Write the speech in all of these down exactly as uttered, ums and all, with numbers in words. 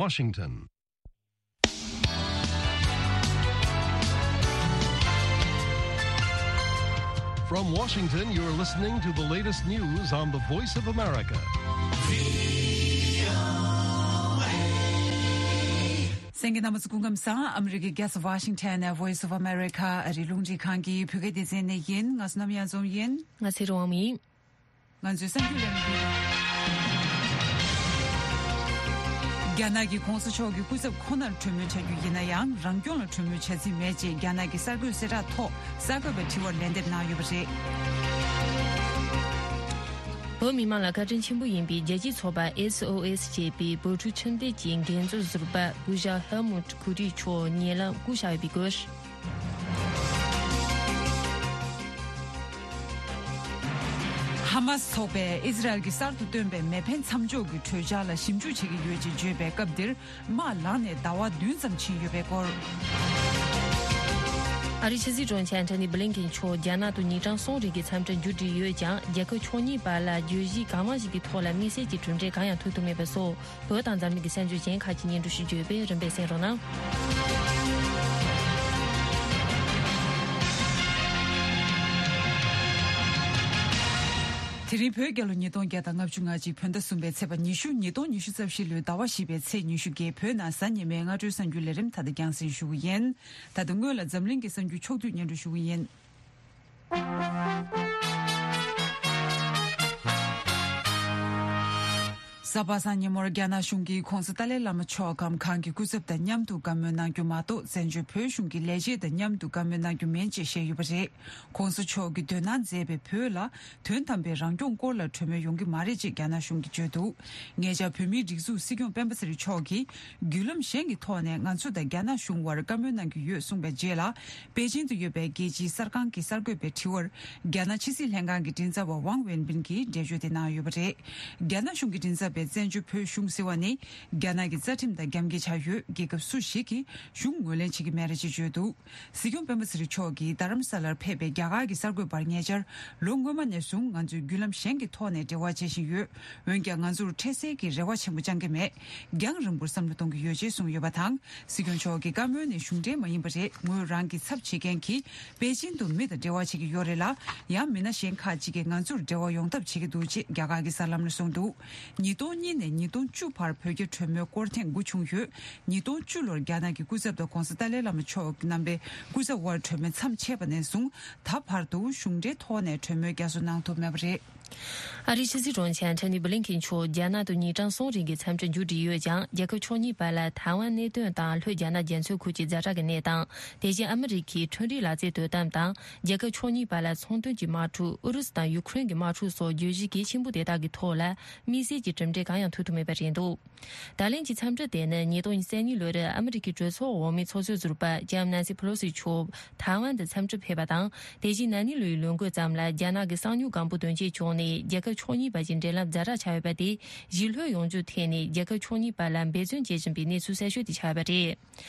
Washington. From Washington, you're listening to the latest news on the Voice of America. གསན་མཁན་རྣམ་པ་ཚོ་སྐུ་ཁམས་བཟང་། ཨ་མི་རི་ཀའི་རྒྱལ་ས་ཝ་ཤིང་ཊོན་ནས་Voice of America ཨ་རིའི་རླུང་འཕྲིན་ཁང་གི་བོད་སྐད་སྡེ་ཚན་ནས་ཡིན། ང་བསོད་ནམས་གཡང་འཛོམས་ཡིན། ང་ཚེ་རིང་དབང་མོ་ཡིན། ང་ཚོའི་གསར་འགྱུར་ལས་རིམ་འདི། རྒྱ་ནག་གི་གོང་ས་མཆོག་གི་སྐུ་ཚབ་ཁོ་ནར་གྲོས་མོལ་བྱ་རྒྱུ་ཡིན་ན་ཡང་། རང་སྐྱོང་ལ་གྲོས་མོལ་བྱ་རྩིས་མེད་ཅེས་རྒྱ་ནག་གི་གསར་འགོད་གསལ་བསྒྲགས་ཐོག་གསར་འགོད་པའི་དྲི་བར་ལན་འདེབས་གནང་ཡོད་པ་རེད། བོད་མི་མང་ལ་བཀའ་དྲིན་ཆེན་པོ་ཡིན་པའི་རྒྱལ་སྤྱིའི་ཚོགས་པ་S O S ཞེས་པའི་བོད་ཕྲུག་ཁྲིམས་སྡེ་གྱི་འགན་གཙོ་ཟུར་པ་སྐུ་ཞབས་Helmut Kouri མཆོག་ཉེ་ལམ་སྐུ་གཤེགས་ཡོད་པའི་སྐོར། ཧ་མ་སི་ཚོགས་པས་ཨི་ཟི་རལ་གྱིས་གསར་དུ་བཏོན་པའི་མེ་འཕེན་མཚམས་འཇོག་གི་གྲོས་འཆར་ལ་ཞིབ་འཇུག་བྱེད་ཀྱི་ཡོད་ཅེས་བརྗོད་པའི་སྐབས་འདིར། དམག་ལངས་ནས་ཟླ་བ་བདུན་ཙམ་ཕྱིན་ཡོད་པའི་སྐོར། ཨ་རིའི་ཕྱི་སྲིད་དྲུང་ཆེ་ཨན་ཐོ་ནི་བྷི་ལིན་ཀེན་མཆོག་རྒྱ་ནག་ཏུ་ཉིན་གྲངས་གསུམ་རིང་གི་འཚམས་འདྲིར་མཇུག་སྒྲིལ་ཡོད་ཀྱང་། རྒྱལ་ཁབ་ཕྱོགས་གཉིས་བར་ལ་བརྗོད་གཞི་གང་མང་ཞིག་གི་ཐོག་ལ་དམིགས་བསལ་གྱི་གྲུབ་འབྲས་གང་ཡང་ཐོན་ཐུབ་མེད་པ་སོགས། བོད་དང་འཛམ་གླིང་གི་གསར་འགྱུར་གཞན་ཁག་ཅིག་སྙན་སྒྲོན་ཞུ་རྒྱུ་ཡོད་པས་རིམ་པས་གསན་རོགས་གནང་། དེ་རིང་བོད་རྒྱལ་ལོ་ཉིས་སྟོང་བརྒྱ་དང་ལྔ་བཅུ་ང་གཅིག་བོད་ཟླ་གསུམ་པའི་ཚེས་པ་ཉི་ཤུ། ཉིས་སྟོང་ཉི་ཤུ་རྩ་བཞི་ལོའི་ཟླ་བ་བཞི་པའི་ཚེས་ཉི་ཤུ་བརྒྱད། བོད་ནང་གཟའ་ཉི་མའི་སྔ་དྲོའི་གསར་འགྱུར་ལས་རིམ་ད་ལྟ་རྒྱང་སྲིང་ཞུ་གི་ཡིན། ད་ལྟ་སྔོན་ལ་འཛམ་གླིང་གི་གསར་འགྱུར་ཕྱོགས་བསྡུས་སྙན་སྒྲོན་ཞུ་གི་ཡིན། གཟའ་པ་སངས་ཉིན་མོར་རྒྱ་ནག་གཞུང་གིས་༧གོང་ས་ཏཱ་ལའི་བླ་མ་མཆོག་གམ་གང་གི་སྐུ་ཚབ་དང་མཉམ་དུ་བཀའ་མོལ་གནང་རྒྱུ་མ་གཏོགས། བཙན་བྱོལ་བོད་གཞུང་གི་ལས་བྱེད་དང་མཉམ་དུ་བཀའ་མོལ་གནང་རྒྱུ་མིན་ཅེས་བཤད་ཡོད་པ་རེད། ༸གོང་ས་མཆོག་གིས་དོ་སྣང་མཛད་པའི་བོད་ལ་དོན་དམ་པའི་རང་སྐྱོང་སྐོར་ལ་གྲོས་མོལ་ཡོང་གི་མ་རེད་ཅེས་རྒྱ་ནག་གཞུང་གིས་བརྗོད་འདུག་ཉེ་ཆར་བོད་མིའི་སྒྲིག་འཛུགས་སྲིད་སྐྱོང་སྤེན་པ་ཚེ་རིང་མཆོག་གིས་བརྒྱུད་ལམ་གཞན་གྱི་ཐོག་ནས་ང་ཚོ་དང་རྒྱ་ནག་གཞུང་དབར་བཀའ་མོལ་གནང་གི་ཡོད་གསུངས་པའི་རྗེས་ལ། པེ་ཅིང་དུ་ཡོད་པའི་རྒྱལ་སྤྱིའི་གསར་ཁང་གི་གསར་འགོད་པའི་དྲི་བར། རྒྱ་ནག་ཕྱི་སྲིད་ལྷན་ཁང་གི་མགྲིན་ཚབ་པ་ཝང་ཝེན་པིན་གྱིས་འགྲེལ་བརྗོད་དེ་གནང་ཡོད་པ་རེད། རྒྱ་ནག་གཞུང་གི་མགྲིན་ཚབ་པས་བཙན་བྱོལ་བོད་གཞུང་ཟེར་བ་ནི། རྒྱ་ནག་གི་རྩ་ཁྲིམས་དང་རྒྱབ་འགལ་ཆགས་ཡོད། རྒྱལ་ཁབ་སུ་ཞིག་གིས་གཞུང་ངོས་ལེན་བྱེད་ཀྱི་མེད་རེད་ཅེས་བརྗོད་འདུག་སྲིད་སྐྱོང་སྤེན་པ་ཚེ་རིང་མཆོག་གིས་རྡ་རམ་ས་ལར་ཕེབས་པའི་རྒྱ་གར་གྱི་གསར་འགོད་པར་ཉེ་ཆར། ལོ་སྔོན་མ་ནས་བཟུང་ང་ཚོས་བརྒྱུད་ལམ་གཞན་གྱི་ཐོག་ནས་འབྲེལ་བ་བྱེད་བཞིན་ཡོད། འོན་ཀྱང་ང་ཚོར་འཕྲལ་སེལ་གྱི་རེ་བ་ཆེན་པོ་བཅང་གི་མེད། རྒྱང་རིང་པོར་བསམ་བློ་གཏོང་གི་ཡོད་ཅེས་གསུངས་ཡོད་པ་དང་། སྲིད་སྐྱོང་མཆོག་གི་བཀའ་མོལ་ནི་གཞུང་འབྲེལ་མ་ཡིན་པ་རེད། ངོས་རང་གི་ཚབ་བྱེད་མཁན་གྱིས་པེ་ཅིང་དུ་མི་དང་འབྲེལ་བ་བྱེད་ཀྱི་ཡོད་རེད་ལ། ཡང་མི་སྣ་གཞན་ཁག་ཅིག་གིས་ང་ཚོར་འབྲེལ་བ་ཡོང་ཐབས་བྱེད་ཀྱི་འདུག་ཅེས་རྒྱ་གར་གྱི་གསར་ལམ་ལ་གསུངས་འདུག་ཉིས་སྟོང་གཉིས་ནས་ཉིས་སྟོང་བཅུ་བར་བོད་རྒྱ་གྲོས་མོལ་སྐོར་ཐེངས་དགུ་བྱུང་ཡོད། ཉིས་སྟོང་བཅུ་ལོར་རྒྱ་ནག་གི་སྐུ་ཚབ་དང་༸གོང་ས་ཏཱ་ལའི་བླ་མ་མཆོག་རྣམ་པའི་སྐུ་ཚབ་དབར་གྲོས་མོལ་མཚམས་ཆད་པ་ནས་བཟུང་ད་བར་དུ་གཞུང་འབྲེལ་ཐོག་ནས་གྲོས་མོལ་བསྐྱར་གསོ་གནང་ཐུབ་མེད་པ་རེད། ཨ་རིའི་ཕྱི་སྲིད་དྲུང་ཆེ་ཨན་ཐོ་ནི་བྷི་ལིན་ཁིན་མཆོག་རྒྱ་ནག་ཏུ་ཉིན་གྲངས་གསུམ་རིང་གི་འཚམས་འདྲིར་མཇུག་སྒྲིལ་ཡོད་ཀྱང་། རྒྱལ་ཁབ་ཕྱོགས་གཉིས་བར་ལ་ཐའེ་ཝན་གནད་དོན་དང་ལྷོ་རྒྱ་ནག་རྒྱ་མཚོའི་ཁུལ་གྱི་ཛ་དྲག་གི་གནས་སྟངས། དེ་བཞིན་ཨ་མི་རི་ཁའི་ཁྲིམས་རིག་ལག་རྩལ་དོ་དམ་དང་། རྒྱལ་ཁབ་ཕྱོགས་གཉིས་བར་ལ་ཚོང་དོན་གྱི་དམག་འཁྲུག་ཨུ་རུ་སུ་དང་ཡུ་ཁུ་རེན་གྱི་དམག་འཁྲུག་སོགས་བརྗོད་གཞི་གལ་ཆེན་པོ་དེ་དག་གི་ཐོག་ལ་དམིགས་བསལ་གྱི་གྲུབ་འབྲས་གང་ཡང་ཐོན་ཐུབ་མེད་པ་རེད་འདུག་ད་ལན་གྱི་འཚམས་འདྲི་དེ་ནི་ཉིས་སྟོང་ཉེར་གཉིས་ལོར་ཨ་མི་རི་ཀའི་གྲོས་ཚོགས་འོག་མའི་ཚོགས་གཙོའི་ཟུར་པ་ལྕམ་ནན་སི་ཕེ་ལོ་སི་མཆོག་ཐའེ་ཝན་དུ་འཚམས་འདྲིར་ཕེབས་པ་དང་། དེ་བཞིན་ན་ནིང་ལོའི་ལོ་འགོ་ཙམ་ལ་རྒྱ་ནག་གི་གསང་མྱུལ་སྒམ་པོ་དོན་རྐྱེན་བྱུང་ནས་རྒྱལ་ཁབ་ཕྱོགས་གཉིས་བར་གྱི་འབྲེལ་ལམ་ཛ་དྲག་ཆགས་ཡོད་པ་དེ་ཞི་ལྷོད་ཡོང་རྒྱུར་བརྟེན་ནས་རྒྱལ་ཁབ་ཕྱོགས་གཉིས་བར་ལ་འབད་བརྩོན་བྱེད་བཞིན་པའི་གནས་ཚུལ་གསར་ཤོས་དེ་ཆགས་ཡོད་པ་རེད།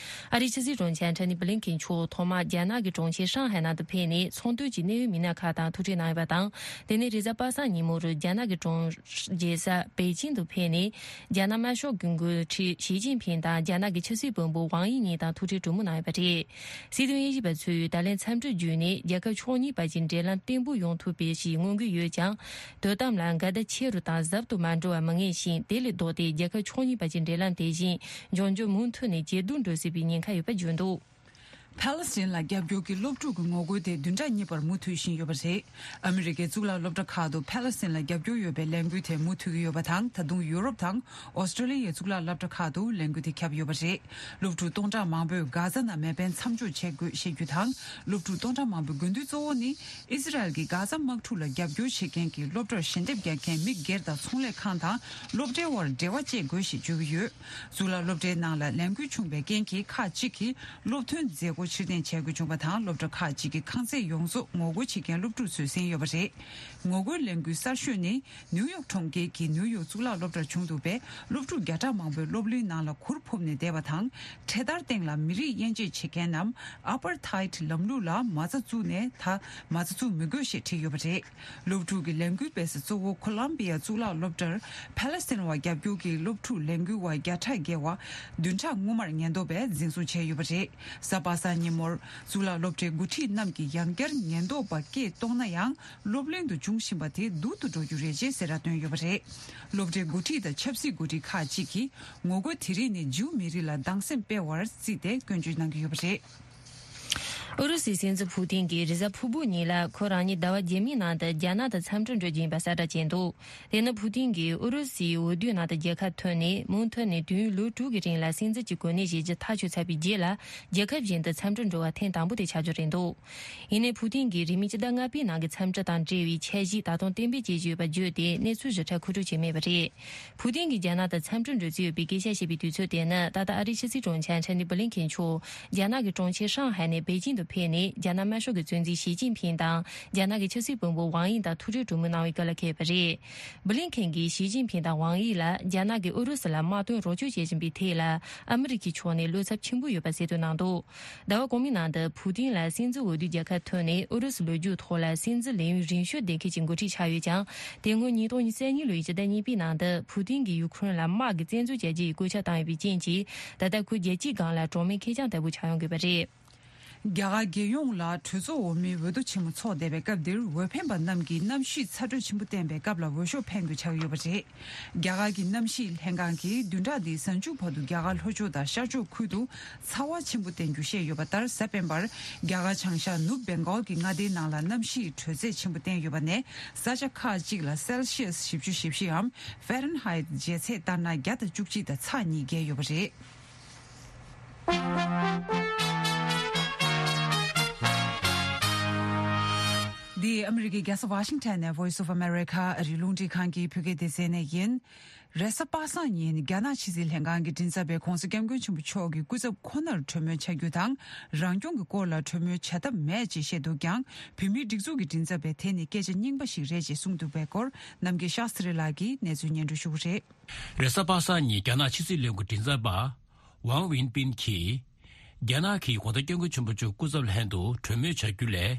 ཨ་རིའི་ཕྱི་སྲིད་དྲུང་ཆེ་ཨན་ཐོ་ནི་བྷི་ལིན་ཁིན་མཆོག་ཐོག་མར་རྒྱ་ནག་གི་གྲོང་ཁྱེར་ཧྲང་ཧའེ་ནང་དུ་ཕེབས་ནས་ཚོང་དོན་གྱི་གནད་ཡོད་མི་སྣ་ཁག་དང་ཐུག་འཕྲད་གནང་ཡོད་པ་དང་། དེ་ནས་རེས་གཟའ་པ་སངས་ཉིན་མོར་རྒྱ་ནག་གི་གྲོང་རྒྱལ་ས་པེ་ཅིང་དུ་ཕེབས་ནས། རྒྱ་ནག་དམར་ཤོག་གི་འགོ་ཁྲིད་ཞི་ཅིན་ཕིང་དང་རྒྱ་ནག་གི་ཕྱི་སྲིད་བློན་པོ་ཝང་དབྱི་གཉིས་དང་ཐུག་འཕྲད་གྲོས་མོལ་གནང་ཡོད་པ་རེད། སྲིད་དོན་དབྱེ་ཞིབ་པ་ཚོས་ད་ལན་འཚམས་འདྲི་བརྒྱུད་ནས་རྒྱལ་ཁབ་ཕྱོགས་གཉིས་བར་གྱི་འབྲེལ་ལམ་བརྟན་པོ་ཡོང་ཐུབ་པའི་ཞིག་མངོན་གྱི་ཡོད་ཀྱང་། དོ་དམ་ལ་འགལ་ཟླ་ཆེ་རུ་དང་ཟབ་ཏུ་མ་འགྲོ་བ་མི་ངེས་ཤིང་། དེ་ལས་ལྡོག་སྟེ་རྒྱལ་ཁབ་ཕྱོགས་གཉིས་བར་གྱི་འབྲེལ་ལམ་དེ་བཞིན་འབྱུང་འགྱུར་མུ་མཐུད་ནས་ཇེ་སྡུག་འགྲོ་སྲིད་པའི་ཉེན་ཁ་ཡོད་པ་བརྗོད་འདུག་ཕཱ་ལེ་སི་ཐན་ལ་རྒྱབ་སྐྱོར་གྱི་སློབ་ཕྲུག་གི་ངོ་རྒོལ་དེ་བདུན་ཕྲག་གཉིས་པར་མུ་མཐུད་བཞིན་ཡོད་པ་རེད། ཨ་མི་རི་ཀའི་གཙུག་ལག་སློབ་གྲྭ་ཁག་ཏུ་ཕཱ་ལེ་སི་ཐན་ལ་རྒྱབ་སྐྱོར་ཡོད་པའི་ལས་འགུལ་དེ་མུ་མཐུད་ཀྱི་ཡོད་པ་དང་། ད་དུང་ཡུ་རོབ་དང་ཨོ་སི་ཀྲོ་ལི་ཡའི་གཙུག་ལག་སློབ་གྲྭ་ཁག་ཏུ་ལས་འགུལ་དེ་ཁྱབ་ཡོད་པ་རེད། སློབ་ཕྲུག་སྟོང་ཕྲག་མང་པོས་གྷ་ཟ་ནང་མེ་འཕེན་མཚམས་འཇོག་བྱེད་དགོས་ཞེས་རྒྱུ་དང་། སློབ་ཕྲུག་སྟོང་ཕྲག་མང་པོའི་དགོས་འདུན་གཙོ་བོ་ནི། ཨི་ཟི་རལ་གྱིས་གྷ་ཟ་དམག་འཁྲུག་ལ་རྒྱབ་སྐྱོར་བྱེད་མཁན་གྱི་སློབ་གྲྭར་ཞལ་འདེབས་རྒྱག་མཁན་མི་སྒེར་དང་ཚོང་ལས་ཁང་དང་སློབ་གྲྭའི་དབར་འབྲེལ་བ་བཅད་དགོས་ཞེས་བརྗོད་ཀྱི་ཡོད། གཙུག་ལག་སློབ་གྲྭའི་ནང་ལ་ལས་འགུལ་བྱུང་བའི་རྐྱེན་གྱིས་ཁག་ཅིག་གིས་སློབ་ཐོན་མཛད་སྒོ། ཕྱིར་འཐེན་བྱེད་དགོས་བྱུང་བ་དང་། སློབ་གྲྭ་ཁག་ཅིག་གི་ཁང་ཚན་ཡོངས་རྫོགས་ངོ་རྒོལ་བྱེད་མཁན་སློབ་ཕྲུག་ཚོས་ཟིན་ཡོད་པ་རེད། ངོ་རྒོལ་ལས་འགུལ་གསར་ཤོས་ནི་ནིའུ་ཡོག་གྲོང་ཁྱེར་གྱི་ནིའུ་ཡོག་གཙུག་ལག་སློབ་གྲྭར་བྱུང་འདུག་པས། སློབ་ཕྲུག་བརྒྱ་ཕྲག་མང་པོས་སློབ་གླིང་ནང་ལ་གུར་ཕུབ་ནས་བསྡད་པ་དང་། འཕྲེད་དར་སྟེང་ལ་མི་རིགས་དབྱེ་འབྱེད་བྱེད་མཁན་ནམ་ཨ་པར་ཐའེད་ལམ་ལུགས་ལ་མ་རྩ་བཙུགས་ནས་ད་མ་རྩ་བཙུགས་མི་དགོས་ཞེས་བྲིས་ཡོད་པ་རེད། སློབ་ཕྲུག་གི་ལས་འགུལ་སྤེལ་ས་གཙོ་བོ་ཁོ་ལམ་བི་ཡ་གཙུག་ལག་སློབ་གྲྭར་ཕ་ལེ་སི་ཐན་བ་རྒྱབ་སྐྱོར་གྱི་སློབ་ཕྲུག་ལས་འགུལ་བ་བརྒྱ་ཕྲག་བརྒལ་བ་བདུན་ཕྲག་སྔོན་མར་ཉེན་རྟོག་པས་འཛིན་བཟུང་བྱས་ཡོད་པ་རེད། གཟའ་པ་སངས་ཉིན་མོར་གཙུག་ལག་སློབ་གྲྭའི་འགོ་ཁྲིད་རྣམས་ཀྱིས་ཡང་བསྐྱར་ཉེན་རྟོག་པ་སྐད་གཏོང་ན་ཡང་། སློབ་གླིང་དུ་འབྱུང་བཞིན་པ་དེ་སྡུག་ཏུ་འགྲོ་རྒྱུ་རེད་ཅེས་གསལ་བསྒྲགས་བཏོན་ཡོད་པ་རེད། སློབ་གྲྭའི་འགོ་ཁྲིད་དང་ཆབ་སྲིད་འགོ་ཁྲིད་ཁག་ཅིག་གིས་ངོ་རྒོལ་དེ་རིགས་ནི་ཇིའུ་མི་རིགས་ལ་སྡང་སེམས་སྤེལ་བར་བརྩིས་ཏེ་སྐྱོན་བརྗོད་གནང་གི་ཡོད་པ་རེད། ཨུ་རུ་སུའི་སྲིད་འཛིན་ཕུ་ཏིན་གྱིས་རེས་གཟའ་ཕུར་བུ་ཉིན་ལ་ཁོ་རང་ཉིད་ཟླ་བ་རྗེས་མའི་ནང་དུ་རྒྱ་ནག་ཏུ་འཚམས་འདྲིར་འགྲོ་རྒྱུ་ཡིན་པ་གསལ་བསྒྲགས་བྱས་འདུག་དེ་ནི་ཕུ་ཏིན་གྱིས་ཨུ་རུ་སུའི་འོས་བསྡུའི་ནང་དུ་རྒྱལ་ཁ་ཐོན་ནས་མུ་མཐུད་ནས་དུས་ཡུན་ལོ་དྲུག་གི་རིང་ལ་སྲིད་འཛིན་གྱི་གོ་གནས་བཞེས་རྒྱུ་ཐག་ཆོད་ཚར་བའི་རྗེས་ལ། རྒྱལ་ཁབ་གཞན་དུ་འཚམས་འདྲིར་འགྲོ་བ་ཐེངས་དང་པོ་དེ་ཆགས་རྒྱུ་རེད་འདུག་ཡིན་ནའི་ཕུ་ཏིན་གྱིས་རིང་མིན་ཕྱི་ཟླ་ལྔ་པའི་ནང་གི་འཚམས་འདྲི་དང་འབྲེལ་བའི་འཆར་གཞི་ད་དུང་གཏན་འབེབས་བྱེད་ཀྱི་ཡོད་པ་བརྗོད་དེ། གནས་ཚུལ་ཞིབ་ཕྲ་མཁོ་སྒྲུབ་བྱས་མེད་པ་རེད། ཕུ་ཏིན་གྱིས་རྒྱ་ནག་དང་འཚམས་འདྲིར་འགྲོ་རྩིས་ཡོད་པའི་སྐད་ཆ་བཤད་པའི་དུས་ཚོད་དེ་ནི། ད་ལྟ་ཨ་རིའི་ཕྱི་སྲིད་དྲུང་ཆེ་ཨན་ཐོ་ནི་བྷི་ལིན་ཁེན་མཆོག་རྒྱ་ནག་གི་གྲོང་ཁྱེར་ཧྲང་ཧའེ་ནས་པེ་ཅིང་དུ་ཕེབས་ནས། རྒྱ་ནག་དམར་ཤོག་གི་གཙོ་འཛིན་ཞི་ཅིན་ཕིང་དང་། རྒྱ་ནག་གི་ཆབ་སྲིད་བློན་པོ་ཝང་དབྱི་དང་ཐུག་འཕྲད་གྲོས་མོལ་གནང་བའི་སྐབས་ལ་འཁེལ་བ་རེད། བྷི་ལིན་ཁེན་གྱིས་ཞི་ཅིན་ཕིང་དང་ཝང་དབྱི་ལ་རྒྱ་ནག་གིས་ཨུ་རུ་སུ་ལ་དམག་དོན་རོགས་སྐྱོར་བྱེད་བཞིན་པའི་ཐད་ལ་ཨ་མི་རི་ཀའི་ཕྱོགས་ནས་བློ་འཚབ་ཆེན་པོ་ཡོད་པ་གསལ་སྟོན་གནང་འདུག་ཟླ་བ་གོང་མའི་ནང་དུ་ཕུ་ཏིན་ལ་སྲིད་འཛིན་འོས་བསྡུའི་རྒྱལ་ཁ་ཐོབ་ནས། ཨུ་རུ་སུའི་ལོ་རྒྱུས་ཐོག་ལ་སྲིད་འཛིན་ལས་ཡུན་རིང་ཤོས་ལྡན་མཁན་གྱི་འགོ་ཁྲིད་ཆགས་ཡོད་ཀྱང་། དེ་སྔོན་ཉིས་སྟོང་ཉེར་གཉིས་ལོའི་ཕྱི་ཟླ་གཉིས་པའི་ནང་དུ་ཕུ་ཏིན་གྱིས་ཡུ་ཁུ་རེན་ལ་དམག་གི་བཙན་འཛུལ་བྱ་རྒྱུའི་བཀོད་ཁྱབ་བཏང་ཡོད་པའི་རྐྱེན་གྱིས། ད་ལྟ་ཁོ་རྒྱལ་སྤྱིའི་སྒང་ལ་གྲོགས་མེད་ཁེར་རྐྱང་ལྟ་བུ་ཆགས་ཡོང་གི་ཡོད་པ་རེད། རྒྱ་གར་རྒྱལ་ཡོངས་ལ་གྲོས་ཚོགས་འོག་མའི་འོས་བསྡུ་ཆེན་མོ་འཚོགས་བསྡད་པའི་སྐབས་འདིར། འོས་འཕེན་པ་རྣམས་ཀྱིས་གནམ་གཤིས་ཚ་དྲོད་ཆེན་པོ་བསྟན་པའི་སྐབས་ལ་འོས་ཤོག་འཕེན་དགོས་ཆགས་ཡོད་པ་རེད། རྒྱ་གར་གྱི་གནམ་གཤིས་ལྷན་ཁང་གིས་བདུན་ཕྲག་འདིའི་གཟའ་མཇུག་བར་དུ་རྒྱ་གར་ལྷོ་ཕྱོགས་དང་ཤར་ཕྱོགས་ཁུལ་དུ་ཚ་བ་ཆེན་པོ་བསྟན་རྒྱུ་བཤད་ཡོད་པ་ལྟར། གཟའ་སྤེན་པར་རྒྱ་གར་བྱང་ཤར་ནུབ་བེང་གོལ་གྱི་མངའ་སྡེའི་ནང་ལ་གནམ་གཤིས་དྲོད་ཚད་ཆེན་པོ་བསྟན་ཡོད་པ་ནས། ས་ཆ་ཁག་ཅིག་ལ་སེལ་ཤི་ཡས་བཞི་བཅུ་ཞེ་བཞི་འམ་ཧྥ་རན་ཧའེ་ཊི་འཇལ་ཚད་ལྟར་ན་བརྒྱ་དང་བཅུ་གཅིག་དང་ཚེག་གཉིས་བརྒལ་ཡོད་པ་རེད། འདི་ཨ་མི་རི་ཀའི་རྒྱལ་ས་ཝ་ཤིང་ཊོན་ནས་Voice of America ཨ་རིའི་རླུང་འཕྲིན་ཁང་གི་བོད་སྐད་སྡེ་ཚན་ནས་ཡིན། རེས་གཟའ་པ་སངས་ཉིན་རྒྱ་ནག་ཕྱི་སྲིད་ལྷན་ཁང་གི་མགྲིན་ཚབ་པས་༸གོང་ས་༸སྐྱབས་མགོན་ཆེན་པོ་མཆོག་གི་སྐུ་ཚབ་ཁོ་ནར་གྲོས་མོལ་བྱ་རྒྱུ་དང་། རང་སྐྱོང་གི་སྐོར་ལ་གྲོས་མོལ་བྱ་ཐབས་མེད་ཅེས་བཤད་འདུག་ཀྱང་། བོད་མིའི་སྒྲིག་འཛུགས་ཀྱི་མགྲིན་ཚབ་པས་དེ་ནི་སྐད་ཆ་རྙིང་པ་ཞིག་རེད་ཅེས་གསུངས་འདུག་པའི་སྐོར། རྣམ་རྒྱལ་ཤཱསྟྲི་ལགས་ཀྱིས་གནས་ཚུལ་སྙན་སྒྲོན་ཞུ་གི་རེད། རེས་གཟའ་པ་སངས་ཉིན་རྒྱ་ནག་ཕྱི་སྲིད་བློན་ཁང་མགྲིན་ཚབ་པ་ཝང་ཝིན་པིན་གྱིས། རྒྱ་ནག་གིས་༸གོང་ས་༸སྐྱབས་མགོན་ཆེན་པོ་མཆོག་སྐུ་ཚབ་ལྷན་དུ་གྲོས་མོལ་བྱ་རྒྱུ་ལས།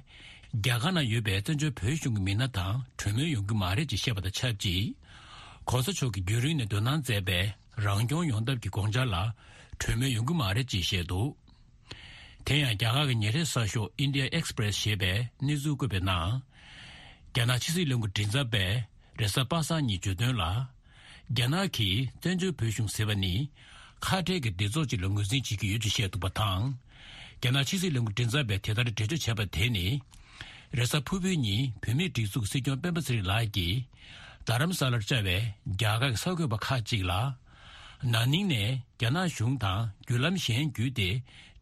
རྒྱ་གར་ནང་ཡོད་པའི་བཙན་བྱོལ་བོད་གཞུང་གི་མི་སྣ་དང་གྲོས་མོལ་ཡོང་གི་མ་རེད་ཅེས་བཤད་པ་དང་ཆབས་ཅིག ༸གོང་ས་མཆོག་གིས་རྒྱུན་རིང་ནས་འདོན་གནང་མཛད་པའི་རང་སྐྱོང་ཡོང་ཐབས་ཀྱི་དགོངས་འཆར་ལ་གྲོས་མོལ་ཡོང་གི་མ་རེད་ཅེས་བཤད་འདུག་དེ་ཡང་རྒྱ་གར་གྱི་ཉིན་རེའི་གསར་ཤོག་India Express ཞེས་པས་གནས་ཚུལ་བཀོད་པའི་ནང་། རྒྱ་ནག་ཕྱི་སྲིད་བློན་ཁང་མགྲིན་ཚབ་པས་རེས་གཟའ་པ་སངས་ཉིན་བརྗོད་དོན་ལ། རྒྱ་ནག་གིས་བཙན་བྱོལ་བོད་གཞུང་ཟེར་བ་ནི་ཁ་བྲལ་གྱི་སྡེ་ཚོགས་ཅིག་ལ་ངོས་འཛིན་བྱེད་ཀྱི་ཡོད་ཅེས་བཤད་འདུག་པ་དང་། རྒྱ་ནག་ཕྱི་སྲིད་བློན་ཁང་མགྲིན་ཚབ་པས་དེ་ལྟར་འགྲེལ་བརྗོད་བྱས་པ་དེ་ནི། རེས་གཟའ་ཕུར་བུའི་ཉིན་བོད་མིའི་སྒྲིག་འཛུགས་སྲིད་སྐྱོང་སྤེན་པ་ཚེ་རིང་ལགས་ཀྱིས་རྡ་རམ་ས་ལར་བཅར་བའི་རྒྱ་གར་གྱི་གསར་འགོད་པ་ཁག་ཅིག་ལ། ན་ནིང་ནས་རྒྱ་ནག་གཞུང་དང་བརྒྱུད་ལམ་གཞན་བརྒྱུད་དེ་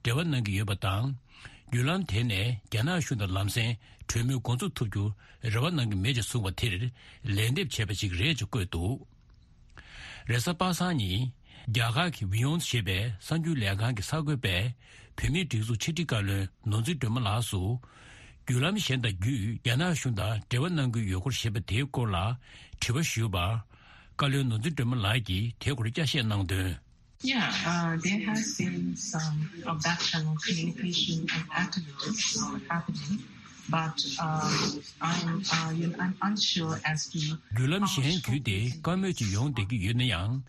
འབྲེལ་བ་གནང་གི་ཡོད་པ་དང་། བརྒྱུད་ལམ་དེ་ནས་རྒྱ་ནག་གཞུང་དང་ལམ་སེང་གྲོས་མོལ་འགོ་འཛུགས་ཐུབ་རྒྱུ་རེ་བ་གནང་གི་མེད་ཅེས་གསུངས་པ་དེར་ལན་འདེབས་བྱས་པ་ཞིག་རེད་ཅེས་བཀོད་འདུག་རེས་གཟའ་པ་སངས་ཉིན་རྒྱ་གར་གྱི་ཝི་ཡོངས་ཞེས་པའི་གསར་འགྱུར་ལས་ཁང་གི་གསར་འགོད་པས་བོད་མིའི་སྒྲིག་འཛུགས་ཕྱི་དྲིལ་བཀའ་བློན་ནོར་འཛིན་སྒྲོལ་མ་ལགས་སུ། བརྒྱུད་ལམ་གཞན་དང་བརྒྱུད་རྒྱ་ནག་གཞུང་དང་འབྲེལ་བ་གནང་གི་ཡོད་སྐོར་ཞེས་པ་དེའི་སྐོར་ལ་དྲི་བ་ཞུས་པར། བཀའ་བློན་ནོར་འཛིན་སྒྲོལ་མ་ལགས་ཀྱིས་དེའི་སྐོར་བསྐྱར་བཤད་གནང་དོན། Yeah, uh, there has been some production of communication and activities happening, but uh, I'm, uh, you know, I'm unsure as to. བརྒྱུད་ལམ་གཞན་བརྒྱུད་དེ་བཀའ་མོལ་ཅིག་ཡོང་བསྡད་ཀྱི་ཡོད་ན་ཡང་།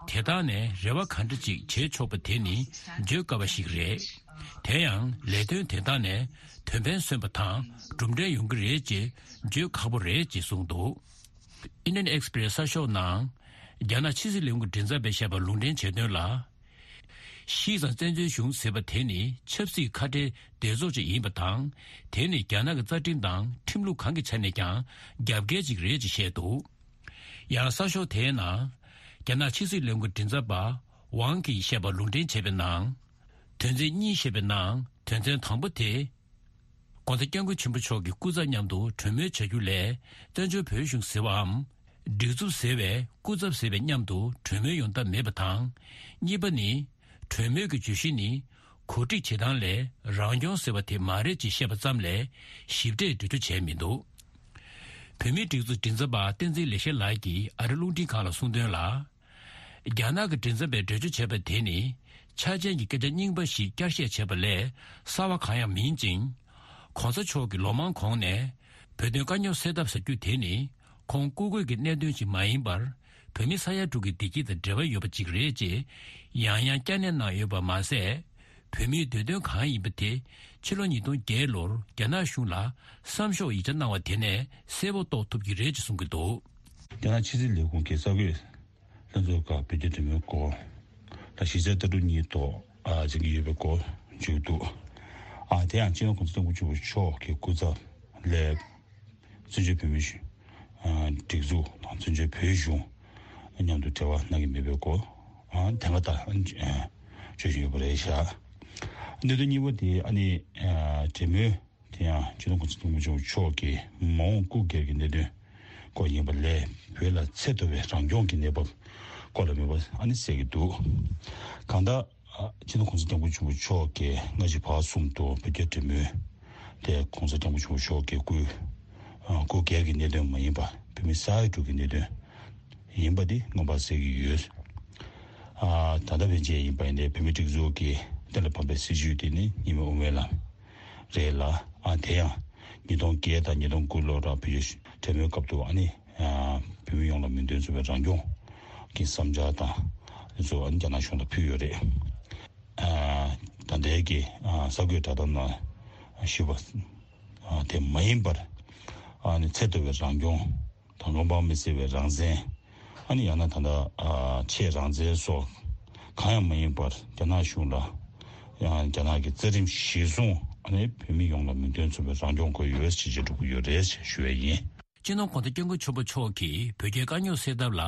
དེ་དག་ནས་རེ་བ་ག་འདྲ་ཅིག་བྱེད་ཆོག་པ་དེ་ནི་བརྗོད་དཀའ་བ་ཞིག་རེད། དེ་ཡང་ལས་དོན་དེ་དག་ནས་དོན་ཕན་སོན་པ་དང་གྲུབ་འབྲས་ཡོང་གི་རེད་ཅེས་བརྗོད་ཁག་པོ་རེད་ཅེས་གསུངས་འདུག Indian Express་གསར་ཤོག་ནང་རྒྱ་ནག་ཕྱི་སྲིད་ལས་ཁུངས་མགྲིན་ཚབ་པས་བཤད་པ་ལུང་འདྲེན་བྱས་དོན་ལ། ཤི་ཙང་བཙན་བྱོལ་གཞུང་ཟེར་བ་དེ་ནི་ཆབ་སྲིད་ཁ་བྲལ་སྡེ་ཚོགས་ཅིག་ཡིན་པ་དང་། དེ་ནི་རྒྱ་ནག་གི་རྩ་ཁྲིམས་དང་ཁྲིམས་ལུགས་གང་གི་ཆ་ནས་ཀྱང་རྒྱབ་འགལ་ཅིག་རེད་ཅེས་བཤད་འདུག་ཡང་གསར་ཤོག་དེའི་ནང་རྒྱ་ནག་ཕྱི་སྲིད་ལས་ཁུངས་མགྲིན་ཚབ་པ་ཝང་གིས་བཤད་པ་ལུང་འདྲེན་བྱས་པའི་ནང་། དོན་ཚན་གཉིས་བཤད་པའི་ནང་དོན་ཚན་དང་པོ་དེ། ༸གོང་ས་༸སྐྱབས་མགོན་ཆེན་པོ་མཆོག་གི་སྐུ་ཚབ་མཉམ་དུ་གྲོས་མོལ་བྱ་རྒྱུ་ལས་བཙན་བྱོལ་བོད་གཞུང་ཟེར་བའམ། སྒྲིག་འཛུགས་ཟེར་བའི་སྐུ་ཚབ་ཟེར་བའི་མཉམ་དུ་གྲོས་མོལ་ཡོང་ཐབས་མེད་པ་དང་། གཉིས་པ་ནི། གྲོས་མོལ་གྱི་བརྗོད་གཞི་ནི་ གོ་སྒྲིག་བྱེད་སྟངས་ལས་རང་སྐྱོང་ཟེར་བ་དེ་མ་རེད་ཅེས་བཤད་པ་ཙམ་ལས་ཞིབ་ཕྲའི་འགྲེལ་བརྗོད་བྱས་མི་འདུག་བོད་མིའི་སྒྲིག་འཛུགས་མགྲིན་ཚབ་པ་བསྟན་འཛིན་ལེགས་བཤད་ལགས་ཀྱིས་ཨ་རི་རླུང་འཕྲིན་ཁང་ལ་གསུངས་དོན་ལ། རྒྱ་ནག་གི་མགྲིན་ཚབ་པས་འགྲེལ་བརྗོད་བྱས་པ་དེ་ནི་ཆ་རྐྱེན་གྱི་སྐད་ཆ་རྙིང་པ་ཞིག་བསྐྱར་བཤད་བྱས་པ་ལས་གསར་བ་གང་ཡང་མིན་ཅིང་། གོང་ས་མཆོག་གིས་ལོ་མང་གོང་ནས་བོད་དོན་དཀའ་རྙོག་སེལ་ཐབས་ཟེར་རྒྱུ་དེ་ནི་ཁོང་སྐུ་སྒེར་གྱི་གནད་དོན་ཞིག་མ་ཡིན་པར་བོད་མི་ས་ཡ་དྲུག་གི་བདེ་སྐྱིད་དང་འབྲེལ་བ་ཡོད་པ་ཅིག་རེད་ཅེས་ཡང་ཡང་བསྐྱར་ནན་གནང་ཡོད་པ་མ་ཟད། བོད་མིའི་འདོད་དོན་གང་ཡིན་པ་དེ་ཕྱི་ལོ་ཉིས་སྟོང་བརྒྱད་ལོར་རྒྱ་ནག་གཞུང་ལ་བསམ་ཤོག་ཡིག་ཆ་གནང་བ་དེ་ནས་གསལ་པོ་རྟོགས་ཐུབ་ཀྱི་རེད་ཅེས་གསུང་གི་འདུག་རྒྱ་ནག་ཕྱི་སྲིད་ལས་ཁུངས་ཀྱི་གསར་འགོད་ལྷན་ཚོགས་ཁག་བོད་རྒྱ་འབྲེལ་མོལ་སྐོར་ལ་གཞི་རྩའི་ལྟ་གྲུབ་གཉིས་ཐོག་ཨ་འཛིན་གྱི་ཡོད་པའི་སྐོར་བརྗོད་འདུག་ཨ་དེ་ཡང་སྤྱི་ནོར་གོང་ས་སྐྱབས་མགོན་ཆེན་པོ་མཆོག་གི་སྐུ་ཚབ་ལས་བཙན་བྱོལ་བོད་མིའི་གཞུང་ཨ་སྒྲིག་འཛུགས་དང་བཙན་བྱོལ་བོད་གཞུང་མཉམ་དུ་འབྲེལ་བ་གནང་གི་མེད་པའི་སྐོར་ཨ་དེ་སྔ་ད་ཨ་བརྗོད་བཞིན་ཡོད་པ་རེད་ཤག་གནད་དོན་གཉིས་པ་དེ་ཨ་ནི་ཨ་འབྲེལ་མོལ། དེ་ཡང་སྤྱི་ནོར་གོང་ས་སྐྱབས་མགོན་ཆེན་པོ་མཆོག་གི་མ་འོངས་སྐུ་སྒེར་གྱི་གནད་དོན་སྐོར་ཡིན་པ་ལས་བོད་ལ་ཚད་མཐོ་བའི་རང་སྐྱོང་གི་གནས་བབ་སྐོར་ལ་མེད་པ་ཨ་ནི་གསལ་གྱི་འདུག་གང་ལྟར་སྤྱི་ནོར་གོང་ས་སྐྱབས་མགོན་ཆེན་པོ་མཆོག་གིས་སྔ་ཕྱི་བར་གསུམ་དུ་བོད་རྒྱ་འབྲེལ་མོལ་དེ་གོང་ས་སྐྱབས་མགོན་ཆེན་པོ་མཆོག་གི་སྐུ་སྐུ་སྒེར་གྱི་གནད་དོན་མ་ཡིན་པ་བོད་མི་ས་ཡ་དྲུག་གི་གནད་དོན་ཡིན་པ་དེ་མངོན་པར་གསལ་གྱི་ཡོད། ད་ལྟ་ཕན་ཆད་ཡིན་པ་ཡིན་ནའི་བོད་མིའི་སྒྲིག་འཛུགས་ཀྱི་གཏན་ལ་ཕབ་པའི་སྲིད་བྱུས་དེ་ནི་གཉིས་སྨན་དབུ་མའི་ལམ་རེད་ལ། ཨ་དེ་ཡང་ཉིས་སྟོང་བརྒྱད་དང་ཉིས་སྟོང་དགུ་ལོ་ར་བོད་ཀྱི་གྲོས་མོལ་སྐབས་དུ་ཨ་ནི་བོད་མི་ཡོངས་ལ་མིང་དོན་མཚུངས་པའི་རང་སྐྱོང་གི་བསམ་འཆར་དང་དེ་ཚོ་ཨ་ནི་རྒྱ་ནག་གཞུང་ལ་ཕུལ་ཡོད་རེད། ད་ལྟའི་གི་གསར་འགོད་བསྒྲགས་གཏམ་ནང་ཞུས་པ་དེ་མ་ཡིན་པར་ཨ་ནི་ཚད་མཐོ་བའི་རང་སྐྱོང་དང་བློ་ཕམ་མི་སེལ་བའི་རང་བཙན། ཨ་ནི་ཡང་ན་ད་ལྟ་ཨ་ཆེས་རང་བཙན་སོགས་གང་ཡང་མ་ཡིན་པར་རྒྱ་ནག་གཞུང་ལ་ཡང་རྒྱ་ནག་གི་རྩ་ཁྲིམས་གཞིར་བཟུང་ཨ་ནི་བོད་མི་ཡོངས་ལ་མིང་དོན་མཚུངས་པའི་རང་སྐྱོང་དགོས་ཡོད་ཅེས་བརྗོད་འགྲོ་གི་ཡོད་རེད་ཞེས་ཞུ་བ་ཡིན། སྤྱི་ནོར་༧གོང་ས་༧སྐྱབས་མགོན་ཆེན་པོ་མཆོག་གིས་བོད་རྒྱའི་དཀའ་རྙོག་སེལ་ཐབས་ལ་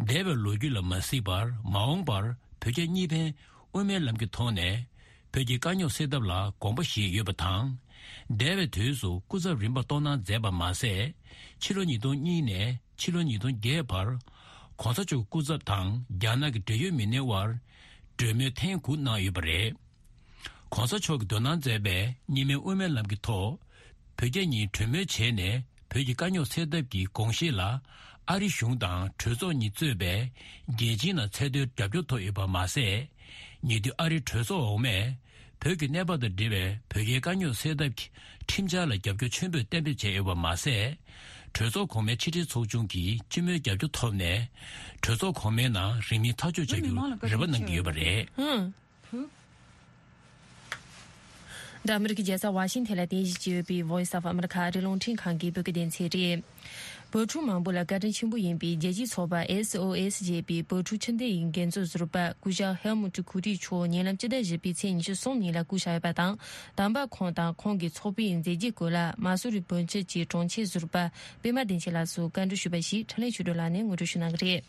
འདས་པའི་ལོ་རྒྱུས་ལ་མ་གཟིགས་པར་མ་འོངས་པར་བོད་རྒྱ་གཉིས་ཕན་དབུ་མའི་ལམ་གྱི་ཐོག་ནས་བོད་ཀྱི་དཀའ་རྙོག་སེལ་ཐབས་ལ་དགོངས་པ་བཞེས་ཡོད་པ་དང་། འདས་པའི་དུས་སུ་སྐུ་ཚབ་རིམ་པ་གཏོང་གནང་མཛད་པ་མ་ཟད། ཕྱི་ལོ་ཉིས་སྟོང་གཉིས་ནས་ཕྱི་ལོ་ཉིས་སྟོང་བརྒྱད་བར་༧གོང་ས་མཆོག་སྐུ་ཚབ་དང་རྒྱ་ནག་གི་འབྲེལ་ཡོད་མི་སྣའི་དབར་གྲོས་མོལ་ཐེངས་དགུ་གནང་ཡོད་པ་རེད། ༧གོང་ས་མཆོག་གིས་འདོན་གནང་མཛད་པའི་གཉིས་སྨན་དབུ་མའི་ལམ་གྱི་ཐོག་བོད་རྒྱ་གཉིས་གྲོས་མོལ་བྱས་ནས་བོད་ཀྱི་དཀའ་རྙོག་སེལ་ཐབས་ཀྱི་དགོངས་བཞེད་ལ་ཨ་རི་གཞུང་དང་གྲོས་ཚོགས་གཉིས་གཙོས་པའི་རྒྱལ་སྤྱིའི་ནང་ཚད་མཐོའི་རྒྱབ་སྐྱོར་ཐོབ་ཡོད་པ་མ་ཟད། ཉེ་དུས་ཨ་རིའི་གྲོས་ཚོགས་འོག་མས་བོད་ཀྱི་གནས་བབ་དང་འབྲེལ་བའི་བོད་རྒྱའི་དཀའ་རྙོག་སེལ་ཐབས་ཀྱི་ཁྲིམས་འཆར་ལ་རྒྱབ་སྐྱོར་ཆེན་པོས་གཏན་འབེབས་བྱས་ཡོད་པ་མ་ཟད། གྲོས་ཚོགས་གོང་མའི་ཕྱི་དྲིལ་ཚོགས་ཆུང་གིས་སྤྱི་མོས་རྒྱབ་སྐྱོར་ཐོབ་ནས་གྲོས་ཚོགས་གོང་མའི་ནང་རིང་མིན་ཐག་གཅོད་བྱ་རྒྱུར་རེ་བ་གནང་གི་ཡོད་པ་རེད། འདི་ཨ་མི་རི་ཀའི་རྒྱལ་ས་ཝ་ཤིང་ཐན་ལ་རྟེན་གཞི་བྱས་ཡོད་པའི་Voice of America ཨ་རིའི་རླུང་འཕྲིན་ཁང་གི་བོད་སྐད་སྡེ་ཚན་རེད། བོད་ཕྲུག་མང་པོ་ལ་བཀའ་དྲིན་ཆེན་པོ་ཡིན་པའི་རྒྱལ་སྤྱིའི་ཚོགས་པ་S O S ཞེས་པའི་བོད་ཕྲུག་ཕྱི་འཐེན་ཡི་འགན་གཙོ་ཟུར་པ་སྐུ་ཞབས་Helmut Koettl མཆོག་ཉེ་ལམ་སྤྱི་ཟླ་བཞི་པའི་ཚེས་ཉི་ཤུ་གསུམ་ཉིན་ལ་སྐུ་གཤེགས་ཡོད་པ་དང་། དམ་པ་ཁོང་དང་ཁོང་གི་ཚོགས་པའི་མཛད་རྗེས་སྐོར་ལ་མ་སུ་རི་བོན་སྤྱི་གི་དྲུང་ཆེ་ཟུར་པ་པད་མ་བདེ་ཆེན་ལགས་སུ་བཀའ་འདྲི་ཞུས་པ་ཞིག་འཕྲིན་ལས་ཆོས་སྒྲོན་ལགས་ནས་ངོ་སྤྲོད་ཞུ་གནང་གི་རེད།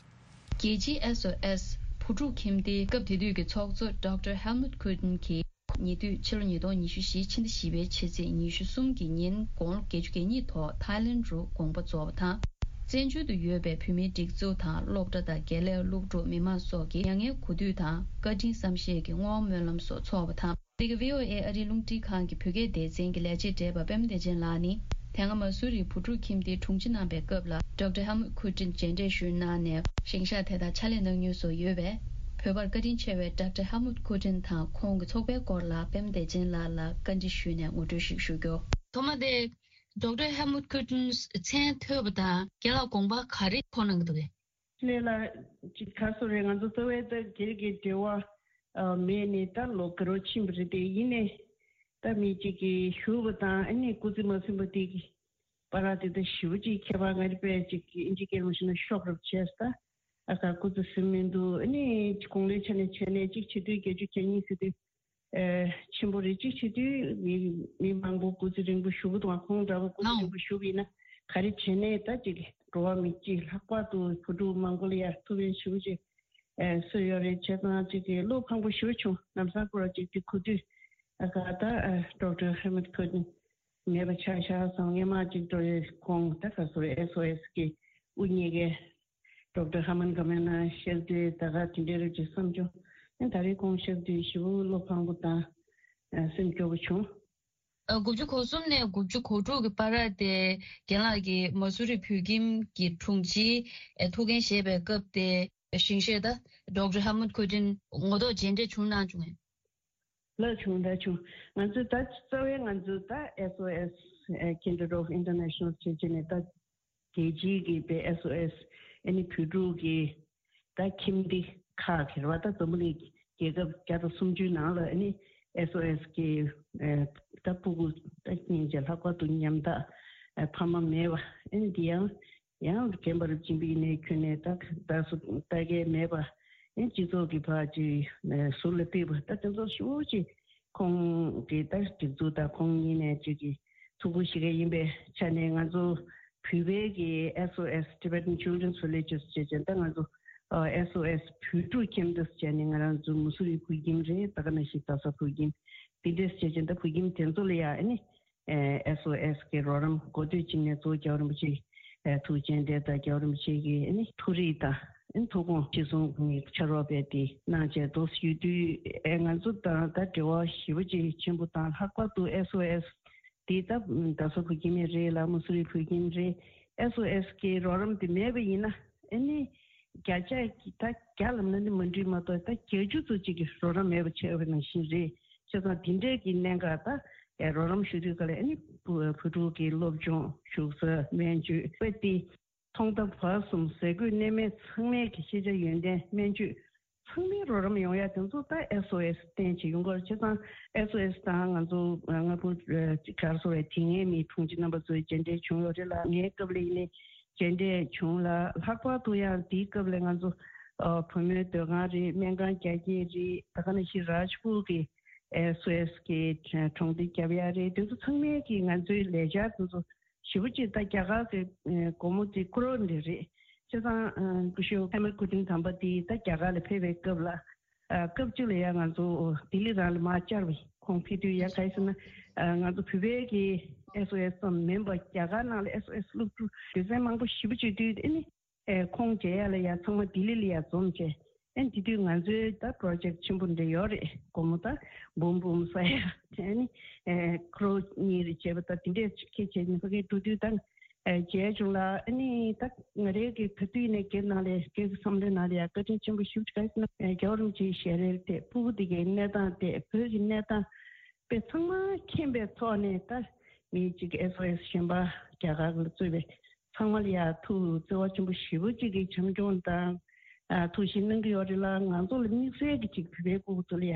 རྒྱལ་སྤྱིའི་S O S བུ་ཕྲུག་ཁྱིམ་སྡེའི་སྐབས་དེ་དུས་ཀྱི་ཚོགས་གཙོ་Doctor Helmut Koettl གྱིས། ཉེ་དུས་ཕྱི་ལོ་ཉིས་སྟོང་ཉི་ཤུ་བཞི་ཕྱི་ཟླ་བཞི་པའི་ཕྱི་ཚེས་ཉི་ཤུ་གསུམ་གྱི་ཉིན་དགུང་ལོ་བརྒྱད་ཅུ་གྱ་གཉིས་ཐོག་ཐའི་ལེན་རུ་དགོངས་པ་རྫོགས་པ་དང་། བཙན་བྱོལ་དུ་ཡོད་པའི་བོད་མིའི་སྒྲིག་འཛུགས་དང་སློབ་གྲྭ་དང་དགེ་ལས་སློབ་ཕྲུག་མི་མང་སོགས་ཀྱིས་མྱ་ངན་གུས་འདུད་དང་བཀའ་དྲིན་བསམ་ཤེས་ཀྱི་བསྔོ་བ་སྨོན་ལམ་སོགས་འཚོགས་པ་དང་། འདི་ག་V O A ཨ་རིའི་རླུང་འཕྲིན་ཁང་གི་བོད་སྐད་སྡེ་ཚན་གྱི་ལས་བྱེད་བགྲེས་པ་པད་མ་བདེ་ཆེན་ལགས་ནི། དེ་སྔ་མ་སུ་རིའི་བུ་ཕྲུག་ཁྱིམ་སྡེའི་དྲུང་ཆེ་གནང་པའི་སྐབས་ལ་Doctor Helmut Koettl མཇལ་འཕྲད་ཞུས་གནང་ནས་ཞིང་གཤེགས་དེ་དག་ཕྱག་ལས་གནང་མྱོང་སོགས་ཡོད་པས། བོད་པར་བཀའ་དྲིན་ཆེ་བའི་Doctor Helmut Koettl དང་ཁོང་གི་ཚོགས་པའི་སྐོར་ལ་པད་མ་བདེ་ཆེན་ལགས་ལ་བཀའ་འདྲི་ཞུས་ནས་ངོ་སྤྲོད་ཞིག་ཞུ་རྒྱུ། ཐོག་མ་དེ་Doctor Helmut Koettl མཚན་ཐོས་པ་དང་རྒན་ལགས་དགོངས་པ་ག་རེ་འཁོར་གནང་གི་འདུག་གས། ལས་ལ་ཅིག་ཁ་སོ་རེ་ང་ཚོ་རྩ་བའི་ད་སྒེར་གྱི་འབྲེལ་བ་མེད་ནས་ད་ལོ་འགའ་རོ་ཕྱིན་པ་རེད་དེ། ཡིན་ནས་ད་མི་གཅིག་གིས་ཞུ་བ་དང་ཨ་ནི་སྐུ་ཚེ་མ་ཟིན་པ་དེ་གི་བར་དེ་ད་ཞེ་པོ་ཅིག་ཁྱད་པར་ང་རེ་པས་ཅིག་ཨིན་ཇི་སྐད་མ་ཤེས་ན་ཤོག་རབ་བྱས་ད་ཨ་ཁ་སྐུ་ཚེ་ཟིན་མི་འདུག་ཨ་ནི་དགུང་ལོའི་ཆ་ནས་བྱས་ནས་ཅིག་བྱེད་དུས་བརྒྱད་ཅུ་གྱ་གཉིས་ཟེར་དུས། ཆེན་པོ་རེ་གཅིག་བྱེད་དུས་མི་མི་མང་པོ་སྐུ་ཚེ་རིང་པོ་བཞུགས་འདུག་ཁོང་འདྲ་བོ་སྐུ་ཚེ་རིང་པོ་བཞུགས་ཡིན་ན་ག་རེ་བྱས་ནས་ད་ཅིག་འགྲོ་བ་མི་གཅིག་ལྷག་པར་དུ་བུ་ཕྲུག་མང་པོ་ལ་ཡ་ཐུགས་ཕན་ཞེ་པོ་ཅིག་གསོས་ཡོད་རེད། བྱས་ཙང་ཅིག་བློ་ཕངས་པོ་ཞེ་པོ་བྱུང་། ལམ་སང་ཁོ་ར་ཅིག་དེ་གོ་དུས་ཨ་ཁ་ད་Doctor Helmut Koettl མེད་པ་ཆགས་ཤག་བསམ། སྔན་མ་ཅིག་འགྲོ་ཡས་ཁོང་ད་ག་སོ་S O S གི་དབུ་བརྙེས་ཀའི་Doctor Hermann Gmelin ཤེལ་དེ་ད་ག་དེ་འདྲའི་རུ་ཅིག་བསམ་བྱུང་ ཨ་ད་རེས་ཁོང་ཤར་དུས་ཞེ་པོ་བློ་ཕངས་པོ་དང་། ཨ་སེམས་སྐྱོ་པོ་བྱུང་། ཨ་དགུ་བཅུ་གོ་གསུམ་ནས་དགུ་བཅུ་གོ་དྲུག་གི་བར་དེ་རྒན་ལགས་ཀྱིས་མ་སུ་རི་བོད་ཁྱིམ་གྱི་དྲུང་ཆེའི་ཨ་ཐུགས་འགན་བཞེས་པའི་སྐབས་དེ་ཞིང་གཤེགས་ད་ཌོག་ཊར་ཧེལ་མུད་ཁོ་ཏིན་ངོ་ཐོག་མཇལ་འཕྲད་བྱུང་གནང་བྱུང་ངས། ལགས་བྱུང་ད་བྱུང་། ང་ཚོས་ད་རྩ་བའི་ང་ཚོས་ད་S O S Kindred of International བྱེད་བྱེད་ནས་ད་རྒྱལ་སྤྱིའི་གི་པའི་S O S ཨ་ནི་བོད་ཕྲུག་གི་ད་ཁྱིམ་སྡེ་ཁག་གི་རེད་བ། ད་འཛམ་བུ་གླིང་རྒྱལ་ཁབ་བརྒྱ་དང་སུམ་ཅུའི་ནང་ལ་ཨ་ནི་S O S གི་ད་སྤུ་གུ་ད་སྙིང་རྗེ་ལྷག་པར་དུ་ཉམ་ཐག་ཕ་མ་མེད་པ་ཨ་ནི་འདི་ཡང་ཡང་རྒན་པ་རབས་ཆེན་པོ་ཡིན་ནའི་ཁྱོན་ནས་ད་ད་སུ་ལྟ་གས་མེད་པ་ཨ་ནི་སྤྱི་ཚོགས་ཀྱི་ཕར་ཅིག་ཟུར་ལ་ཕུད་པ་ད་དེ་ཚོ་ཞེ་པོ་ཅིག་ཁོང་གི་ད་སྒྲིག་འཛུགས་དང་ཁོང་གཉིས་ནས་ཅིག་གི་ཐུགས་ཁུར་བཞེས་མཁན་ཡིན་པའི་ཆ་ནས་ང་ཚོ་བོད་པའི་གི་S O S Tibetan Children's Villages བྱས་ཙང་ད་ང་ཚོ་S O S བོད་ཕྲུག་ཁྱིམ་སྡེ་བྱས་ནས་ང་རང་ཚོ་མུ་སུ་རི་བོད་ཁྱིམ་རེད། ད་ག་ནང་བཞིན་རྡ་ས་བོད་ཁྱིམ་འདི་འདྲས་བྱས་ཙང་ད་བོད་ཁྱིམ་དེ་ཚོ་ལ་ཡ་ཨ་ནི་S O S གི་རོགས་རམ་འགོ་སྟོད་ཅིག་ནས་གཙོ་བོ་རྒྱལ་བ་རིན་པོ་ཆེ་ཐུགས་རྗེ་ཆེ་དེ་ད་རྒྱལ་བ་རིན་པོ་ཆེ་གི་ཨ་ནི་ཐུགས་རེ་དང་ཨ་ནི་ཐུགས་དགོངས་ཅི་གསུང་གི་ཕྱག་རོགས་པས་དེ་གནང་བྱས་འདུག་ཡོད་དུས་ཨེ་ང་ཚོ་དང་ད་འབྲེལ་བ་ཞེ་པོ་ཅིག་ཆེན་པོ་དང་ལྷག་པར་དུ་S O S དེ་ད་རྡ་ས་བོད་ཁྱིམ་རེད་ལ་མུ་སུ་རི་བོད་ཁྱིམ་རེད། S O S གི་རོགས་རམ་དེ་མེད་པ་ཡིན་ན་ཨ་ནི་བརྒྱ་ཆ་ད་བརྒྱ་ལབ་ན་ནི་མ་འགྲིག་མ་གཏོགས་ད་བརྒྱད་ཅུ་ཙམ་ཅིག་གི་རོགས་རམ་མེད་པ་བྱས་པ་ནང་བཞིན་རེད། བྱས་ཙང་དེ་འདྲས་ཀྱི་གནད་འགག་ད་རོགས་རམ་ཞུ་དུས་ག་ལ་ཨ་ནི་བུ་བུ་ཕྲུག་གི་སློབ་སྦྱོང་བཞུགས་ས་སྨན་བཅོས་དཔེ་དེ་ཐོག་མཐའ་བར་གསུམ་ཟས་གོས་གནས་མལ་ཚང་མས་ཀྱི་ཤེས་བྱ་ཡོན་ཏན་སྨན་བཅོས་ཚང་མའི་རོགས་རམ་ཡོང་ཡ་དེ་ཚོ་ད་S O S བརྟེན་བྱས་ཡོང་གི་རེད། བྱས་ཙང་S O S དང་ང་ཚོ་ལྔ་པོ་ག་རེ་ཟེར་བའི་དེ་སྔའི་མི་དྲུང་ཆེ་རྣམ་པ་ཚོའི་མཇལ་འཕྲད་བྱུང་ཡོད་རེད་ལ། ངའི་སྐབས་ལ་ཡིན་ནའི་མཇལ་འཕྲད་བྱུང་ལ། ལྷག་པར་དུ་ཡང་དེའི་སྐབས་ལ་ང་ཚོ་བུ་མོའི་སྡོད་ཁང་རེད། སྨན་ཁང་རྒྱ་སྐྱེད་རེད། ད་ག་ནང་བཞིན་རཱཇ་པུར་གི་S O S གི་གྲོང་སྡེ་རྒྱབ་ཡ་རེད། དེ་ཚོ་ཚང་མས་ཀྱི་ང་ཚོའི་ལས་འཆར་དེ་ཚོ་ཞེ་པོ་ཅིག་ད་རྒྱ་གར་གྱི་སྒོར་མོ་དེ་ཀོ་རོར་འདྲ་རེད། བྱས་ཙང་སྐུ་ཞབས་ཧེ་མ་སྐུ་ཕྲེང་དམ་པ་དེ་ད་རྒྱ་གར་ལ་ཕེབས་པའི་སྐབས་ལ་སྐབས་གཅིག་ལ་ཡང་ང་ཚོ་ལྡི་ལི་རང་ལ་མར་བཅར་བས་ཁོང་ཕེབས་དུས་ཡ་ག་རེ་ཟེར་ན་ང་ཚོ་བོད་པའི་གི་S O S ཙམ་མིན་པ་རྒྱ་གར་ནང་ལ་S O S སློབ་ཕྲུག་སྡེ་ཚན་མང་པོ་ཞེ་པོ་ཅིག་འདུས་ཨ་ནི། ཨེ་ཁོང་མཇལ་ཡ་ལ་ཡ་ཚང་མ་ལྡི་ལི་ལ་ཡ་འཛོམས་བྱས། ཨེ་དེ་དུས་ང་ཚོའི་ད་པྲོ་ཇེཀ་ཆེན་པོ་འདྲ་ཡོད་རེད། སྒོར་མོ་ད་འབུམ་འབུམ་ས་ཡ་དེ་ནི་ཨེ་ཀོ་རོ་གཉིས་རེ་བྱས་པ་ད་དེ་འདྲས་ཁྱེད་བྱས་ནས་ཕ་གིར་འགྲོ་དུས་ད་ཨེ་མཇལ་བྱུང་ལ། ཨ་ནི་ད་ང་རའི་གི་ག་དུས་ནས་སྒེར་ནང་ལས་སྒེར་གྱི་བསམ་བློའི་ནང་ལ་ཡ་བཀའ་དྲིན་ཆེན་པོ་ཞེ་པོ་ཅིག་ག་རེ་ཟེར་ན་ཨེ་རྒྱལ་བ་རིན་པོ་ཆེའི་ཞལ་རས་དེ་སྤུ་གུ་དེ་གའི་གནས་སྟངས་དེ་བོད་ཀྱི་གནས་སྟངས་དཔེ་ཚང་མ་མཁྱེན་པའི་ཐོག་ནས་ད་མི་གཅིག་S O S གཞན་པ་རྒྱ་གར་ལ་གཙོས་པའི་ཚང་མ་ལ་ཡ་ཐུགས་བརྩེ་བ་ཆེན་པོ་ཞེ་པོ་གཅིག་གིས་བྱམས་སྐྱོང་དང་། ཨ་ཐུགས་ཞིབ་གནང་གི་ཡོད་རེད་ལ། ང་ཚོ་ལ་དམིགས་བསལ་གྱི་གཅིག་བོད་པའི་སྤུ་གུ་ཚོ་ལ་ཡ་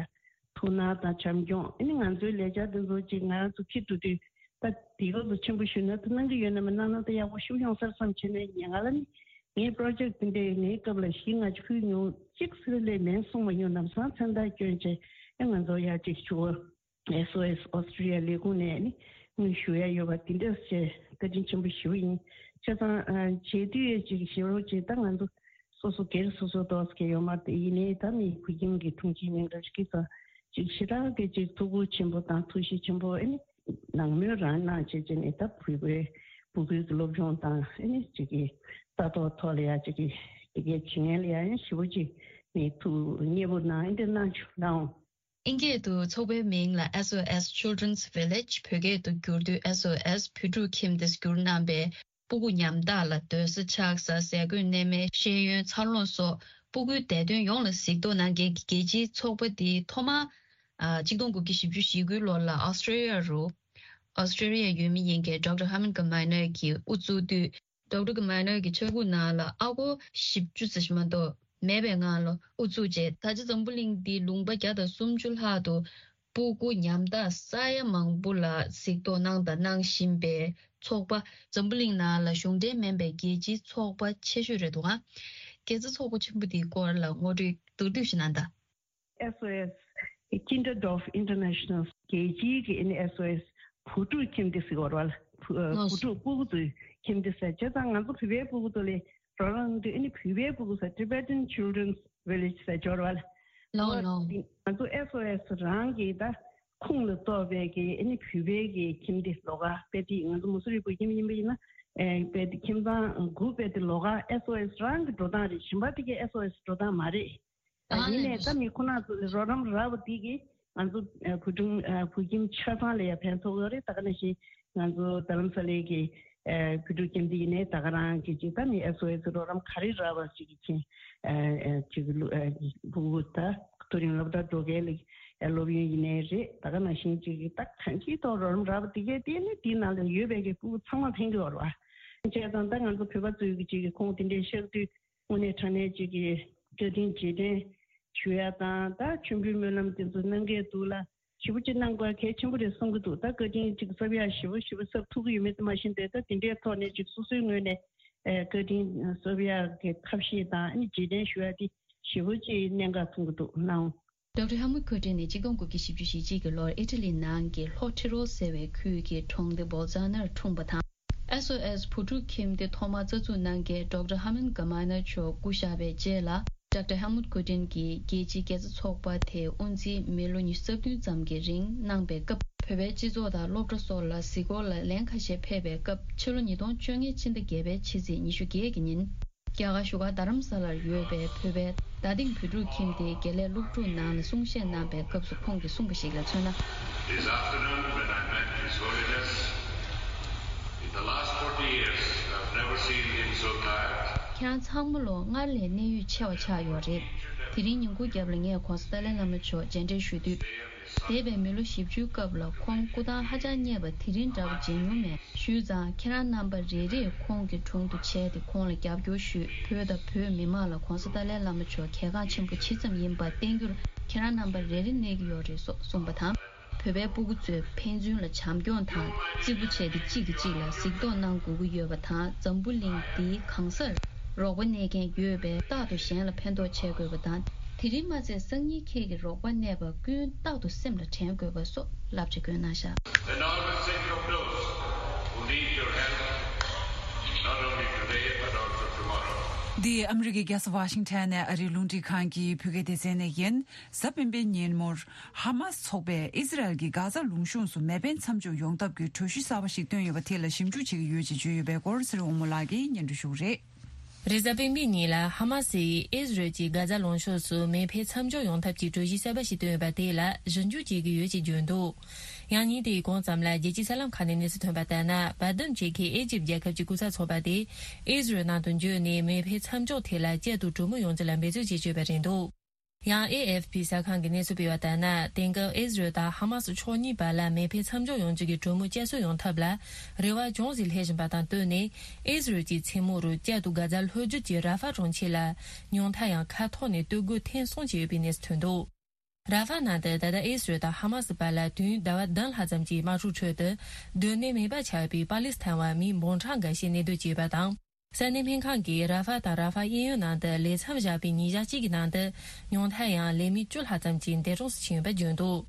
ཐུགས་སྣང་དང་བྱམས་སྐྱོང་། ཨ་ནི་ང་ཚོའི་ལས་འཆར་འདི་ཚོ་གཅིག་ང་རང་ཚོ་ཕྱིར་འགྲོ་དུས་ད་དེ་ག་ཚོ་ཆེན་པོ་ཞུ་ན་ད་གནང་གི་ཡོད་ན་མ་གནང་ན་ད་ཡག་པོ་ཞུ་ཡོང་ས་རེད་བསམ་བྱས་ནས་ཉེ་ང་ལ་ནི་ངའི་པྲོ་ཇེཀ་འདི་འདྲའི་ངའི་སྐབས་ལ་གཞི་ང་ཚོས་ཕུལ་མྱོང་གཅིག་ཟེར་ལས་མེད་གསུངས་པ་ཡོང་ལམ་སང་མཚན་རྟགས་བསྐྱོན་བྱས་ཨ་ང་ཚོ་ཡ་གཅིག་ཞུ་བ། S O S Australia ལས་ཁུངས་ནས་ནི་དངུལ་ཞུ་ཡ་ཡོད་པ་འདི་འདྲ་བྱས་བཀའ་དྲིན་ཆེན་པོ་ཞུ་ཡིན། བྱས་ཙང་བྱེད་དུས་ཡ་གཅིག་ཞེ་པོ་ཅིག་ད་ང་ཚོ་སོ་སོ་སྒེར་སོ་སོ་ཏོག་ཙམ་ཡོད་མ་རེད། ཡིན་ནའི་ད་མི་བོད་ཁྱིམ་གྱི་དྲུང་ཆེའི་མིང་འདྲ་ཞིག་གིས་ད་ཅིག་ཞེ་དྲག་གི་ཅིག་ཐུགས་ཁུར་ཆེན་པོ་དང་ཐུགས་གཤིས་ཆེན་པོ་ཨ་ནི་ནང་མོལ་རང་གནང་བྱས་བྱས་ནས་ད་བོད་པའི་སྤུ་གུའི་སློབ་སྦྱོང་དང་ཨ་ནི་ཅིག་གི་ལྟ་རྟོག་ཐོག་ལ་ཡ་ཅིག་གི་དེ་གའི་བྱེད་མཁན་ལ་ཡ་ཞེ་པོ་ཅིག་མི་ཐུགས་མཉེས་པོ་གནང་ཨ་འདྲ་གནང་བྱུང་ལགས། ཨིན་སྐད་དུ་ཚོགས་པའི་མིང་ལ་S O S Children's Village། བོད་སྐད་དུ་བསྒྱུར་དུས་S O S བོད་ཕྲུག་ཁྱིམ་སྡེ་སྒྱུར་གནང་པས། སྤུ་གུ་ཉམ་ཐག་ལ་སྡོད་ས་ཆགས་ས། ཟས་གོས་གནས་མལ། ཤེས་ཡོན། འཚར་ལོངས་སོགས་སྤུ་གུའི་བདེ་དོན་ཡོངས་ལ་གཟིགས་རྟོག་གནང་མཁན་གྱི་རྒྱལ་སྤྱིའི་ཚོགས་པ་འདི་ཐོག་མར་ཨ་གཅིག་སྟོང་དགུ་བརྒྱ་བཞི་བཅུ་ཞེ་དགུའི་ལོ་ལ་ཨོ་སི་ཀྲི་ལི་ཡ་རུ་ཨོ་སི་ཀྲི་ལི་ཡའི་ཡུལ་མི་ཡིན་མཁན་ཌོག་ཊར་ཧར་མན་གྷ་མའི་ནར་གྱིས་དབུ་བཙུགས་དུས། ཌོག་ཊར་གྷ་མའི་ནར་གྱི་ཕྱྭ་ཁུག་ནང་ལ་ཨ་སྒོར་བཞི་བཅུ་ཙམ་ཞིག་མ་གཏོགས་མེད་པའི་ངང་ལ་དབུ་བཙུགས་རྗེས། ད་ཆ་འཛམ་བུ་གླིང་འདིའི་ལུང་པ་བརྒྱ་དང་སུམ་ཅུ་ལྷག་ཏུ་སྤུ་གུ་ཉམ་ཐག་ས་ཡ་མང་པོ་ལ་གཟིགས་རྟོག་གནང་དང་གནང་བཞིན་པའི་ཚོགས་པ། འཛམ་བུ་གླིང་ནང་ལ་གཞུང་འབྲེལ་མིན་པའི་རྒྱལ་སྤྱིའི་ཚོགས་པ་ཆེ་ཤོས་རེད་འདུག་ག་དགེ་རྩ་ཚོགས་པ་ཆེན་པོ་འདིའི་སྐོར་ལ་ངོ་སྤྲོད་མདོར་བསྡུས་ཤིག་གནང་དང་། S O S Kindred of International རྒྱལ་སྤྱིའི་གི་ཨ་ནི་S O S བུ་ཕྲུག་ཁྱིམ་སྡེ་ཟེར་བ་རེད་བ། བུ་ཨ་ལགས་བུ་སོ། ཕྲུག་སྤུ་གུ་ཚོའི་ཁྱིམ་སྡེ་ཟེར་བྱས་ཙང་ང་ཚོ་བོད་པའི་སྤུ་གུ་ཚོ་ལ་རོགས་རམ་དུས་ཨ་ནི་བོད་པའི་སྤུ་གུ་ཟེར་Tibetan Children's Village ཟེར་འབྱོར་བ་ལ། ལགས་ལགས། འོ་དེ་ང་ཚོ་S O S རང་གི་ད་ཁུངས་ལ་གཏོགས་པའི་གི་ཨ་ནི་བོད་པའི་གི་ཁྱིམ་སྡེ་ལོགས་ཀ་དཔེ་དེ་ང་ཚོ་མུ་སུ་རི་བོད་ཁྱིམ་ཡིན་པ་ཡིན་ན་ཨེ་དཔེ་དེ་ཁྱིམ་ཚང་དགུ་དཔེ་དེ་ལོགས་ཀ་S O S རང་གི་འགྲོ་སྟངས་རེད། གཞན་པ་དེ་གའི་S O S འགྲོ་སྟངས་མ་རེད། ད་ཡིན་ནའི་ད་མི་ཁོ་ན་ཚོ་ལ་རོགས་རམ་རག་པ་འདི་གིས་ང་ཚོ་ཨ་བོད་ཁྲིམས་ཨ་བོད་ཁྱིམ་ཆ་ཚང་ལ་ཡང་ཕན་ཐོགས་ཡོད་རེད། ད་ག་ནང་བཞིན་ང་ཚོ་རྡ་རམ་ས་ལའི་གི་ཨ་བོད་ཕྲུག་ཁྱིམ་འདི་ཡིན་ནའི་ད་ག་རང་གི་ཅིག་ད་མི་ཨེས་ཨོ་ཨེས་རོགས་རམ་ག་རེ་རག་པ་ཅིག་གི་ཁྱེད་ཨ་ཨ་ཅིག་ལུ་ཨ་ཕྲུ་གུ་ད་མཐོ་རིམ་སློབ་གྲྭ་འགྲོ་མཁན་ལ་ཨ་སློབ་ཡོན་ཡིན་ནའི་རེད། ད་ག་ནང་བཞིན་ཅིག་གི་ད་གང་ཅིའི་ཐོག་རོགས་རམ་རག་པ་དེ་གས་དེ་ནི་དེའི་ནང་ལ་ཡོད་པའི་གི་ཕྲུ་གུ་ཚང་མ་ཕན་གི་ཡོད་རེད་བ། བྱས་ཙང་ད་ང་ཚོ་བོད་པ་ཚོའི་གི་ཅིག་གི་ཁོང་དེ་འདྲའི་ཤག་དུས་དངོས་གནས་དྲང་གནས་ཅིག་གི་བཀའ་དྲིན་རྗེས་དྲན་ཞུ་ཡ་དང་ད་མཆོད་འབུལ་སྨོན་ལམ་དེ་ཚོ་གནང་གི་འདུག་ལ། ཞེ་པོ་ཅིག་གནང་དགོས་གལ་ཆེན་པོ་རེད་གསུང་གི་འདུག་ད་བཀའ་དྲིན་ཅིག་གསབ་ཡག་ཞེ་པོ་ཞེ་པོ་གསབ་ཐུབ་ཀྱི་ཡོད་མེད་དེ་མ་ཤེས་དེ་ད་དེ་འདྲའི་ཐོག་ནས་ཅིག་སོ་སོའི་ངོས་ནས་ཨེ་བཀའ་དྲིན་གསབ་ཡག་གི་ཐབས་ཤེས་དང་ཨ་ནི་རྗེས་དྲན་ཞུ་ཡག་དེ་ཞེ་པོ་ཅིག་གནད་འགག་མཐོང་གི་འདུག་གནང་། ཌོག་ཊར་ཧེལ་མུད་ཁོ་ཊིན་ནི་ཆིག་སྟོང་དགུ་བརྒྱ་བཞི་བཅུ་ཞེ་གཅིག་གི་ལོར་ཨི་ཊ་ལི་ནང་གི་ལྷོ་ཊི་རོ་ཟེར་བའི་ཁུལ་གྱི་གྲོང་སྡེ་བོལ་ཛ་ནར་འཁྲུངས་པ་དང་། ཨེས་ཨོ་ཨེས་བུ་ཕྲུག་ཁྱིམ་སྡེ་ཐོག་མར་རྩ་འཛུགས་གནང་མཁན་ཌོག་ཊར་ཧར་མན་ག་མ་ནར་མཆོག་སྐུ་གཤེགས་པའི་རྗེས་ལ། ཌོག་ཊར་ཧེལ་མུད་ཁོ་ཊིན་གྱིས་རྒྱལ་སྤྱིའི་དགེ་རྩ་ཚོགས་པ་དེའི་དབུ་འཛིན་མི་ལོ་ཉི་ཤུ་རྩ་བདུན་ཙམ་གྱི་རིང་གནང་པའི་སྐབས། བོད་པའི་སྤྱི་ཚོགས་དང་སློབ་གྲྭ་སོགས་ལ་གཟིགས་སྐོར་ལ་ལན་ཁ་ཤས་ཕེབས་པའི་སྐབས། ཕྱི་ལོ་ཉིས་སྟོང་བཅོ་ལྔའི་ཕྱི་ཟླ་བརྒྱད་པའི་ཕྱི་ཚེས་ཉི་ཤུ་བརྒྱད་ཀྱི་ཉིན། རྒྱ་གར་བཞུགས་སྒར་རྡ་རམ་ས་ལར་ཡོད་པའི་བོད་པའི་རྡ་སྟེང་བོད་ཕྲུག་ཁྱིམ་སྡེའི་དགེ་ལས་སློབ་ཕྲུག་ནང་ལ་གསུང་བཤད་གནང་པའི་སྐབས་སུ་ཁོང་གིས་གསུངས་པ་ཞིག་ལ་མཚོན་ན། This afternoon when I met His Holiness, in the last forty years, I've never seen him so tired. ཁྱེད་རང་ཚང་མ་ལོ་སྔར་ལས་གནད་ཡོད་ཆེ་བ་ཆགས་ཡོད་རེད། དེ་རིང་ཉིན་གུང་རྒྱབ་ལ་ངས་༧གོང་ས་ཏཱ་ལའི་བླ་མ་མཆོག་མཇལ་འཕྲད་ཞུ་དུས། འདས་པའི་མི་ལོ་བཞི་བཅུའི་སྐབས་ལ་ཁོང་སྐུ་ཐང་ཧ་ཅང་བརྙེས་པ་དེ་རིང་འདྲ་བོ་མཇལ་མྱོང་མེད། ཞུས་ཙང་ཁྱེད་རང་རྣམ་པ་རེ་རེས་ཁོང་གི་དྲུང་དུ་བྱས་ཏེ་ཁོང་ལ་རྒྱབ་སྐྱོར་ཞུས། བོད་དང་བོད་མི་མང་ལ་༧གོང་ས་ཏཱ་ལའི་བླ་མ་མཆོག་གལ་འགངས་ཆེན་པོ་ཇི་ཙམ་ཡིན་པ་བསྟན་རྒྱུར་ཁྱེད་རང་རྣམ་པ་རེ་རེ་གནས་ཀྱི་ཡོད་རེད་སོགས་གསུངས་པ་དང་། བོད་པའི་སྤུ་གུ་ཚོས་ཕན་ཚུན་ལ་བྱམས་སྐྱོང་དང་གཅིག་པུ་བྱས་ཏེ་གཅིག་གིས་གཅིག་ལ་གཟིགས་རྟོག་གནང་དགོས་ཀྱི་ཡོད་པ་དང་། འཛམ་བུ་གླིང་འདིའི་གང་སར་རོགས་པ་གནས་མཁན་ཡོད་པས་རྟག་ཏུ་གཞན་ལ་ཕན་ཐོགས་བྱེད་དགོས་པ་དང་། དེ་རིང་མ་ཚད་སང་ཉིན་ཁྱེད་ཀྱི་རོགས་པ་གནས་པ་ཀུན་རྟག་ཏུ་སེམས་ལ་དྲན་དགོས་པ་སོགས་བསླབ་བྱ་བཀོད་གནང་བཞག And always think of those who need your help, not only today but also tomorrow. འདི་ཨ་མི་རི་ཀའི་རྒྱལ་ས་ཝ་ཤིང་ཊོན་ནས་ཨ་རིའི་རླུང་འཕྲིན་ཁང་གི་བོད་སྐད་སྡེ་ཚན་ནས་ཡིན། གཟའ་སྤེན་པའི་ཉིན་མོར་ཧ་མ་སི་ཚོགས་པས་ཨི་ཟི་རལ་གྱིས་གྷ་ཛ་ལུང་ཕྱོགས་སུ་མེ་འཕེན་མཚམས་འཇོག་ཡོང་ཐབས་ཀྱི་གྲོས་གཞི་གསར་པ་ཞིག་བཏོན་ཡོད་པ་དེ་ལ་ཞིབ་འཇུག་བྱེད་ཀྱི་ཡོད་ཅེས་བརྗོད་ཡོད་པའི་སྐོར་ཚེ་རིང་དབང་མོ་ལགས་ཀྱིས་སྙན་སྒྲོན་ཞུ་གི་རེད། རེས་གཟའ་སྤེན་པའི་ཉིན་ལ་ཧ་མ་སིས་ཨི་ཟི་རལ་གྱིས་གྷ་ཛ་ལུང་ཕྱོགས་སུ་མེ་འཕེན་མཚམས་འཇོག་ཡོང་ཐབས་ཀྱི་གྲོས་གཞི་གསར་པ་ཞིག་བཏོན་ཡོད་པ་དེ་ལ་ཞིབ་འཇུག་བྱེད་ཀྱི་ཡོད་ཅེས་བརྗོད་འདུག་ཡང་ཉིན་དེའི་གོང་ཙམ་ལ་རྒྱལ་སྤྱིའི་གསར་ལམ་ཁག་ནས་གནས་ཚུལ་ཐོན་པ་ལྟར་ན། བར་འདུམ་བྱེད་མཁན་ཨེ་ཇིབ་རྒྱལ་ཁབ་ཀྱི་སྐུ་ཚབ་ཚོགས་པ་དེས་ཨི་ཟི་རལ་ནང་དུ་འབྱོར་ནས་མེ་འཕེན་མཚམས་འཇོག་ཐད་ལ་བསྐྱར་དུ་གྲོས་མོལ་ཡོང་རྒྱུ་ལ་འབད་རྩོལ་བྱེད་ཀྱི་ཡོད་པ་རེད་འདུག་ཡང་ཨེ་ཨེཕ་པི་གསར་ཁང་གིས་གནས་ཚུལ་སྤེལ་བ་ལྟར་ན། དེང་སྐབས་ཨི་ཟི་རལ་དང་ཧ་མ་སི་ཕྱོགས་གཉིས་བར་ལ་མེ་འཕེན་མཚམས་འཇོག་ཡོང་རྒྱུ་གི་གྲོས་མོལ་བསྐྱར་གསོ་ཡོང་ཐབས་ལ་རེ་བ་ཅུང་ཟད་སླེབས་བཞིན་པ་དང་བསྟུན་ནས། ཨི་ཟི་རལ་གྱིས་མཚན་མོ་རུ་བསྐྱར་དུ་གྷ་ཛ་ལྷོ་རྒྱུད་ཀྱི་ར་ཧྥ་གྲོང་ཁྱེར་ལ་ཉུང་མཐའ་ཡང་མཁའ་ཐོག་ནས་གཏོར་རྒོལ་ཐེངས་གསུམ་བྱས་ཡོད་པའི་གནས་ཚུལ་ཐོན་འདུག་ར་ཧྥ་ནང་དུ་ད་ལྟ་ཨི་ཟི་རལ་དང་ཧ་མ་སི་བར་ལ་དུས་ཡུན་ཟླ་བ་བདུན་ལྷག་ཙམ་གྱི་དམག་འཁྲུག་ཁྲོད་དུ། སྡོད་གནས་མེད་པ་ཆགས་པའི་པ་ལི་སི་ཐན་བ་མི་འབུམ་གྲངས་འགའ་ཤས་གནས་སྡོད་བྱས་པ་དང་། ས་གནས་སྨན་ཁང་གིས་ར་ཧྥ་དང་ར་ཧྥ་གཡས་གཡོན་ནང་དུ་ལས་མཚམས་བཞག་པའི་ཉིན་ཞག་གཅིག་གི་ནང་དུ། ཉུང་མཐའ་ཡང་ལས་མི་བཅུ་ལྷག་ཙམ་ཞིག་འདས་གྲོངས་སུ་ཕྱིན་ཡོད་པ་བརྗོད་འདུག་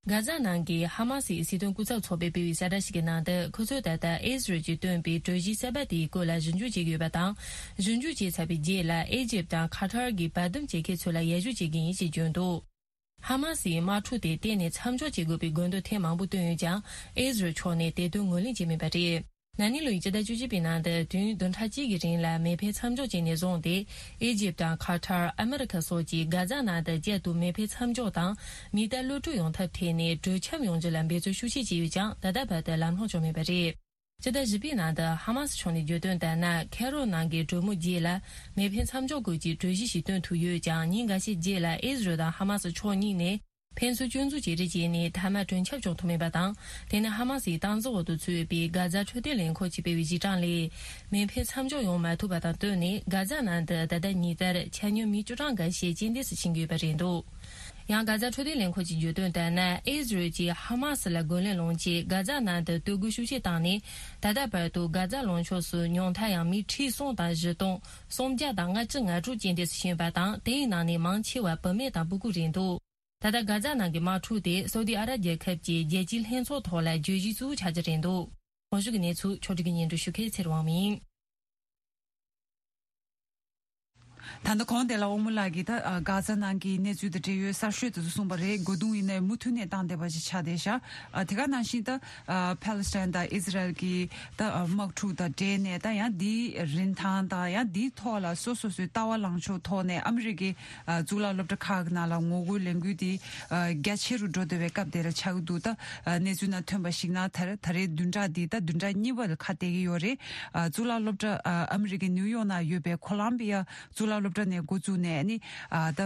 གྷ་ཛ་ནང་གི་ཧ་མ་སིའི་སྲིད་དོན་སྐུ་ཚབ་ཚོགས་པས་སྤེལ་བའི་གསལ་བསྒྲགས་ཤིག་གི་ནང་དུ། ཁོ་ཚོས་ད་ལྟ་ཨི་ཟི་རལ་གྱིས་བཏོན་པའི་གྲོས་གཞི་གསར་པ་དེའི་སྐོར་ལ་ཞིབ་འཇུག་བྱེད་ཀྱི་ཡོད་པ་དང་། ཞིབ་འཇུག་བྱས་ཚར་བའི་རྗེས་ལ་ཨི་ཇིབ་དང་ཁ་ཐར་གྱི་བར་འདུམ་བྱེད་མཁན་ཚོ་ལ་ཡར་ཞུ་བྱེད་ཀྱི་ཡིན་ཞེས་བརྗོད་འདུག་ཧ་མ་སིའི་དམག་འཁྲུག་དེ་གཏན་ནས་མཚམས་འཇོག་བྱེད་དགོས་པའི་དགོས་འདུན་ཐེངས་མང་པོ་བཏོན་ཡོད་ཀྱང་། ཨི་ཟི་རལ་ཕྱོགས་ནས་དེ་དོན་ངོས་ལེན་བྱས་མེད་པ་རེད། ན་ནིང་ལོའི་སྤྱི་ཟླ་བཅུ་གཅིག་པའི་ནང་དུ་དུས་ཡུན་བདུན་ཕྲག་གཅིག་གི་རིང་ལ་མེ་འཕེན་མཚམས་འཇོག་བྱས་ནས་བཟུང་སྟེ། ཨི་ཇིབ་དང་ཁ་ཐར། ཨ་མི་རི་ཁ་སོགས་ཀྱིས་གྷ་ཛ་ནང་དུ་བསྐྱར་དུ་མེ་འཕེན་མཚམས་འཇོག་དང་མི་གཏའ་གློད་གྲོལ་ཡོང་ཐབས་ཐད་ནས་གྲོས་འཆམ་ཡོང་རྒྱུ་ལ་འབད་རྩོལ་ཤུགས་ཆེ་བྱས་ཡོད་ཀྱང་། ད་ལྟ་བར་དུ་ལམ་ལྷོང་བྱུང་མེད་པ་རེད། སྤྱི་ཟླ་བཞི་པའི་ནང་དུ་ཧ་མ་སི་ཕྱོགས་ནས་བརྗོད་དོན་ལྟར་ན། ཁེ་རོ་ནང་གི་གྲོས་མོལ་རྗེས་ལ་མེ་འཕེན་མཚམས་འཇོག་སྐོར་གྱི་གྲོས་གཞི་ཞིག་བཏོན་ཐུབ་ཡོད་ཀྱང་། ཉིན་འགའ་ཤས་རྗེས་ལ་ཨི་ཟི་རལ་དང་ཧ་མ་སི་ཕྱོགས་གཉིས་ནས། ཕན་ཚུན་སྐྱོན་འཛུགས་བྱེད་རེས་བྱས་ནས་མཐའ་མ་གྲོས་འཆམ་བྱུང་ཐུབ་མེད་པ་དང་། དེ་ནི་ཧ་མ་སིའི་སྟངས་འཛིན་འོག་ཏུ་ཚུད་པའི་གྷ་ཛ་འཕྲོད་བསྟེན་ལས་ཁུངས་ཀྱིས་སྤེལ་བའི་གཞི་གྲངས་ལས། མེ་འཕེན་མཚམས་འཇོག་ཡོང་མ་ཐུབ་པ་དང་བསྟུན་ནས། གྷ་ཛ་ནང་དུ་ད་ལྟ་ཉིན་ལྟར་ཆ་སྙོམས་མི་བཅུ་གྲངས་འགའ་ཤས་རྐྱེན་འདས་སུ་ཕྱིན་གྱི་ཡོད་པ་རེད་འདུག་ཡང་། གྷ་ཛ་འཕྲོད་བསྟེན་ལས་ཁུངས་ཀྱིས་བརྗོད་དོན་ལྟར་ན། ཨི་ཟི་རལ་གྱིས་ཧ་མ་སི་ལ་རྒོལ་ལན་སློང་ཆེད་གྷ་ཛ་ནང་དུ་གཏོར་རྒོལ་ཤུགས་ཆེ་བཏང་ནས། ད་ལྟ་བར་དུ་གྷ་ཛ་ལུང་ཕྱོགས་སུ་ཉུང་མཐའ་ཡང་མི་ཁྲི་གསུམ་དང་བཞི་སྟོང་སུམ་བརྒྱ་དང་ལྔ་བཅུ་ང་དྲུག་རྐྱེན་འདས་སུ་ཕྱིན་པ་དང་། དེའི་ནང་ནས་མང་ཆེ་བ་བུད་མེད་དང་སྤུ་གུ་རེད་འདུག་ད་ལྟ་གྷ་ཛ་ནང་གི་དམག་འཁྲུག་དེ་སོ་ཏི་ཨ་རབ་རྒྱལ་ཁབ་ཀྱི་རྒྱལ་སྤྱིའི་ལྷན་ཚོགས་ཐོག་ལ་བརྗོད་གཞི་གཙོ་བོ་ཆགས་ཀྱི་རེད་འདུག་གོང་ཞུས་ཀྱི་གནས་ཚུལ་ཕྱོགས་སྒྲིག་གི་སྙན་སྒྲོན་ཞུ་མཁན་ཚེ་རིང་དབང་མོ་ཡིན། ད་ལྟ་གོང་དེ་ལ་ཨོ་མོ་ལགས་ཀྱིས་ད་ཨ་གྷ་ཛ་ནང་གི་གནས་ཚུལ་དང་འབྲེལ་ཡོད་གསར་ཤོས་དེ་ཚོ་གསུངས་པ་རེད། སྒོ་རྡུང་ཡིན་ནའི་མུ་མཐུད་ནས་བཏང་བསྡད་པ་ཞིག་ཆགས་བསྡད་ཤག་ཨ་དེ་ག་ནང་བཞིན་ད་ཨ་ཕ་ལི་སི་ཐན་དང་ཨི་ཟི་རལ་གྱི་ད་ཨ་དམག་འཁྲུག་དང་འབྲེལ་ནས་ད་ཡང་འདིའི་རིན་ཐང་དང་ཡང་འདིའི་ཐོག་ལ་སོ་སོ་སོའི་ལྟ་བ་ལངས་ཕྱོགས་ཐོག་ནས་ཨ་མི་རི་ཀའི་ཨ་གཙུག་ལག་སློབ་གྲྭ་ཁག་གི་ནང་ལ་ངོ་རྒོལ་ལས་འགུལ་འདི་ཨ་རྒྱ་ཆེ་རུ་འགྲོ་བསྡད་པའི་སྐབས་དེ་ལ་ཆགས་ཀྱི་འདུག་ད་ཨ་གནས་ཚུལ་ནང་ཐོན་པ་ཞིག་ན་ད་ད་རེས་བདུན་ཕྲག་འདི་ད་བདུན་ཕྲག་གཉིས་པ་ལ་ཁ་གཏད་ཀྱི་ཡོད་རེད། ཨ་གཙུག་ལག་སློབ་གྲྭ་ཨ་ཨ་མི་རི་ཀའི་ནིའུ་ཡོག་ནང་ཡོད་པའི་ཁོ་ལམ་བི་ཡ་གཙུག་ལག་སློབ་གྲྭ་ནས་འགོ་བཙུགས་ནས་ནི་ཨ་ད་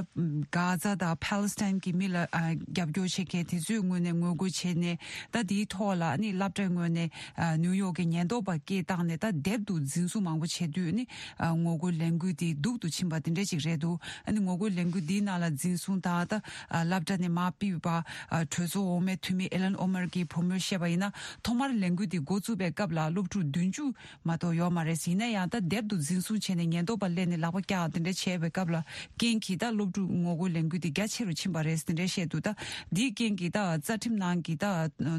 གྷ་ཛ་དང་ཕ་ལི་སི་ཐན་གྱི་མི་ལ་ཨ་རྒྱབ་སྐྱོར་བྱེད་མཁན་དེ་ཚོའི་ངོས་ནས་ངོ་རྒོལ་བྱས་ནས། ད་དེའི་ཐོག་ལ་ནི་སློབ་གྲྭའི་ངོས་ནས་ཨ་ནིའུ་ཡོག་གི་ཉེན་རྟོག་པ་སྐད་བཏང་ནས་ད་དེབ་ཏུ་འཛིན་བཟུང་མང་པོ་བྱས་དུས་ནི་ཨ་ངོ་རྒོལ་ལས་འགུལ་དེ་སྡུག་ཏུ་ཕྱིན་པ་དེ་འདྲ་ཅིག་རེད་འདུག་ཨ་ནི་ངོ་རྒོལ་ལས་འགུལ་དེའི་ནང་ལ་འཛིན་བཟུང་དང་ད་ཨ་སློབ་གྲྭ་ནས་མར་ཕུད་པ་ཨ་གྲོས་ཚོགས་འོག་མའི་འཐུས་མི་ཨི་ལན་ཨོ་མར་གྱི་བུ་མོས་བཤད་པ་ཡིན་ན། ཐོག་མར་ལས་འགུལ་དེ་འགོ་བཙུགས་པའི་སྐབས་ལ་སློབ་ཕྲུག་བདུན་ཅུ་མ་གཏོགས་ཡོད་མ་རེད། ཡིན་ན་ཡང་ད་དེབ་ཏུ་འཛིན་བཟུང་བྱས་ནས་ཉེན་རྟོག་པ་སླེབས་ནས་ལག་པ་བཀྱག་དེ་འདྲ་བྱས་པའི་སྐབས་ལ་རྐྱེན་གྱིས་ད་སློབ་ཕྲུག་ངོ་རྒོལ་ལས་འགུལ་དེ་རྒྱ་ཆེ་རུ་ཕྱིན་པ་རེད་དེ་འདྲ་བཤད་འདུག་ད་འདིའི་རྐྱེན་གྱིས་ད་རྩ་ཁྲིམས་ནང་གི་ད་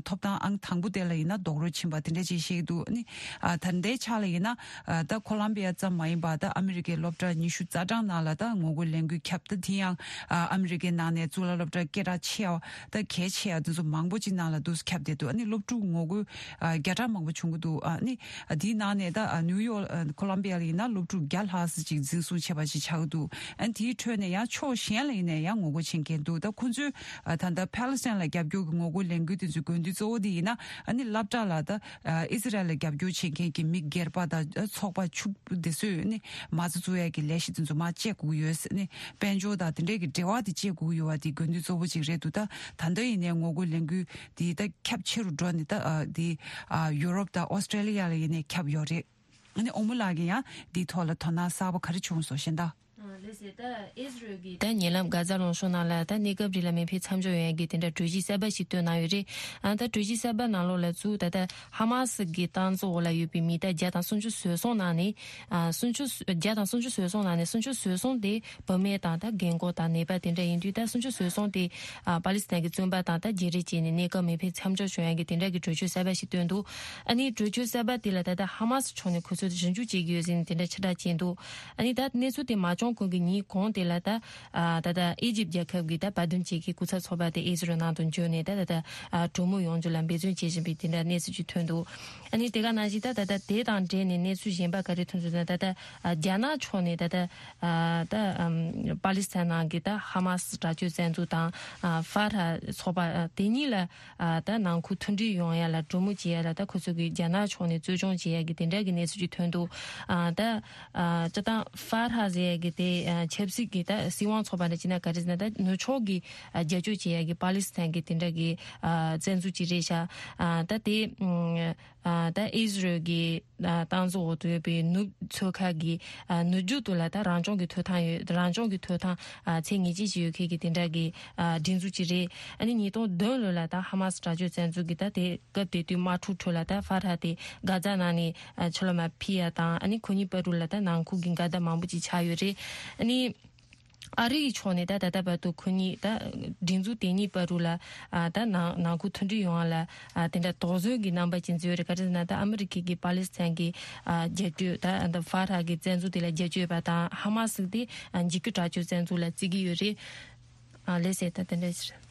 ཐོབ་ཐང་ཨང་དང་པོ་དེ་ལ་ཡིན་ན་རྡོག་རོལ་ཕྱིན་པ་དེ་འདྲ་ཅིག་བཤད་ཀྱི་འདུག་ཨ་ནི་ཨ་ད་ལྟའི་ཆ་ལ་ཡིན་ན་ཨ་ད་ཁོ་ལམ་བི་ཡ་ཙམ་མ་ཡིན་པ་ད་ཨ་མི་རི་ཀའི་སློབ་གྲྭ་ཉི་ཤུ་རྩ་གྲངས་ནང་ལ་ད་ངོ་རྒོལ་ལས་འགུལ་ཁྱབ། ད་དེ་ཡང་ཨ་ཨ་མི་རི་ཀའི་ནང་ནས་གཙུག་ལག་སློབ་གྲྭ་སྐད་གྲགས་ཆེ་བ་ད་གལ་ཆེ་བ་དེ་ཚོ་མང་པོ་ཅིག་ནང་ལ་འདུག་ཁྱབ་བསྡད་འདུག་ཨ་ནི་སློབ་ཕྲུག་ངོ་རྒོལ་ཨ་བརྒྱ་ཕྲག་མང་པོ་བྱུང་གི་འདུག་ཨ་ནི་ཨ་དེའི་ནང་ནས་ད་ཨ་ནིའུ་ཡོག་ཨ་ཁོ་ལམ་བི་ཡ་ལ་ཡིན་ན་སློབ་ཕྲུག་བརྒྱ་ལྷག་ཙམ་ཅིག་འཛིན་བཟུང་བྱས་པ་ཅིག་ཆགས་ཀྱི་འདུག་ཨ་ནི་དེའི་ཁྲོད་ནས་ཡང་ཕྱོགས་གཞན་ལ་ཡིན་ནའི་ཡང་ངོ་རྒོལ་བྱེད་མཁན་འདུག་ད་ཁོ་ཚོས་ཨ་ད་ལྟ་ཕ་ལི་སི་ཐན་ལ་རྒྱབ་སྐྱོར་གྱི་ངོ་རྒོལ་ལས་འགུལ་དེ་ཚོའི་དགོས་འདུན་གཙོ་བོ་དེ་ཡིན་ན་ཨ་ནི་སློབ་གྲྭ་ལ་ད་ཨ་ཨི་ཟི་རལ་ལ་རྒྱབ་སྐྱོར་བྱེད་མཁན་གྱི་མི་སྒེར་པ་དང་ཚོགས་པ་ཕྱུག་པོ་དེ་ཚོས་ནི་མ་རྩ་བཙུགས་ཡས་ཀྱི་ལས་གཞི་དེ་ཚོ་མར་བཅད་དགོས་ཀྱི་ཡོད་ཟེར་ནི་དཔལ་འབྱོར་དང་དེ་འབྲེལ་གྱི་འབྲེལ་བ་དེ་བཅད་དགོས་ཀྱི་ཡོད་པ་དེ་དགོས་འདུན་གཙོ་བོ་གཅིག་རེད་འདུག་ད་ད་ལྟ་ཡིན་ནའི་ངོ་རྒོལ་ལས་འགུལ་དེ་ད་ཁྱབ་ཆེ་རུ་འགྲོ་ནས་ད་ཨ་དེ་ཨ་ཡུ་རོབ་དང་ཨོ་སི་ཀྲེ་ལི་ཡ་ལ་ཡིན་ནའི་ཁྱབ་ཡོད་རེད། ཨ་ནི་ཨོ་མོ་ལགས་ཀྱིས་ཡང་འདིའི་ཐོག་ལ་དོ་སྣང་གསར་པ་ག་རེ་བྱུང་སོང་ཞེ་ད། ད་ཉེ་ལམ་གྷ་ཛ་ལུང་གཤོང་ནང་ལ་ད་གནས་སྐབས་རིང་ལ་མི་ཕན་མཚམས་འཇོག་ཡོང་ཡ་གི་དེ་འདྲ་གྲོས་གཞི་གསར་པ་ཞིག་བཏོན་གནང་ཡོད་རེད། ཨ་ད་གྲོས་གཞི་གསར་པ་ནང་ལོགས་ལ་གཙོ་བོ་ད་ལྟ་ཧ་མ་སི་གི་སྟངས་འཛིན་འོག་ལ་ཡོད་པའི་མི་ད་བརྒྱ་དང་སུམ་ཅུ་བཟོད་སོང་གནང་ནས། ཨ་སུམ་ཅུ་བརྒྱ་དང་སུམ་ཅུ་བཟོད་སོང་གནང་ནས་སུམ་ཅུ་བཟོད་སོང་དེ་བུད་མེད་དང་ད་རྒན་འཁོགས་དང་ནད་པ་དེ་འདྲ་ཡིན་དུས་ད་སུམ་ཅུ་བཟོད་སོང་དེ་ཨ་པ་ལི་སི་ཐན་གྱི་བཙོན་པ་དང་ད་བརྗེ་རེས་བྱས་ནས་གནས་སྐབས་མི་ཕན་མཚམས་འཇོག་བྱུང་ཡ་གི་དེ་འདྲ་གི་གྲོས་ཆོད་གསར་པ་ཞིག་བཏོན་འདུག་ཨ་ནི་གྲོས་ཆོད་གསར་པ་དེ་ལ་ད་ལྟ་ཧ་མ་སི་ཕྱོགས་ནས་ཁོ་ཚོས་ཞིབ་འཇུག་བྱེད་ཀྱི་ཡོད་ཟེར་ནས་དེ་འདྲ་ཕྱིར་བསྒྲགས་བྱས་འདུག་ཨ་ནི་ད་གནས་ཚུལ་དེ་མ་བྱུང་གོང་གི་ཉིན་གོང་དེ་ལ་ད་ཨ་ད་ལྟ་ཨི་ཇིབ་རྒྱལ་ཁབ་ཀྱི་ད་བར་འདུམ་བྱེད་མཁན་སྐུ་ཚབ་ཚོགས་པ་དེ་ཨི་ཟི་རལ་ནང་དུ་འབྱོར་ནས་ད་ད་ལྟ་ཨ་གྲོས་མོལ་ཡོང་རྒྱུ་ལ་འབད་བརྩོན་བྱེད་བཞིན་པའི་དེ་འདྲ་གནས་ཚུལ་ཅིག་ཐོན་འདུག་ཨ་ནི་དེ་ག་ནང་བཞིན་ད་ད་ལྟ་དེ་དང་འབྲེལ་ནས་གནས་ཚུལ་གཞན་པ་ག་རེ་ཐོན་འདུག་ཟེར་ན་ད་ལྟ་ཨ་རྒྱ་ནག་ཕྱོགས་ནས་ད་ལྟ་ཨ་ད་ཨམ་པ་ལི་སི་ཐན་ནང་གི་ད་ཧ་མ་སི་དྲག་སྤྱོད་བཙན་འཛུལ་དང་ཨ་ཧྥ་ར་ཚོགས་པ་ཨ་དེ་གཉིས་ལ་ཨ་ད་ནང་ཁུལ་མཐུན་སྒྲིལ་ཡོང་ཡ་ལ་གྲོས་མོལ་བྱེད་ཡ་ལ་ད་ཁོ་ཚོ་གིས་རྒྱ་ནག་ཕྱོགས་ནས་རྩོལ་སྦྱོང་བྱེད་ཡ་གི་དེ་འདྲ་གི་གནས་ཚུལ་ཅིག་ཐོན་འདུག་ཨ་ད་ཨ་སྤྱིར་བཏང་ཧྥ་ར་ཟེར་ཡ་གི་དེ་ཨ་ཆབ་སྲིད་ཀྱི་ད་སྲིད་དབང་ཚོགས་པ་འདྲ་བྱས་ན་ག་རེ་ཟེར་ན་ད་ནུབ་ཕྱོགས་ཀྱི་ཨ་རྒྱབ་སྐྱོར་བྱེད་ཡ་གི་པ་ལི་སི་ཐན་གི་དེ་འདྲ་གི་ཨ་བཙན་འཛུལ་ཅིག་རེད་ཤག་ཨ་ད་དེ་ཨ་ད་ཨི་ཟི་རལ་གྱི་ཨ་སྟངས་འཛིན་འོག་ཏུ་ཡོད་པའི་ནུབ་མཚོ་ཁ་གི་ཨ་ནུབ་རྒྱུད་དུ་ལ་ད་རང་སྐྱོང་གི་ཐོབ་ཐང་ཡོད། རང་སྐྱོང་གི་ཐོབ་ཐང་ཨ་ཚད་ངེས་ཅན་ཞིག་ཡོད་མཁན་གྱི་དེ་འདྲ་གི་ཨ་སྒྲིག་འཛུགས་ཅིག་རེད། ཨ་ནི་ཉིས་སྟོང་བདུན་ལོ་ལ་ད་ཧ་མ་སི་དྲག་སྤྱོད་བཙན་འཛུལ་གྱི་ད་དེ་སྐབས་དེ་དུས་དམག་འཁྲུག་ཁྲོད་ལ་ད་ཧྥ་ར་དེ་གྷ་ཛ་ནང་ནས་ཨ་ཕྱི་ལོགས་མར་ཕུད་ཡ་དང་ཨ་ནི་ཁོ་གཉིས་བར་དུ་ལ་ད་ནང་ཁུལ་གྱི་འགལ་ཟླ་མང་པོ་ཅིག་ཆགས་ཡོད་རེད། ཨ་ནི་ཨ་རི་ཡི་ཕྱོགས་ནས་ད་ད་ལྟ་བར་དུ་ཁོ་གཉིས་ད་སྒྲིག་འཛུགས་དེ་གཉིས་བར་དུ་ལ་ཨ་ད་ནང་ནང་ཁུལ་མཐུན་སྒྲིལ་ཡོང་བ་ལ་ཨ་དེ་འདྲ་དོགས་ཟོན་གྱི་རྣམ་པ་ཅིག་འཛིན་ཡོད་རེད། ག་རེ་ཟེར་ན་ད་ཨ་མི་རི་ཀའི་གི་པ་ལི་སི་ཐན་གྱི་ཨ་རྒྱབ་སྐྱོར་ད་ད་ཧྥ་ར་གི་བཙན་འཛུལ་དེ་ལ་རྒྱབ་སྐྱོར་ཡོད་པ་དང་ཧ་མ་སི་དེ་ཨ་འཇིགས་སྐུལ་དྲག་སྤྱོད་བཙན་འཛུལ་ལ་བརྩི་གི་ཡོད་རེད། ཨ་ལགས་སོ། ད་དེ་འདྲ་ཞིག་རེད།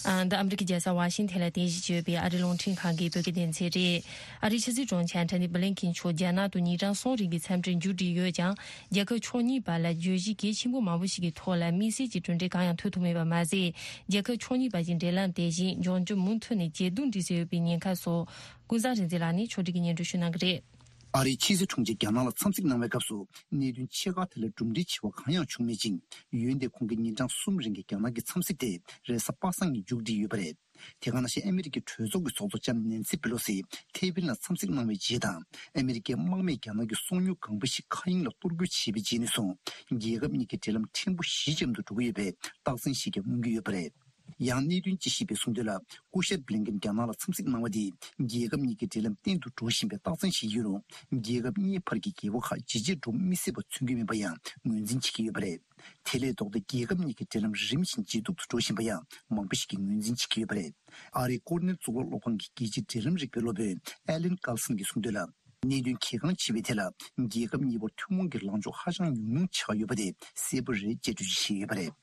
ཨ་འདི་ཨ་མི་རི་ཀའི་རྒྱལ་ས་ཝ་ཤིང་ཐན་ལ་རྟེན་གཞི་བྱས་ཡོད་པའི་ཨ་རིའི་རླུང་འཕྲིན་ཁང་གི་བོད་སྐད་སྡེ་ཚན་རེད། ཨ་རིའི་ཕྱི་སྲིད་དྲུང་ཆེ་ཨན་ཐོ་ནི་བྷི་ལིན་ཁིན་མཆོག་རྒྱ་ནག་ཏུ་ཉིན་གྲངས་གསུམ་རིང་གི་འཚམས་འདྲིར་མཇུག་སྒྲིལ་ཡོད་ཀྱང་། རྒྱལ་ཁབ་ཕྱོགས་གཉིས་བར་ལ་བརྗོད་གཞི་གལ་ཆེན་པོ་མང་པོ་ཞིག་གི་ཐོག་ལ་དམིགས་བསལ་གྱི་གྲུབ་འབྲས་གང་ཡང་ཐོན་ཐུབ་མེད་པ་མ་ཟད། རྒྱལ་ཁབ་ཕྱོགས་གཉིས་བར་གྱི་འབྲེལ་ལམ་དེ་བཞིན་འབྱུང་འགྱུར་མུ་མཐུད་ནས་ཇེ་སྡུག་འགྲོ་སྲིད་ཡོད་པའི་ཉེན་ཁ་སོགས། ཀུན་བཟང་རིག་འཛིན་ལགས་ནས་ཕྱོགས་སྒྲིག་གིས་སྙན་སྒྲོན་ཞུ་གནང་གི་རེད། ཨ་རིའི་ཕྱི་སྲིད་དྲུང་ཆེ་རྒྱ་ནག་ལ་འཚམས་གཟིགས་གནང་བའི་སྐབས་སུ་གནད་དོན་ཆེ་ཁག་དེ་ལ་གྲུབ་འབྲས་ཆེ་བ་གང་ཡང་བྱུང་མེད་ཅིང་། འོན་ཏེ་ཁོང་གི་ཉིན་གྲངས་གསུམ་རིང་གི་རྒྱ་ནག་གི་འཚམས་གཟིགས་དེ་རེས་གཟའ་པ་སངས་ཉིན་མཇུག་སྒྲིལ་ཡོད་པ་རེད། དེ་ག་ནང་བཞིན་ཨ་མི་རི་ཀའི་གྲོས་ཚོགས་ཀྱི་ཚོགས་གཙོ་ལྕམ་ནེན་སི་པེ་ལོ་སི་ཐེ་ཝན་ལ་འཚམས་གཟིགས་གནང་བའི་རྗེས་དང་། ཨ་མི་རི་ཀའི་དམག་མིས་རྒྱ་ནག་གི་སོ་ཉུལ་ཁང་པ་ཞིག་མཁའ་དབྱིངས་ལ་གཏོར་རྒོལ་བྱས་པའི་རྗེས་ནས་བཟུང་། རྒྱལ་ཁབ་གཉིས་ཀྱི་འབྲེལ་ལམ་ཕྲན་བུ་ཞི་འཇམ་དུ་འགྲོ་གི་ཡོད་པའི་རྟགས་མཚན་ཞིག་ཀྱང་མངོན་གྱི་ཡོད་པ་རེད། ཡང་གནད་དོན་དཔྱད་ཞིབ་པས་གསུངས་དོན་ལ། སྐུ་ཞབས་བྷི་ལིན་ཀེན་རྒྱ་ནག་ལ་འཚམས་གཟིགས་གནང་བ་དེས་རྒྱལ་ཁབ་གཉིས་ཀྱི་འབྲེལ་ལམ་བརྟན་དུ་འགྲོ་བཞིན་པའི་རྟགས་མཚན་ཞིག་ཡིན་རུང་། རྒྱལ་ཁབ་གཉིས་བར་གྱི་འགལ་བ་ཁག་ཇེ་ཆེར་འགྲོ་མི་སྲིད་པ་མཚོན་གྱི་མིན་པ་ཡང་ངོས་འཛིན་བྱེད་ཀྱི་ཡོད་པ་རེད། དེ་ལས་ལྡོག་སྟེ་རྒྱལ་ཁབ་གཉིས་ཀྱི་འབྲེལ་ལམ་རིམ་བཞིན་ཇེ་སྡུག་ཏུ་འགྲོ་བཞིན་པ་ཡང་མང་པོ་ཞིག་གིས་ངོས་འཛིན་བྱེད་ཀྱི་ཡོད་པ་རེད། ཨ་རིའི་ཀོར་ནེལ་གཙུག་ལག་སློབ་ཁང་གི་རྒྱལ་སྤྱིའི་འབྲེལ་ལམ་རིག་པའི་སློབ་དཔོན་ཨེ་ལན་ཀར་སན་གྱིས་གསུངས་དོན་ལ། གནད་དོན་གལ་འགངས་ཆེ་བའི་ཐད་ལ་རྒྱལ་ཁབ་གཉིས་བར་ཐུན་མོང་གི་ལངས་ཕྱོགས་ཧ་ཅང་ཉུང་ཉུང་ཆགས་ཡོད་པ་དེ་གསལ་པོ་རེད་ཅེས་འགྲེལ་བརྗོད་བྱས་ཡོད་པ་རེད།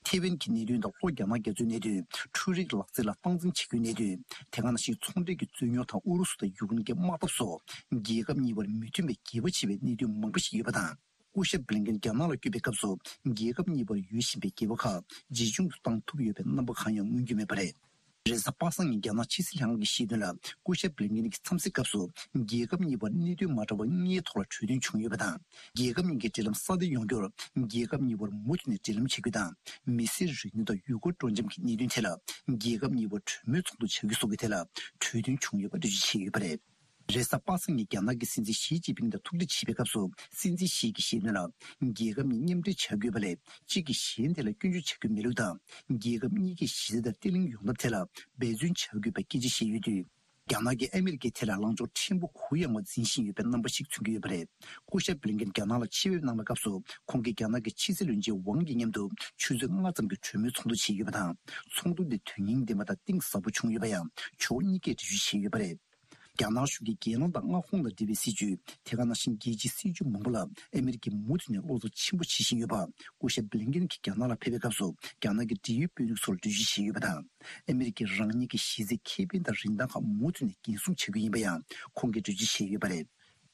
ཐེ་ཝན་གྱི་གནད་དོན་དང་ལྷོ་རྒྱ་ནག་རྒྱ་མཚོའི་གནད་དོན། འཕྲུལ་རིག་ལག་རྩལ་ལ་སྟངས་འཛིན་བྱེད་རྒྱུའི་གནད་དོན། དེ་ག་ནང་བཞིན་ཚོང་འབྲེལ་གྱི་རྩོད་རྙོག་དང་ཨུ་རུ་སུ་དང་ཡུཀ་རེན་གྱི་དམག་འཐབ་སོགས་རྒྱལ་ཁབ་གཉིས་བར་མི་མཐུན་པའི་འགྱུར་བ་ཆེ་བའི་གནད་དོན་མང་པོ་ཞིག་ཡོད་པ་དང་། སྐུ་ཞབས་བྷི་ལིན་ཀེན་རྒྱ་ནག་ལ་བསྐྱོད་པའི་སྐབས་སུ་རྒྱལ་ཁབ་གཉིས་བར་ཡོད་བཞིན་པའི་འགལ་བ་ཁག་ཇེ་ཆུང་དུ་བཏང་ཐུབ་ཡོད་པའི་རྣམ་པ་གང་ཡང་མངོན་གྱི་མེད་པ་རེད། རེས་གཟའ་པ་སངས་ཉིན་རྒྱ་ནག་ཕྱི་སྲིད་ལྷན་ཁང་གིས་བཤད་དོན་ལ། སྐུ་ཞབས་བྷི་ལིན་ཀེན་གྱི་འཚམས་གཟིགས་སྐབས་སུ་རྒྱལ་ཁབ་གཉིས་བར་གནད་དོན་མ་འདྲ་བ་ལྔའི་ཐོག་ལ་གྲོས་མཐུན་བྱུང་ཡོད་པ་དང་། རྒྱལ་ཁབ་གཉིས་ཀྱི་འབྲེལ་ལམ་སྲ་བརྟན་ཡོང་རྒྱུར་རྒྱལ་ཁབ་གཉིས་བར་མུ་མཐུད་ནས་འབྲེལ་ལམ་བྱེད་རྒྱུ་དང་། མི་སེར་རིག་གནས་དང་ཡུལ་སྐོར་སྤྲོ་འཆམ་གྱི་གནད་དོན་ཐད་ལ་རྒྱལ་ཁབ་གཉིས་བར་གྲོས་མོལ་ཚོགས་འདུ་བྱ་རྒྱུ་སོགས་ཀྱི་ཐད་ལ་གྲོས་མཐུན་བྱུང་ཡོད་པ་འགྲེལ་བརྗོད་བྱས་ཡོད་པ་རེད། རེས་གཟའ་པ་སངས་ཉིན་རྒྱ་ནག་གི་སྲིད་འཛིན་ཞི་ཅིན་ཕིང་དང་ཐུག་འཕྲད་བྱས་པའི་སྐབས་སུ་སྲིད་འཛིན་ཞི་གིས་བཤད་དོན་ལ། རྒྱལ་ཁབ་གཉིས་མཉམ་འབྲེལ་བྱ་དགོས་པ་ལས་གཅིག་གིས་གཞན་དེ་ལ་སྐྱོན་བརྗོད་བྱ་རྒྱུ་མེད་ལུགས་དང་། རྒྱལ་ཁབ་གཉིས་ཀྱི་གཞི་རྩ་དང་བརྟན་ལྷིང་ཡོང་ཐབས་ཐད་ལ་འབད་བརྩོན་བྱ་དགོས་པའི་སྐད་ཆ་བཤད་ཡོད་དུས། རྒྱ་ནག་གིས་ཨ་མི་རི་ཀའི་ཐད་ལ་ལངས་ཕྱོགས་ཕྲན་བུ་གུ་ཡངས་པ་འཛིན་བཞིན་ཡོད་པའི་རྣམ་པ་ཞིག་མཚོན་གྱི་ཡོད་པ་རེད། སྐུ་ཞབས་བྷི་ལིན་ཀེན་རྒྱ་ནག་ལ་ཕྱི་འབྲེལ་གནང་བའི་སྐབས་སུ་ཁོང་གིས་རྒྱ་ནག་གི་ཕྱི་སྲིད་བློན་ཆེན་ཝང་དབྱི་མཉམ་དུ་ཆུ་ཚོད་ལྔ་ཙམ་གྱི་གྲོས་མོལ་ཚོགས་འདུ་བྱས་ཡོད་པ་དང་། ཚོགས་འདུ་དེ་དོན་སྙིང་ལྡན་པ་དང་གཏིང་ཟབ་པོ་བྱུང་ཡོད་པ་ཡང་ཕྱོགས་གཉིས་ཀས་འགྲེལ་བརྗོད་བྱས་ཡོད་པ་རེད། རྒྱ་ནག་གཞུང་གིས་རྒྱལ་ནང་དང་མངའ་ཁོངས་དང་འབྲེལ་བའི་སྲིད་ཇུས། དེ་ག་ནང་བཞིན་རྒྱལ་སྤྱིའི་སྲིད་ཇུས་མང་པོ་ལ་ཨ་མི་རི་ཀས་མུ་མཐུད་ནས་བློ་འཚབ་ཆེན་པོ་བྱེད་བཞིན་ཡོད་པ། སྐུ་ཞབས་བྷི་ལིན་ཀེན་གྱིས་རྒྱ་ནག་ལ་ཕེབས་པའི་སྐབས་སུ་རྒྱ་ནག་གི་འབྲེལ་ཡོད་དཔོན་རིགས་ཚོར་འགྲེལ་བརྗོད་བྱས་ཡོད་པ་དང་། ཨ་མི་རི་ཀས་རང་ཉིད་ཀྱི་གཞི་རྩའི་ཁེ་ཕན་དང་རིན་ཐང་ཁག་མུ་མཐུད་ནས་འགན་སྲུང་བྱ་རྒྱུ་ཡིན་པ་ཡང་ཁོང་གིས་འགྲེལ་བརྗོད་བྱས་ཡོད་པ་རེད།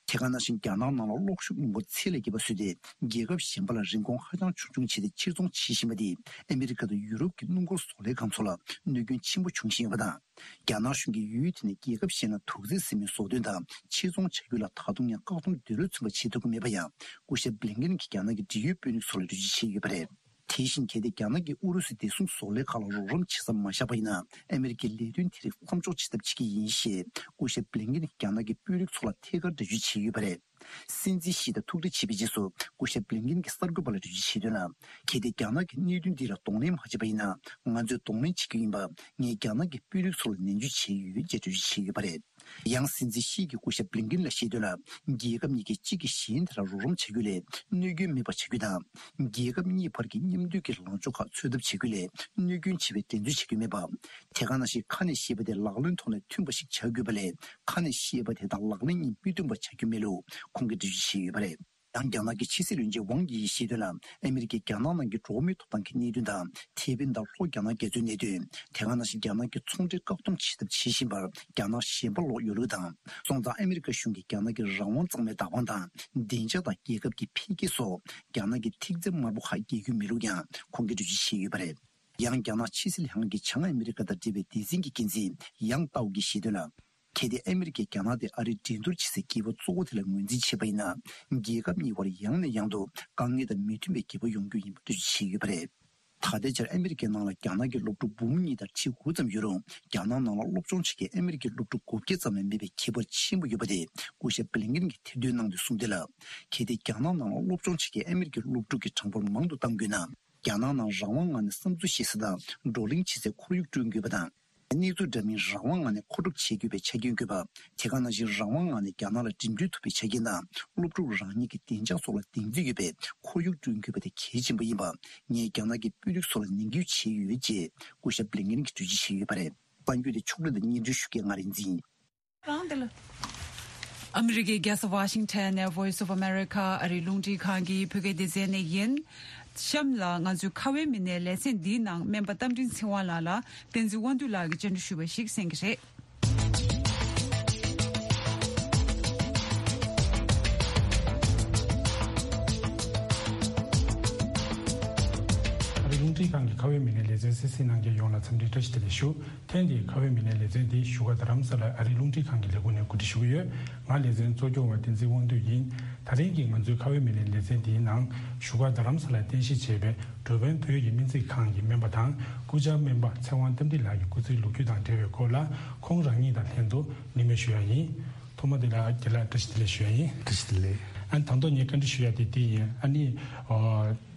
དེ་ག་ནང་བཞིན་རྒྱ་ནག་ནང་ལ་གློག་ཤུགས་སྔོན་འགོག་ཚད་ལས་བརྒལ་བ་བཟོས་ཏེ་རྒྱལ་ཁབ་གཞན་པ་ལ་རིན་གོང་ཧ་ཅང་ཆུང་ཆུང་བྱས་ཏེ་ཕྱིར་ཚོང་བྱེད་བཞིན་པ་དེས་ཨ་མི་རི་ཀ་དང་ཡུ་རོབ་ཀྱི་སྣུམ་འཁོར་བཟོ་ལས་ཁང་ཚོ་ལ་གནོད་སྐྱོན་ཆེན་པོ་བྱུང་བཞིན་ཡོད་པ་དང་། རྒྱ་ནག་གཞུང་གིས་ཡུལ་དེ་ནས་རྒྱལ་ཁབ་གཞན་ལ་དུག་རྫས་ཟེར་མིན་བཟོ་སྐྲུན་དང་ཕྱིར་ཚོང་བྱ་རྒྱུ་ལ་ད་དུང་ཡང་བཀག་སྡོམ་འདོད་བློ་ཚིམ་པ་བྱེད་ཐུབ་ཀྱི་མེད་པ་ཡང་སྐུ་ཞབས་བྷི་ལིན་ཀེན་གྱིས་རྒྱ་ནག་གི་འབྲེལ་ཡོད་དཔོན་རིགས་ཚོ་ལ་འགྲེལ་བརྗོད་བྱས་ཡོད་པ་རེད། དེ་བཞིན་གལ་ཏེ་རྒྱ་ནག་གིས་ཨུ་རུ་སུའི་བདེ་སྲུང་བཟོ་ལས་ཁག་ལ་རོགས་རམ་བྱེད་ས་མ་བཞག་པ་ཡིན་ན། ཨ་མི་རི་ཀའི་ལས་དོན་དེ་རིགས་མཚམས་འཇོག་བྱེད་ཐབས་བྱེད་ཀྱི་ཡིན་ཞེས་སྐུ་ཞབས་བྷི་ལིན་ཀེན་གྱིས་རྒྱ་ནག་གི་དཔོན་རིགས་ཚོ་ལ་ཐད་ཀར་འགྲེལ་བརྗོད་བྱས་ཡོད་པ་རེད། སྲིད་འཛིན་ཞི་དང་ཐུག་འཕྲད་བྱས་པའི་རྗེས་སུ་སྐུ་ཞབས་བྷི་ལིན་ཀེན་གྱིས་གསར་འགོད་པ་ལ་འགྲེལ་བརྗོད་བྱས་དོན་ལ། གལ་ཏེ་རྒྱ་ནག་གིས་གནད་དོན་འདི་ལ་གདོང་ལེན་མ་བྱས་པ་ཡིན་ན། ང་ཚོས་གདོང་ལེན་བྱེད་རྒྱུ་ཡིན་པ། ངས་རྒྱ་ནག་གི་དཔོན་རིགས་ཚོ་ལ་ནན་བརྗོད་བྱས་ཡོད་ཅེས་འགྲེལ་བརྗོད་བྱས་ཡོད་པ་རེད། ཡང་སྲིད་འཛིན་ཞི་གིས་སྐུ་ཞབས་བྷི་ལིན་ཀེན་ལ་བཤད་དོན་ལ། རྒྱལ་ཁབ་གཉིས་ཀས་གཅིག་གིས་གཞན་དེ་ལ་རོགས་རམ་བྱ་རྒྱུ་ལས་གནོད་སྐྱོན་མེད་པ་བྱ་རྒྱུ་དང་། རྒྱལ་ཁབ་གཉིས་བར་གྱི་མཉམ་འདུས་ཀྱི་ལངས་ཕྱོགས་ཁག་འཚོལ་ཐབས་བྱ་རྒྱུ་ལས་གནོད་སྐྱོན་ཆེ་བའི་འགྲན་རྩོད་བྱ་རྒྱུ་མེད་པ། དེ་ག་ནང་བཞིན་ཁ་ནས་བཤད་པ་དེ་ལག་ལེན་ཐོག་ནས་མཐུན་པ་ཞིག་བྱ་དགོས་པ་ལས། ཁ་ནས་བཤད་པ་དེ་དང་ལག་ལེན་གཉིས་མི་མཐུན་པ་བྱ་རྒྱུ་མེད་ལུགས་ཁོང་གིས་འགྲེལ་བརྗོད་བྱས་ཡོད་པ་རེད། ཡང་རྒྱ་ནག་གི་ཕྱི་སྲིད་བློན་ཆེན་ཝང་དབྱི་ཡིས་བཤད་དོན་ལ། ཨ་མི་རི་ཀས་རྒྱ་ནག་ནང་གི་འགྲོ་བ་མིའི་ཐོབ་ཐང་གི་གནད་དོན་དང་། ཐེ་ཝན་དང་ལྷོ་རྒྱ་ནག་རྒྱ་མཚོའི་གནད་དོན། དེ་ག་ནང་བཞིན་རྒྱ་ནག་གི་ཚོང་འབྲེལ་བཀག་སྡོམ་བྱེད་ཐབས་བྱེད་བཞིན་པར་རྒྱ་ནག་ཞེན་པ་ལོག་ཡོད་ལུགས་དང་། སོང་ཙང་ཨ་མི་རི་ཀ་གཞུང་གིས་རྒྱ་ནག་གི་རང་དབང་གཙང་མའི་བདག་དབང་དང་། བདེ་འཇགས་དང་རྒྱལ་ཁབ་ཀྱི་འཕེལ་རྒྱས་སོགས་རྒྱ་ནག་གི་ཐིག་ཚད་དམའ་པོ་ཁག་འགེལ་རྒྱུ་མེད་ལུགས་ཀྱང་ཁོང་གིས་འགྲེལ་བརྗོད་བྱས་ཡོད་པ་རེད། ཡང་རྒྱ་ནག་ཕྱི་སྲིད་ལྷན་ཁང་གི་བྱང་ཨ་མི་རི་ཀ་དང་འབྲེལ་བའི་སྡེ་ཚན་གྱི་འགན་འཛིན་ཡང་ཏའོ་གིས་བཤད་དོན་ལ། གལ་ཏེ་ཨ་མི་རི་ཀས་རྒྱ་ནག་དེ་ཨ་རིའི་འགྲན་བསྡུར་བྱེད་སའི་སྐྱེས་བུ་གཙོ་བོ་དེ་ལ་ངོས་འཛིན་བྱས་པ་ཡིན་ན། རྒྱལ་ཁབ་གཉིས་བར་ཡང་ནས་ཡང་དུ་དཀའ་ངལ་དང་མི་མཐུན་པའི་འགྱུར་བ་ཡོང་རྒྱུ་ཡིན་པ་འགྲེལ་བརྗོད་བྱས་ཡོད་པ་རེད། ད་ལྟའི་ཆར་ཨ་མི་རི་ཀའི་ནང་ལ་རྒྱ་ནག་གི་སློབ་ཕྲུག་འབུམ་གཉིས་དང་ཁྲི་དགུ་ཙམ་ཡོད་རུང་། རྒྱ་ནག་ནང་ལ་སློབ་སྦྱོང་བྱེད་མཁན་ཨ་མི་རི་ཀའི་སློབ་ཕྲུག་དགུ་བརྒྱ་ཙམ་ལས་མེད་པའི་ཁྱད་པར་ཆེན་པོ་ཡོད་པ་དེ་སྐུ་ཞབས་བྷི་ལིན་ཀེན་གྱིས་ཐེར་འདོན་གནང་དུས་གསུངས་དོན་ལ། གལ་ཏེ་རྒྱ་ནག་ནང་ལ་སློབ་སྦྱོང་བྱེད་མཁན་ཨ་མི་རི་ཀའི་སློབ་ཕྲུག་གི་གྲངས་འབོར་མང་དུ་གཏང་དགོས་ན། རྒྱ་ནག་ནང་རང་དབང་ངང་ནས་བསམ་ཚུལ་བཤད་ས་དང་བགྲོ་གླེང་བྱེད་སའི་ཁོར་ཡུག་བསྐྲུན་དགོས་པ་དང་། གནས་ཚུལ་འདྲ་མིན་རང་དབང་ངང་ནས་མཁོ་སྒྲུབ་བྱེད་དགོས་པའི་ཆ་རྐྱེན་དགོས་པ། དེ་ག་ནང་བཞིན་རང་དབང་ངང་ནས་རྒྱ་ནག་ལ་འགྲིམ་འགྲུལ་ཐུབ་པའི་ཆ་རྐྱེན་དང་། སློབ་ཕྲུག་རང་ཉིད་ཀྱི་བདེ་འཇགས་སོགས་ལ་གདེང་ཚོད་ཡོད་པའི་ཁོར་ཡུག་བསྐྲུན་དགོས་པ་དེ་གལ་ཆེན་པོ་ཡིན་པ། ངས་རྒྱ་ནག་གི་དཔོན་རིགས་ཚོ་ལ་ནན་སྐུལ་བྱས་ཡོད་ཅེས་སྐུ་ཞབས་བྷི་ལིན་ཀེན་གྱིས་འགྲེལ་བརྗོད་བྱས་ཡོད་པ་རེད། གསར་འགྱུར་དེ་ཕྱོགས་སྒྲིག་དང་སྙན་སྒྲོན་ཞུ་མཁན་ང་རིག་འཛིན། རང་དེ་ལ། ཨ་མི་རི་ཀའི་རྒྱལ་ས་ཝ་ཤིང་ཊོན་ནས་Voice of America ཨ་རིའི་རླུང་འཕྲིན་ཁང་གི་བོད་སྐད་སྡེ་ཚན་ནས་ཡིན། གཤམ་ལ་ང་ཚོའི་ཁ་བའི་མི་སྣའི་ལེ་ཚན་འདིའི་ནང་སྨན་པ་རྟ་མགྲིན་ཚེ་དབང་ལགས་ལ་བསྟན་འཛིན་དབང་འདུས་ལགས་ཀྱིས་བཅར་འདྲི་ཞུས་པ་ཞིག་གསན་གྱི་རེད། ཨ་རིའི་རླུང་འཕྲིན་ཁང་གི་ཁ་བའི་མི་སྣའི་ལེ་ཚན་གསན་གཟིགས་གནང་མཁན་ཡོངས་ལ་འཚམས་འདྲི་བཀྲ་ཤིས་བདེ་ལེགས་ཞུ། ཐེངས་འདིའི་ཁ་བའི་མི་སྣའི་ལེ་ཚན་འདི་བཞུགས་སྒར་རྡ་རམ་ས་ལ་ཨ་རིའི་རླུང་འཕྲིན་ཁང་གི་ལས་ཁུངས་ནས་གོ་སྒྲིག་ཞུ་གི་ཡོད། ང་ལེ་ཚན་གཙོ་སྐྱོང་བ་བསྟན་འཛིན་དབང་འདུས་ཡིན། ད་རིང་གི་ང་ཚོའི་ཁ་བའི་མི་སྣའི་ལེ་ཚན་འདིའི་ནང་བཞུགས་སྒར་རྡ་རམ་ས་ལར་རྟེན་གཞི་བྱས་པའི་འགྲོ་ཕན་བོད་ཀྱི་སྨན་རྩིས་ཁང་གི་སྨན་པ་དང་སྐུ་བཅར་སྨན་པ་ཚེ་དབང་རྟ་མགྲིན་ལགས་ཀྱི་སྐུ་ཚེའི་ལོ་རྒྱུས་དང་འབྲེལ་བའི་སྐོར་ལ་ཁོང་རང་ཉིད་དང་ལྷན་དུ་གླེང་མོལ་ཞུ་ཡ་ཡིན། ཐོག་མ་དེ་ལ་རྒན་ལགས་བཀྲ་ཤིས་བདེ་ལེགས་ཞུ་ཡ་ཡིན། བཀྲ་ཤིས་བདེ་ལེགས། ཨ་ནི་ད་དུང་ངས་བཀའ་འདྲི་ཞུ་ཡ་དེ་འདི་ཡིན། ཨ་ནི་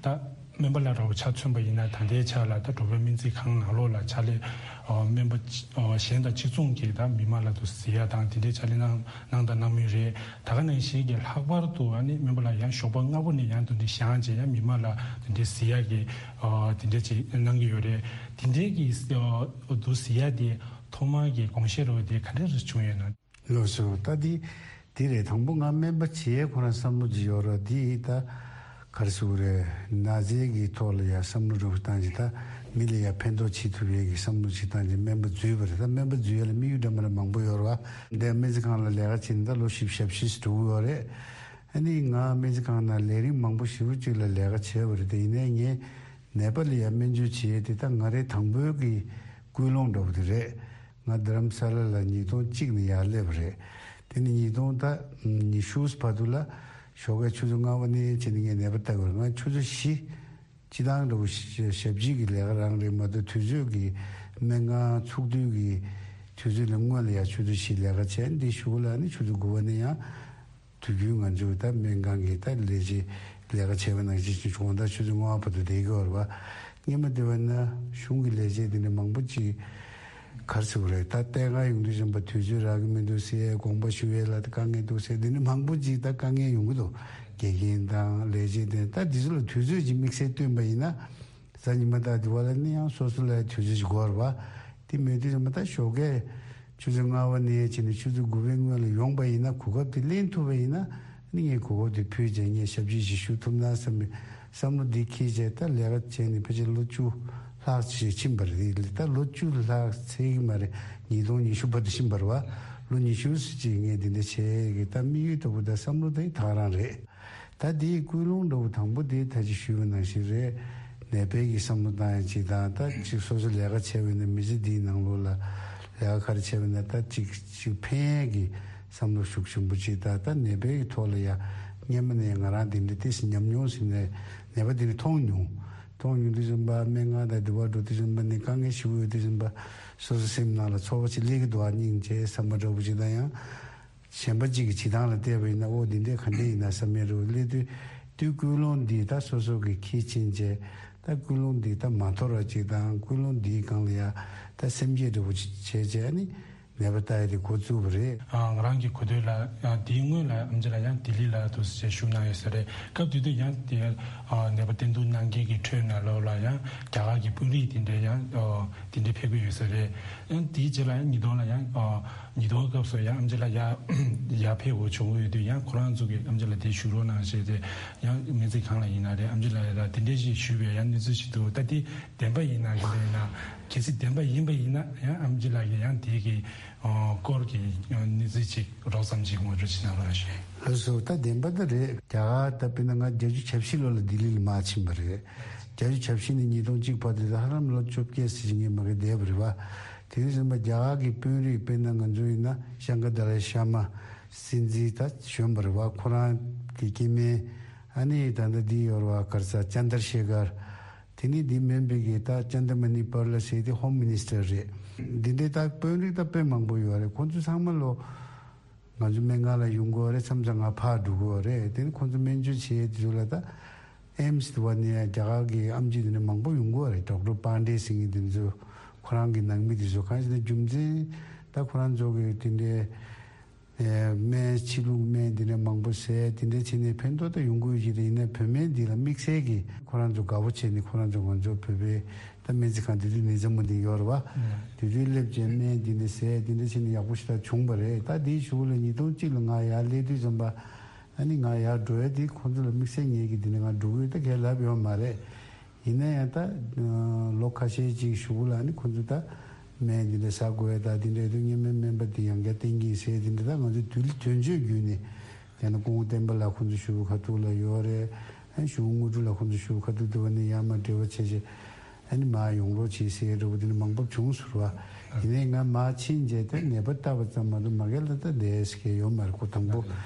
ད། སྨན་པ་ལ་རོགས་ཆ་མཚོན་པ་ཡིན་ན་ད་ལྟའི་ཆ་ལ་ད་འགྲོ་ཕན་སྨན་རྩིས་ཁང་ནང་ལོགས་ལ་ཕྱག་ལས་སྨན་པ་གཞན་དང་གཅིག་མཚུངས་ཀྱི་ད་མི་མང་ལ་དུ་གཟིགས་ཡ་དང་དེ་འདྲའི་ཕྱག་ལས་གནང་གནང་དང་གནང་མུས་རེད། ད་ག་ནང་བཞིན་གྱི་ལྷག་པར་དུ་ཨ་ནི་སྨན་པ་ལ་ཡང་ཞོགས་པ་སྔ་པོ་ནས་ཡང་དུ་འདི་བཞེངས་བྱས་ཡང་མི་མང་ལ་དེ་འདྲའི་གཟིགས་ཡ་གི་དེ་འདྲའི་ཅིག་གནང་གི་ཡོད་རེད། དེ་འདྲའི་གི་དུ་གཟིགས་ཡ་དེ་ཐོག་མར་གྱི་དགོངས་བཞེས་རོགས་དེ་ག་འདྲ་རེ་བྱུང་ཡོད་ན། ལགས་སོ། ད་འདི་ དེ་རེད། དང་པོ་ང་སྨན་པ་བྱེད་ཡས་ཁོ་རང་བསམ་བློ་ཅིག་ཡོད་ར། དེ་ད་ག་རེ་ཟེར་དགོས་རེད། ན་ཚའི་གི་ཐོག་ལ་ཡ་བསམ་བློ་འདྲ་བོ་བཏང་ཅིག་ད་མི་ལ་ཡ་ཕན་ཐོགས་བྱེད་ཐུབ་ཡས་ཀྱི་བསམ་བློ་ཅིག་བཏང་ཅིག་སྨན་པ་འཛུལ་བ་རེད། ད་སྨན་པ་འཛུལ་ཡས་ལ་དམིགས་ཡུལ་འདྲ་མི་འདྲ་མང་པོ་ཡོད་ར་བ། འདི་སྨན་རྩིས་ཁང་ལ་ལས་ཀ་བྱེད་ནས་ད་ལོ་བཞི་བཅུ་ཞེ་བཞི་ཙམ་འགྲོ་གི་ཡོད་རེད། ཨ་ནི་ང་སྨན་རྩིས་ཁང་ནང་ལས་རིམ་མང་པོ་ཞེ་པོ་ཅིག་ལ་ལས་ཀ་བྱས་པ་རེད། དེ་ཡིན་ནའི་ངས་ནད་པ་ལ་ཡ་སྨན་བཅོས་བྱེད་ཡས་དེ་ད་ང་རའི་དང་པོའི་གི་ཀུན་སློང་འདྲ་བོ་དེ་རེད། ང་རྡ་རམ་ས་ལ་ལ་ཉིས་སྟོང་གཅིག་ནས་ཡར་སླེབས་པ་རེད། དེ་ནས་ཉིས་སྟོང་ད་ཉི་ཤུ་བར་དུ་ལ་ཞོགས་ཀས་ཆུ་ཚོད་ལྔ་པ་ནས་བྱས་ནས་ངས་ནད་པ་ལྟ་དགོས་རེད། ང་ཆུ་ཚོད་བཞི་སྤྱི་བཏང་འདྲ་བོ་ཞབས་ཕྱི་གི་ལས་ཀ་རང་རེད་མ་གཏོགས་དུས་ཚོད་ཀྱི་སྨན་ཁང་ཚུགས་དུས་ཀྱི་དུས་ཚོད་ལས་སྔོན་ལ་ཡང་ཆུ་ཚོད་བཞི་ལས་ཀ་བྱས། འདི་གཞུག་ལ་ནི་ཆུ་ཚོད་དགུ་པ་ནས་ཡང་དུས་རྒྱུན་ང་ཚོས་ད་སྨན་ཁང་གི་ད་ལས་བྱེད་ལས་ཀ་བྱས་པ་ནང་བཞིན་ཅིག་དགོང་དག་ཆུ་ཚོད་ལྔ་པ་བར་དུ་བསྡད་ཀྱི་ཡོད་རེད་བ། སྔོན་མ་བསྡད་པ་ན་གཞུང་གི་ལས་བྱེད་དེ་འདྲ་མང་པོ་ཅིག་ག་རེ་ཟེར་དགོས་རེད། ད་ལྟས་ཀ་ཡོང་དུས་ཙམ་པ་དུས་ཚོད་རག་གི་མི་འདུག་ཟེར། དགོངས་པ་ཞུ་ཡས་ལ་ད་དཀའ་ངལ་འདུག་ཟེར། དེ་འདྲ་མང་པོ་ཅིག་ད་དཀའ་ངལ་ཡོང་གི་འདུག་དགེ་རྒན་དང་ལས་བྱེད་དེ་ད་དེ་ཚོ་ལ་དུས་ཚོད་ཅིག་དམིགས་བསལ་བཏོན་པ་ཡིན་ན། གཟའ་ཉི་མ་དང་དེ་བ་ལ་ནི་ཡང་སོ་སོ་ལ་དུས་ཚོད་ཅིག་འགོར་བ། དེ་མེད་དུས་ཙམ་པ་ད་ཞོགས་ཀས་ཆུ་ཚོད་ལྔ་པ་ནས་བྱས་ནས་ཆུ་ཚོད་དགུ་པའི་སྔོན་ལ་ཡོང་པ་ཡིན་ན། གོ་སྐབས་དེ་ལེན་ཐུབ་པ་ཡིན་ན། ནི་ངས་གོ་སྐབས་དེ་ཕུད་བྱས་ངས་ཞབས་ཕྱི་ཞིག་ཞུ་ཐུབ་ན་བསམ་པའི་བསམ་བློ་འདི་འཁྱེར་བྱས་ད་ལས་ཀ་བྱས་ནས་ཕལ་ཆེར་ལོ་བཅུ་ལྷག་ཅིག་ཕྱིན་པ་རེད། ད་ལོ་བཅུ་ལྷག་ཚད་ཀྱི་མ་རེད། ཉིས་སྟོང་ཉི་ཤུ་བར་དུ་ཕྱིན་པ་རེད་བ། ལོ་ཉི་ཤུ་ཙམ་ཅིག་ངས་འདི་འདྲ་བྱས་ཀྱི་ད་དམིགས་ཡུལ་ལྟ་བུ་ད་བསམ་བློ་དེ་ད་ག་རང་རེད། ད་དེའི་ཀུན་སློང་འདྲ་བོ་དང་པོ་དེ་ད་ཅི་ཞུས་པ་ནང་བཞིན་རེད། ནད་པའི་གི་བསམ་བློ་བཏང་ཡ་གཅིག་དང་། ད་ཅིག་སོ་སོ་ལས་ཀ་བྱས་པ་ཡིན་ན་མི་ཚེ་འདིའི་ནང་ལོགས་ལ་ལས་ཀ་ག་རེ་བྱས་པ་ཡིན་ན་ད་ཅིག་ཅིག་ཕན་ཡ་གི་བསམ་བློ་ཤུགས་ཆེན་པོ་ཅིག་དང་། ད་ནད་པའི་གི་ཐོག་ལ་ཡ་སྔོན་མ་ནས་ང་རང་དེ་འདྲ་ཏོག་ཙམ་ཉམས་མྱོང་ཟིན་ནས་ནད་པ་དེ་འདྲ་མཐོང་མྱོང་། མཐོང་མྱོང་དུས་ཙམ་པ་སྨན་ཁང་དང་དེ་བ་འགྲོ་དུས་ཙམ་པ་ནས་དཀའ་ངལ་ཞེ་པོ་ཡོད་དུས་ཙམ་པ་སོ་སོ་སེམས་ནང་ལ་ཚོར་བ་ཅིག་སླེབས་ཀྱི་འདུག་ཨ་སྙིང་རྗེ་བསམ་པ་འདྲ་བོ་ཅིག་དང་། ཡང་གཞན་པ་གཅིག་གི་བྱེད་སྟངས་ལ་བལྟས་པ་ཡིན་ན། ཨོ་འདི་འདྲས་ག་འདྲས་ཡིན་ན་བསམ་ཡས་རེད་སླེབས་དུས། དུས་ཀུན་སློང་འདི་ད་སོ་སོ་གི་ཁྱི་ཕྱིན་བྱས། ད་ཀུན་སློང་འདི་ད་མ་འཐོར་བ་ཅིག་དང་། ཀུན་སློང་འདིའི་སྒང་ལ་ཡ་ད་སེམས་བསྐྱེད་འདྲ་བོ་ཅིག་བྱས་བྱས་ནི་ནད་པ་ལྟ་ཡས་དེ་འགོ་བཙུགས་པ་རེད། ཨ། ང་རང་གི་གོ་ཐོས་ལ་ཡང་དེའི་སྔོན་ལ་ཨེམ་ཆི་ལགས་ཡང་ལྡི་ལི་ལ་འདུག་སེ་བཞུགས་གནང་ཡོད་ས་རེད། སྐབས་དེ་དུས་ཡང་དེ་ཨ་ནད་པ་བསྟེན་གཏུག་གནང་མཁན་གྱི་ཁྲོད་ནང་ལོགས་ལ་ཡང་རྒྱ་གར་གྱི་དཔོན་རིགས་དེ་འདྲས་ཡང་ཨ་དེ་འདྲས་ཕེབས་ཀྱི་ཡོད་ས་རེད། ཡང་དེའི་རྗེས་ལ་ཡང་ཉིས་སྟོང་ལ་ཡང་ཨ་ཉིས་སྟོང་སྐབས་སུ་ཡང་ཨེམ་ཆི་ལགས་ཡར་ཡར་ཕེབས་དགོས་བྱུང་ཡོད་དུས། ཡང་ཁོ་རང་ཚོ་གིས་ཨེམ་ཆི་ལགས་དེ་བཞུགས་རོགས་གནང་ཞེས་དེ་ཡང་སྨན་རྩིས་ཁང་ལ་ཡིན་ན་རེད། ཨེམ་ཆི་ལགས་ཡ་ད་དེ་འདྲས་ཞིག་ཞུས་པའི་ཡང་གནས་ཚུལ་ཞིག་འདུག་ད་དེ་བདེན་པ་ཡིན་ན་ག་འདྲ་ཡིན་ན། གལ་སྲིད་བདེན་པ་ཡིན་པ་ཡིན་ན་ཡང་ཨེམ་ཆི་ལགས་ཀྱིས་ཡང་དེ་གི་ཨ་སྐོར་གྱི་ཨ་གནས་ཚུལ་ཅིག་རོབ་ཙམ་ཅིག་ངོ་སྤྲོད་ཅིག་གནང་རོགས་ཞུ། ལགས་སོ། ད་བདེན་པ་ད་རེད། རྒྱ་གར་ད་དཔེར་ན་ང་བརྒྱད་ཅུ་གྱ་བཞི་ལོ་ལ་ལྡི་ལི་ལ་མར་ཕྱིན་པ་རེད། བརྒྱད་ཅུ་གྱ་བཞི་ནས་ཉིས་སྟོང་གཅིག་བར་དུ་ད་ཧ་ལམ་ལོ་བཅོ་བརྒྱད་ཙམ་ཅིག་ངས་མ་གི་བསྡད་པ་རེད་བ། དེ་དུས་ཙམ་པ་རྒྱ་གར་གྱི་དཔོན་རིགས་དཔེར་ན་ང་ཚོ་ཡིན་ན་ཤང་ཀ་དཱ་ལའི་ཤ་མ་སྲིད་འཛིན་ད་བྱོན་པ་རེད་བ། ཁོ་རང་གི་སྐྱེ་དམན་ཨ་ནི་ད་ལྟ་འདི་ཡོད་རེད་བ། ག་རེ་ཟེར། ཅན་དར་ཤེ་ཁར། དེ་ནས་འདི་སྨན་པའི་གི་ད་ཅན་དར་མ་ནི་པར་ལ་ཟེར་དེ་ཧོམ་མི་ནིས་ཊར་རེད། འདི་འདྲའི་ད་དཔོན་རིགས་ད་དཔེ་མང་པོ་ཡོད་རེད། ཁོང་ཚོ་ཚང་མ་ལོ་ང་ཚོ་སྨན་ཁང་ལ་ཡོང་གི་ཡོད་རེད། མཚམས་མཚམས་ང་ཕར་འགྲོ་གི་ཡོད་རེད། དེ་ནས་ཁོང་ཚོ་སྨན་བཅོས་བྱེད་དུས་ལ་ད་ཨེམ་སི་དུ་བ་ནས་རྒྱ་གར་གི་ཨེམ་ཆི་དེ་འདྲ་མང་པོ་ཡོང་གི་ཡོད་རེད། ཌོག་ཊར་པཱན་ཌེ་ཟེར་མཁན་དེ་ཚོ་ཁོ་རང་གི་ནང་མི་དེ་ཚོ། གང་ཞིག་ན་རྒྱུ་མཚན་ད་ཁོ་རང་ཚོ་གི་དེ་འདྲའི་ཨེ་སྨན་ཕྱི་ལུགས་སྨན་འདི་འདྲ་མང་པོ་ཟས་འདི་འདྲ་བྱས་ནས་ཕན་ཐོགས་ད་ཡོང་གི་ཡོད་ཀྱི་རེད། ཡིན་ནའི་བོད་སྨན་འདི་ལ་དམིགས་བསལ་གྱིས་ཁོ་རང་ཚོ་དགའ་པོ་བྱས་ནས། ཁོ་རང་ཚོ་ང་ཚོ་བོད་པའི་ད་སྨན་རྩིས་ཁང་དེ་དུས་ནེ་ཙ་མུ་དིན་ཡོད་རེད་བ། དེ་དུས་སླེབས་བྱས་སྨན་འདི་འདྲ་ཟས་འདི་འདྲ་བྱས་ནས་ཡག་པོ་ཞེ་དྲག་བྱུང་བ་རེད། ད་དེའི་གཞུག་ལ་ཉིས་སྟོང་གཅིག་ལ་ང་ཡར་སླེབས་དུས་ཙམ་པ། ཨ་ནི་ང་ཡར་འགྲོ་ཡ་དེ་ཁོ་ཚོ་ལ་དམིགས་བསལ་ངེད་ཀྱིས་འདི་ནས་ང་འགྲོ་གི་ཡོད་ད་གས་ལབ་ཡོད་མ་རེད། ཡིན་ན་ཡང་ད་ལོ་ཁ་ཤས་ཅིག་གཞུག་ལ་ནི་ཁོ་ཚོ་ད་སྨན་འདི་འདྲ་ཟ་དགོས་ཡ་ད་འདི་འདྲ་དུས་སྔོན་མའི་སྨན་པ་འདི་ཡང་བསྐྱར་བསྟེན་གྱིན་ཟེར་འདི་འདྲ། ད་ང་ཚོ་དུས་དོན་གཅོད་བརྒྱུད་ནས་དེ་ནས་སྐུ་ངོ་བསྟན་པ་ལགས་ཁོ་ཚོ་ཞུ་བ་ཁ་ཐུག་ལ་ཡོད་རེད། ཨ་ཞུ་བ་དངོས་གྲུབ་ལགས་ཁོ་ཚོ་ཞུ་བ་ཁ་ཐུག་དུ་བ་ནི་ཡར་མར་འབྲེལ་བ་བྱས་བྱས་ཨ་ནི་མར་ཡོང་རོགས་བྱེད་ཟེར་འདྲ་བོ་དེ་འདྲ་མང་པོ་བྱུང་ཟེར་བ། ཡིན་ནའི་ང་མར་ཕྱིན་རྗེས་དེ་ནད་པ་ལྟ་བ་ཙམ་མ་གཏོགས་མ་གི་ལ་ད་བསྡད་ས་གི་ཡོད་མ་རེད། ཁོ་དང་པོ་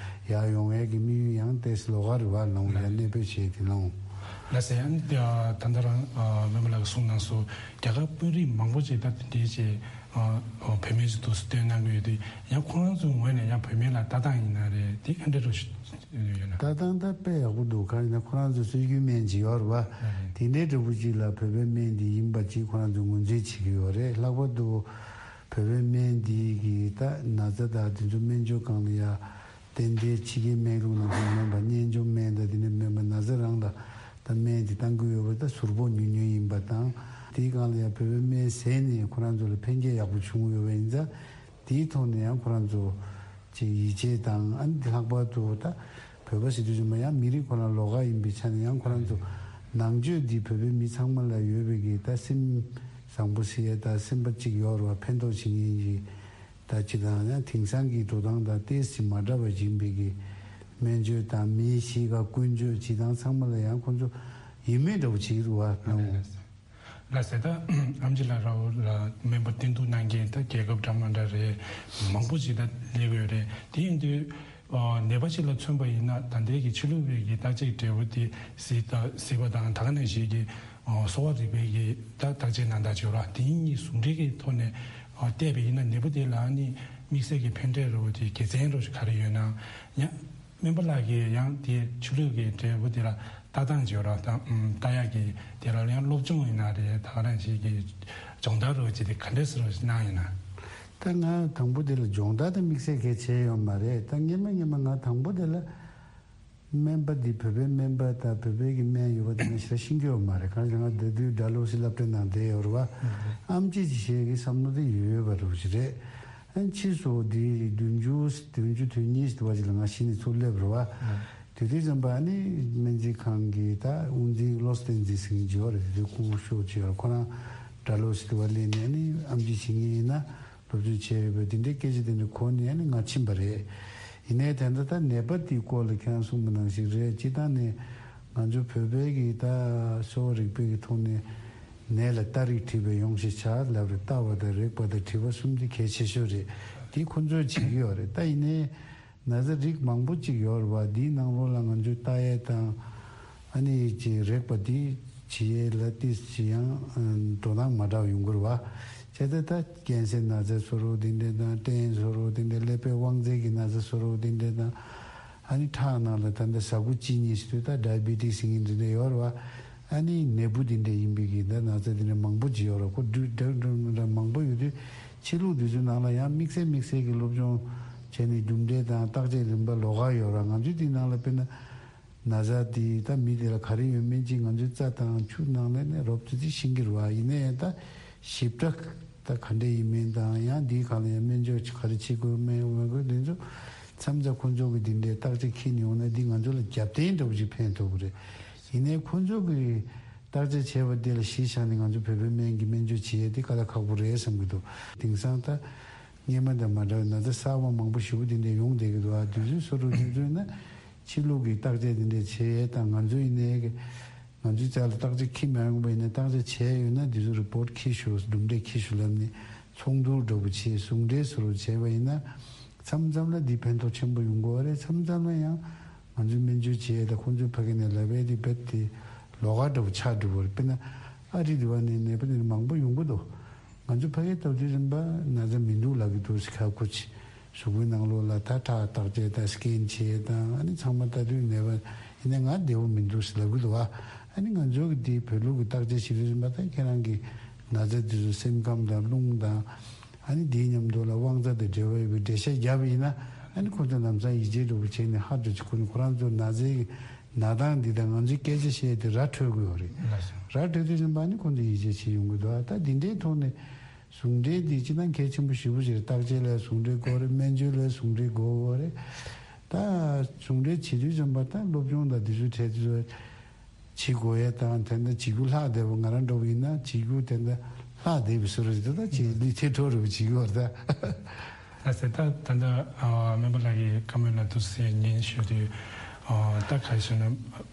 ཡར་ཡོང་ཡས་ཀྱི་དམིགས་ཡུལ་ཡང་ཏོག་ཙམ་ལོགས་ཀ་རེད་བ། ལོང་ཡར་གནས་སྤོས་བྱས་དེ་ལོང་། ལགས་སེ། ཨ་ནི་ད་ད་ལྟ་རང་སྨན་པ་ལགས་གསུངས་གནང་སོང་། རྒྱ་གར་དཔོན་རིགས་མང་པོ་ཅིག་ད་དེ་འདྲའི་ཅིག་བོད་སྨན་ཅིག་འདུག་སེ་བཏོན་གནང་གི་ཡོད་དུས། ཡང་ཁོ་རང་ཚོའི་ངོས་ནས་ཡང་བོད་སྨན་ལ་ལྟ་སྟངས་ཡིན་ན་རེད། དེ་ག་འདྲ་རུ་ཡོད་ན། ལྟ་སྟངས་ད་དཔེ་ཡག་པོ་འདུག་གང་ཡིན་ན་ཁོ་རང་ཚོ་སྲོལ་རྒྱུན་སྨན་ཅིག་ཡོད་རེད་བ། དེ་འདྲའི་འདྲ་བོ་ཅིག་ལ་བོད་པའི་སྨན་འདི་ཡིན་པ་ཅིག་ཁོ་རང་ཚོ་ངོས་འཛིན་བྱེད་ཀྱི་ཡོད་རེད། ལྷག་པར་དུ་བོད་པའི་སྨན་འདི་གི་ད་ན་ཚ་དང་དེ་ཚོ་སྨན་བཅོས་སྒང་ལ་ཡ་ཏན་ཏན་ཕྱི་རྒྱལ་སྨན་ལུགས་ནང་བཞིན་མིན་པ། གཉན་འཇོམས་སྨན་དང་དེ་འདྲ་མིན་པ། ན་ཚ་རང་ལ་ད་སྨན་འདི་བཏང་གི་ཡོད་པ་ད་ཟུར་ཕོག་ཉུང་ཉུང་ཡིན་པ་དང་། དེའི་སྒང་ལ་ཡང་བོད་པའི་སྨན་ཟས་ནས་ཁོ་རང་ཚོ་ལ་ཕན་སྐྱེད་ཡག་པོ་བྱུང་ཡོད་པ་ཡིན་ཙང་། དེའི་ཐོག་ནས་ཡང་ཁོ་རང་ཚོ་ ཅིག་ཡིད་ཆེས་དང་། ཨ་ནི་ལྷག་པར་དུ་ད་བོད་པ་ཟེར་དུས་ཙམ་པ་ཡང་མི་རིགས་ཁོ་རང་ལོགས་ཀ་ཡིན་པའི་ཆ་ནས། ཡང་ཁོ་རང་ཚོ་ནང་ཆོས་འདི་བོད་པའི་མི་ཚང་མ་ལ་ཡོད་པའི་གི་ད་སེམས་བཟང་པོ་ཟེར་ཡ་ད་སེམས་པ་གཅིག་ཡོད་རེད་བ། ཕན་ཐོགས་བྱེད་མཁན་གྱི་ད་སྤྱི་དང་། ཡང་དེང་སང་གི་འགྲོ་སྟངས་དང་ཏོག་ཙམ་མ་འདྲ་བ་ཡིན་པའི་གི་སྨན་བཅོས་དང་། མིའི་གཤིས་ཀ་ཀུན་སྤྱོད་སྤྱི་དང་ཚང་མ་ལ་ཡང་ཁོ་ཚོ་ཡིད་སྨོན་འདྲ་བོ་བྱེད་ཀྱི་འདུག་བ། ལགས་སེ། ད་ཨེམ་ཆི་ལགས་ར་བོ་ལ་སྨན་པ་བསྟེན་གཏུག་གནང་མཁན་ད་རྒྱལ་ཁབ་འདྲ་མ་འདྲ་རེད། མང་པོ་ཞིག་ད་སླེབས་ཡོད་རེད། དེ་ཡིན་དུས་ཨ་ནད་པ་ཞིག་ལ་མཚོན་པ་ཡིན་ན། ད་ལྟའི་གི་ཕྱི་ལུགས་པའི་གི་བརྟག་དཔྱད་འབྲས་བུ་དེ་གཟིགས་ད་གཟིགས་པ་དང་། ད་ག་ནང་བཞིན་གྱི་ཨ་གསོ་བ་རིག་པའི་གི་ད་བརྟག་དཔྱད་གནང་སྟངས་བྱེད་ར། དེ་གཉིས་ཟུང་འབྲེལ་གྱི་ཐོག་ནས་ཨ་བལྟས་པ་ཡིན་ན། ནད་པ་དེ་ལ་ཨ་ནི་དམིགས་བསལ་གྱི་ཕན་འབྲས་ར་བོ་དེ་དགེ་མཚན་ར་བོ་ཞིག་ག་རེ་ཡོད་ན་ཡང་། སྨན་པ་ལགས་ཀྱིས་ཡང་དེ་ཕྱི་ལུགས་ཀྱི་འབྲས་བུ་དེ་ལ་ལྟ་སྟངས་བྱེད་རོགས་དང་། ལྟ་ཡག་གི་དེ་ལ་ཡང་སློབ་སྦྱོང་ཡིན་ན་རེད། ད་ག་རང་ཞིག་གི་སྦྱོང་བརྡར་རོགས་ཀྱི་དེ་ག་འདྲས་སེ་རོགས་ཀྱི་གནང་ཡིན་ན། ད་ང་དང་པོ་དེ་ལ་སྦྱོང་བརྡར་དེ་དམིགས་བསལ་གལ་ཆེ་ཡོད་མ་རེད། ད་སྔན་མ་སྔན་མ་ང་དང་པོ་དེ་ལ་སྨན་པ་འདི་བོད་པའི་སྨན་པ་དང་བོད་པའི་གི་སྨན་ཡོད་པ་དེ་ང་ཞེ་དྲག་ཤེས་ཀྱི་ཡོད་མ་རེད། གང་ལྟར་ང་དེ་དུས་སྦྲ་ལོགས་སུ་སློབ་གྲྭའི་ནང་བསྡད་ཡོད་རེད་བ། ཨེམ་ཆི་ཅིག་བྱེད་ཀྱི་བསམ་བློ་དེ་ཡོད་པ་རེད་ཅིག་རེད། ཨ་ཕྱིས་སུ་དེ་བདུན་ཅུ་བདུན་ཅུ་དོན་གཉིས་དུ་བ་ཅིག་ལ་ང་གཞི་ནས་ཚུར་སླེབས་རེད་བ། དེ་དུས་ཙམ་པ་ཨ་ནི་སྨན་རྩིས་ཁང་གི་ད་དབུ་འཛིན་བློ་བསྟན་འཛིན་ཟེར་མཁན་ཅིག་ཡོད་རེད། དེ་དུས་སྐུ་ཞབས་ཅིག་ཡོད་རེད། ཁོ་རང་སྦྲ་ལོགས་སུ་དུ་བ་སླེབས་ནས་ཨ་ནི་ཨེམ་ཆི་བྱེད་མཁན་ཡིན་ན་སློབ་སྦྱོང་བྱས་ཡོད་པས། དེ་འདྲའི་སྐད་ཆ་དེ་འདྲ་གོ་ནས་ཨ་ནི་ང་ཕྱིན་པ་རེད། ཡིན་ནའི་ད་ལྟ་ད་ནད་པ་དེའི་སྐོར་ལ་ཁྱེད་རང་གསུངས་པ་ནང་བཞིན་རེད། སྤྱིར་བཏང་ནས་ང་ཚོ་བོད་པའི་གི་ད་གསོ་བ་རིག་པའི་གི་ཐོག་ནས་ནད་ལ་ལྟ་རིགས་བྲིས་པའི་ཡོང་ཞེས་བྱ་ལབ་རེད། ལྟ་བ་དང་རེག་པ་དང་དྲི་བ་གསུམ་དེ་གལ་ཆེ་ཤོས་རེད། དེ་ཁོ་ཚོས་བྱེད་ཀྱི་ཡོད་རེད། ད་ཡིན་ནའི་ན་ཚ་རིགས་མང་པོ་ཅིག་ཡོད་རེད་བ། དེའི་ནང་ལོགས་ལ་ང་ཚོས་ལྟ་ཡས་དང་། ཨ་ནི་ཅིག་རེག་པ་དེ་བྱེད་ཡས་ལ་ཏོག་ཙམ་ཡང་འགྲོ་སྟངས་མ་འདྲ་བ་ཡོང་གི་རེད་བ། བྱས་ཙང་ད་ཀན་སར་ན་ཚ་བཟོ་འདྲ་དེ་འདྲ་དང་། སྐྲན་བཟོ་འདྲ་དེ་འདྲ། ཀླད་པའི་དབང་རྩའི་གི་ན་ཚ་བཟོ་འདྲ་དེ་འདྲ་དང་། ཨ་ནི་ཁྲག་ནང་ལ་ད་ལྟ་ཟ་ཁུ་གཅིན་སྙི་ཟེར་དུས་ད་ཌའི་བེ་ཊིག་ཟེར་མཁན་དེ་འདྲ་ཡོད་རེད་བ། ཨ་ནི་ནད་འབུ་དེ་འདྲ་ཡིན་པའི་གི་ད་ན་ཚ་དེ་འདྲ་མང་པོ་ཅིག་ཡོད་རེད། ཁོ་འདྲ་འདྲ་མང་པོ་ཡོད་དུས། ཕྱི་ལུགས་དེ་ཚོའི་ནང་ལ་ཡང་དམིགས་བསལ་དམིགས་བསལ་གྱི་སློབ་སྦྱོང་བྱས་ནས་རྒྱུ་འབྲས་དང་བརྟག་དཔྱད་རིམ་པ་ལོགས་ཀ་ཡོད་རེད། ང་ཚོའི་དེའི་ནང་ལ་དཔེར་ན་ན་ཚ་དེ་ད་མི་དེ་ལ་ག་རེ་ཡོད་མིན་ཅིག་ང་ཚོའི་རྩ་དང་ཆུ་ནང་ལ་ནས་རོབ་ཙམ་ཅིག་ཤེས་ཀྱི་རེད་བ། ཡིན་ན་ཡང་ད་ཞིབ་ཕྲ་ད་ག་འདྲ་ཡིན་མིན་དང་། ཡང་འདིའི་སྒང་ལ་ཡང་སྨན་བཅོས་ག་རེ་བྱེད་དགོས་མེད་མ་དགོས་དེ་ཚོ་མཚམས་མཚམས་ཁོ་ཚོ་གི་འདི་འདྲའི་བརྟག་དཔྱད་འཁྱེར་ནས་ཡོང་ན་འདི་ང་ཚོ་ལ་རྒྱབ་རྟེན་འདྲ་བོ་ཅིག་ཕན་ཐོགས་ཀྱི་རེད། ཡིན་ནའི་ཁོ་ཚོ་གི་བརྟག་དཔྱད་བྱས་པ་དེ་ལ་གཞི་བཞག་ནས་ང་ཚོ་བོད་པའི་སྨན་གྱི་སྨན་བཅོས་བྱེད་ཡས་དེ་དཀའ་ལས་ཁག་པོ་རེད་བསམ་གྱི་འདུག། དེང་སང་ད་སྔན་མ་དང་མ་འདྲ་བའི་ན་ཚ་གསར་པ་མང་པོ་ཞེ་པོ་དེ་འདྲ་ཡོང་བསྡད་ཀྱི་འདུག། ཨ་དུས་ཚོད་སོ་སོ་དུས་ཚོད་ན་ཕྱི་ལུགས་ཀྱི་བརྟག་དཔྱད་དེ་འདྲ་བྱེད་ཡས་དང་། ང་ཚོ་ཡིན་ནའི་གི་ང་ཚོའི་རྩ་ལ་བརྟག་དཔྱད་འཁྱེར་མ་ཡོང་པ་ཡིན་ན། བརྟག་དཔྱད་བྱས་ཡོད་ན་དེ་ཚོ་རི་པོར་ཊི་འཁྱེར་ཤོག། གྲུབ་འབྲས་འཁྱེར་ཤོག་ལབ་ནས་ཚོགས་འདུ་འདྲ་པོ་བྱས། ཟུང་འབྲེལ་བཟོ་འདྲ་བྱས་པ་ཡིན་ན། མཚམས་མཚམས་ལ་འདི་ཕན་ཐོགས་ཆེན་པོ་ཡོང་གི་ཡོད་རེད། མཚམས་མཚམས་ལ་ཡང་ང་ཚོའི་སྨན་བཅོས་བྱེད་ཡས་དང་ཁོང་ཚོའི་ཕ་གི་ནས་ལབ་ཡས་དེ་རྦད་དེ་ལོགས་ཀ་འདྲ་པོ་ཆགས་འགྲོ་གི་ཡོད་རེད། དཔེར་ན་ཨ་རི་དེ་བ་ནས་ནད་པ་དེ་མང་པོ་ཡོང་གི་འདུག། ང་ཚོ་ཕ་གིར་ལྟ་དུས་རིམ་པ་ན་ཚ་མི་འདུག་ལབ་ཀྱི་འདུག་ཟེར། ཁ་ཁུ་ཆེ་གཟུགས་པོའི་ནང་ལོགས་ལ་ད་ཁྲག་བརྟག་དཔྱད་དང་སི་ཀེན་བྱེད་དང་། ཨ་ནི་ཚང་མ་ལྟ་དུས་ནད་པ་ཡིན་ན་ང་བདེ་པོ་མི་འདུག་ཟེར་ལབ་ཀྱི་འདུག་བ། ཨ་ནི་ང་ཚོ་གི་དེའི་བོད་ལུགས་ཀྱི་བརྟག་དཔྱད་བྱེད་དུས་རིམ་པ་ད་ཁྱེད་རང་གི་ན་ཚ་དེ་ཚོ་སེམས་ཁམས་དང་རླུང་དང་། ཨ་ནི་དེའི་མཉམ་དུ་ལ་དབང་རྩ་དང་འབྲེལ་བ་ཡོད་པའི་འགྲེལ་བཤད་བརྒྱབ་པ་ཡིན་ན། ཨ་ནི་ཁོ་ཚོ་ལམ་སང་ཡིད་ཆེས་འདྲ་པོ་བྱས་ནས་ཧ་འདྲ་ཅིག་ཁོ་ནི་ཁོ་རང་ཚོ་ན་ཚའི་ན་སྟངས་འདི་དང་ང་ཚོའི་སྐད་ཆ་བཤད་དེ་ར་འཕྲོད་ཀྱི་ཡོད་རེད། ར་འཕྲོད་དུས་ཙམ་པ་ནི་ཁོང་ཚོ་ཡིད་ཆེས་བྱེད་ཡོང་གི་འདུག། ད་འདི་འདྲའི་ཐོག་ནས་ཟུང་འབྲེལ་འདི་སྤྱིར་བཏང་གལ་ཆེན་པོ་ཞེ་པོ་ཅིག་རེད། བརྟག་དཔྱད་ལ་ཟུང་འབྲེལ་དགོས་རེད། སྨན་བཅོས་ལ་ཟུང་འབྲེལ་དགོས་རེད། ད་ཟུང་འབྲེལ་བྱེད་དུས་ཙམ་པ་ད་སློབ་སྦྱོང་དང་འདི་ཚོའི་གྲས་དེ་ཚོ་བྱེད་དགོས་ཡས་དང་། དེ་འདྲ་བྱེད་རྒྱུ་ལྷག་བསྡད་པ་ང་རང་འདྲ་པོ་ཡིན་ན་བྱེད་རྒྱུ་དེ་འདྲ་ལྷག་བསྡད་པའི་བཟོ་འདྲ་ཞིག་འདུག། ད་ཅིག་ལུས་ཐེ་གྲོགས་རེ་བ་བྱེད་ཀྱི་ཡོད་རེད་ད། ལགས་སེ། ད་ད་ལྟ་ཨ་སྨན་པ་ལགས་ཀྱིས་བཀའ་མོལ་ལ་འདུག་སེ་སྙན་ཞུ་དུས། ཨ་ད་ག་རེ་ཞུ་ན།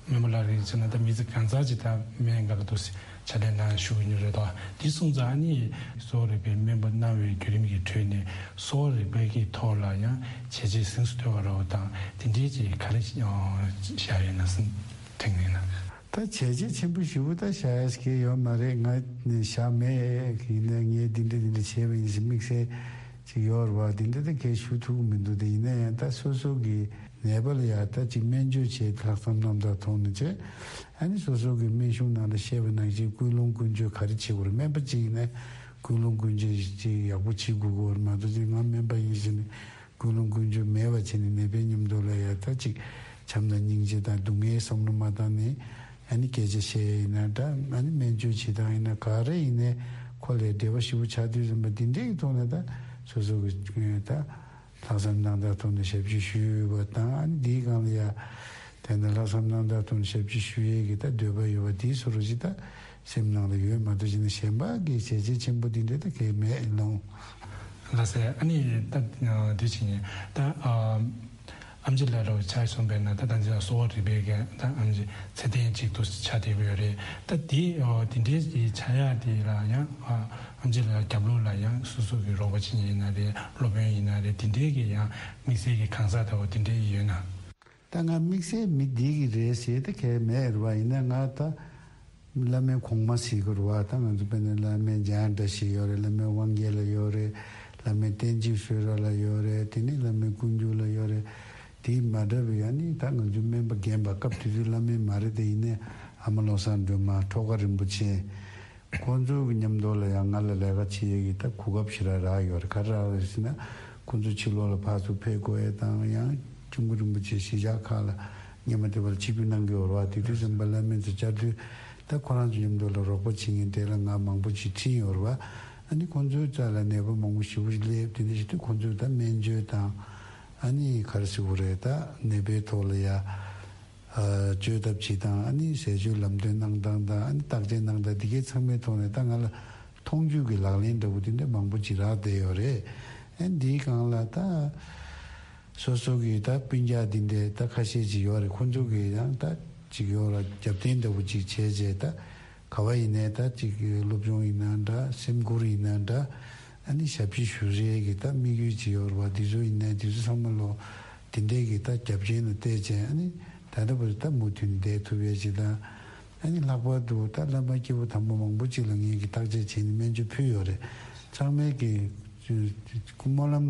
སྨན་པ་ལགས་རེད་ཟེར་ན་ད་མི་ཚེ་གང་ཚར་ཅིག་ད་སྨན་ཁང་ལ་འདུག་སེ་ཕྱག་ལས་གནང་བཞུགས་ཡོད་རེད་དོ། དེ་སོང་ཙང་ཨ་ནི་གསོ་བ་རིག་པའི་སྨན་པ་གནང་བའི་བརྒྱུད་རིམ་གྱི་ཁྲོད་ནས་གསོ་བ་རིག་པའི་གི་ཐོག་ལ་ཡང་བྱས་རྗེས་གཟེངས་སུ་ཐོན་པ་རེད་དང་། དེ་འདྲའི་ཅིག་ག་རེ་བཞག་ཡོད་ན་སེམས་དྲན་གྱི་ཡིན་ན། ད་བྱས་རྗེས་ཆེན་པོ་ཞེ་པོ་ད་བཞག་ཡ་ཞིག་ཡོད་མ་རེད། ང་ནི་བཞག་མེད། ཡིན་ན་ངས་འདི་འདྲ་འདི་འདྲ་བྱས་པ་ཡིན་ཞེས་དམིགས་བསལ་ཅིག་ཡོད་རེད་བ། འདི་འདྲ་ད་གས་ཞུ་ཐུབ་ཀྱི་མི་འདུག། དེ་ཡིན་ན་ཡང་ད་སོ་སོ་གི་ནད་པ་ལ་ཡ་ད་ཅིག་སྨན་བཅོས་བྱས། ལྷག་བསམ་རྣམ་དག་ཐོག་ནས་བྱས། ཨ་ནི་སོ་སོ་གི་སྨན་གཞུང་ནང་ལ་བཤད་པ་ནང་བཞིན་ཀུན་སློང་ཀུན་སྤྱོད་ག་རེ་བྱེད་དགོས་རེད། སྨན་པ་ཅིག་ཡིན་ན་ཀུན་སློང་ཀུན་སྤྱོད་ཅིག་ཡག་པོ་བྱེད་དགོས་ཀྱི་ཡོད་རེད། མ་གཏོགས་ཅིག་ང་སྨན་པ་ཡིན་ཟེར་ནས་ཀུན་སློང་ཀུན་སྤྱོད་མེད་པ་བྱས་ནས་ནད་པའི་མཉམ་དུ་ལ་ཡ་ད་ཅིག་བྱམས་དང་སྙིང་རྗེ་དང་སྡུག་བསྔལ་བསམ་བློ་མ་བཏང་ནས། ཨ་ནི་སྐད་ཆ་བཤད་ཡ་ཡིན་ན་འདྲ། ཨ་ནི་སྨན་བཅོས་བྱེད་སྟངས་ཡིན་ན་ག་རེ་ཡིན་ནའི་ཁོ་ལ་འབྲེལ་བ་ཞེ་པོ་ཆགས་དུས་ཙམ་པ་འདི་འདྲའི་གི་ཐོག་ནས་ད་སོ་སོ་གི་ད་ ལྷག་བསམ་རྣམ་དག་ཐོག་ནས་ཞབས་ཕྱི་ཞུས་པ་དང་། ཨ་ནི་འདིའི་སྒང་ལ་ཡ་དེ་ནས་ལྷག་བསམ་རྣམ་དག་ཐོག་ནས་ཞབས་ཕྱི་ཞུ་ཡས་ཀྱི་ད་འདོད་པ་ཡོད་པ་དེའི་བཟོ་འདྲ་ཞིག་ད་སེམས་ནང་ལ་ཡོད་མ་གཏོགས་ཅིག་ནི་གཞན་པ་གི་བྱས་རྗེས་ཆེན་པོ་འདི་འདྲ་ད་གས་མེད་ལོང་། ལགས་སེ། ཨ་ནི་ད་དུས་ཕྱིན་ད། ཨམ་ཆི་ལགས་རོགས་ཆ་སོང་པས་ན། ད་ད་འདི་ལ་གསོ་བ་རིག་པའི་གི་ད་ཨམ་ཆི་ཚད་ལྡན་ཅིག་ཏུ་ཆགས་བསྡད་ཀྱི་ཡོད་རེད། ད་དེ་དེ་འདྲའི་གི་ཆགས་ཡག་དེ་ལ་ཡང་ཨམ་ཆི་ལགས་རྒྱབ་ལོགས་ལ་ཡང་སོ་སོ་གི་རོགས་པ་བྱེད་མཁན་ཡིན་ན་རེད། སློབ་དཔོན་ཡིན་ན་རེད། དེ་འདྲའི་གི་ཡང་དམིགས་བསལ་གྱི་གང་ཟག་ལྟ་བུ་དེ་འདྲའི་ཡོད་ན། ད་ང་དམིགས་བསལ་མི་འདི་གི་རེད་ཟེར་ད་གས་མེད་རེད་བ། ཡིན་ན་ང་ད་བླ་མའི་གོང་མ་ཟེར་གི་རེད་བ། ད་ང་ཚོ་དཔེར་ན་བླ་མའི་འཇམ་དབྱངས་བཀྲ་ཤིས་ཡོད་རེད། བླ་མའི་དབང་རྒྱལ་ལགས་ཡོད་རེད། བླ་མའི་བསྟན་འཛིན་བསོད་རབ་ལགས་ཡོད་རེད། དེ་ནས་བླ་མའི་ཀུན་འགྱུར་ལགས་ཡོད་རེད། དེ་མ་འདྲ་བའི་ཡང་ནི་ད་ང་ཚོའི་སྨན་པ་རྒན་པ་སྐབས་དེ་དུས་བླ་མའི་མ་རེད་དེ། ཡིན་ནའི་ཨ་མ་བློ་བཟང་སྒྲོལ་མ་ཁྲོ་དགའ་རིན་པོ་ཆེ། ཁོང་ཚོའི་མཉམ་དུ་ལ་ཡང་ང་ལ་ལས་ཀ་བྱེད་ཡས་ཀྱི་ད་གོ་སྐབས་ཞེ་དྲག་རག་ཡོད་རེད། ག་རེ་རག་རེད་ཟེར་ན། ཁོང་ཚོ་ཕྱི་ལོགས་ལ་ཕར་ཚུར་ཕེབས་དགོས་ཡས་དང་། ཡང་སྐྱབས་མགོན་རིན་པོ་ཆེ་གཞིས་ཆགས་ཁག་ལ་སྔོན་མ་དེ་བར་ཆིབས་བསྒྱུར་གནང་གི་ཡོད་རེད་བ། དེ་དུས་ཙམ་པ་བླ་མའི་ཚོ་བཅར་དུས་ད་ཁོ་རང་ཚོ་མཉམ་དུ་ལ་རོགས་པ་བྱེད་མཁན་དེ་ལ་ང་མང་པོ་ཅིག་ཁྲིད་ཡོད་རེད་བ། ཨ་ནི་ཁོང་ཚོའི་རྩ་ལ་ནད་པ་མང་པོ་ཞེ་པོ་ཅིག་སླེབས། དེ་འདྲ་བྱེད་དུས་ཁོང་ཚོས་ད་སྨན་བཅོས་དང་། ཨ་ནི་ག་རེ་ཟེར་དགོས་རེད། ད་ནད་པའི་ཐོག་ལ་ཡ། བཅོས་ཐབས་བྱེད་སྟངས། ཨ་ནི་ཟས་སྤྱོད་ལམ་སྟོན་གནང་སྟངས་དང་། ཨ་ནི་བརྟག་དཔྱད་གནང་སྟངས། འདི་གའི་ཚང་མའི་ཐོག་ནས་ད་ང་ལ་མཐོང་ཆོས་ཀྱི་ལག་ལེན་འདྲ་བོ་དེ་འདྲ་མང་པོ་ཅིག་རག་བསྡད་ཡོད་རེད། ཨ་ནི་འདིའི་སྒང་ལ་ད་སོ་སོ་གི་ད་སྤུན་ཀྱག་འདི་འདྲའི་ད་ཁ་ཤས་ཅིག་ཡོད་རེད། ཁོང་ཚོ་གི་ཡང་ད་ཅིག་ཡོད་ར་རྒྱབ་རྟེན་འདྲ་བོ་ཅིག་བྱས་རྗེས། ད་ག་བ་ཡིན་ནའི་ད་ཅིག་སློབ་སྦྱོང་ཡིན་ན་འདྲ། སེམས་ཁུར་ཡིན་ན་འདྲ། ཨ་ནི་ཞབས་ཕྱི་ཞུ་རེས་ཀྱི་ད་དམིགས་ཡུལ་ཅིག་ཡོད་རེད་བ། འདི་ཚོ་ཡིན་ནའི་འདི་ཚོ་ཚང་མ་ལོ། དེ་འདྲའི་གི་ད་རྒྱབ་རྐྱེན་ལ་བལྟས་བྱས། ཨ་ནི་ད་ལྟ་བར་ད་མུ་མཐུད་ནས་བསྡད་ཐུབ་ཡས་ཅིག་དང་། ཨ་ནི་ལྷག་པར་དུ་ད་བླ་མ་སྐྱེས་བུ་དམ་པ་མང་པོ་ཅིག་ལ་ངེད་ཀྱིས་བརྟག་དཔྱད་བྱས་ནས་སྨན་བཅོས་ཕུལ་ཡོད་རེད། ཚང་མས་ཀྱི་སྨོན་ལམ་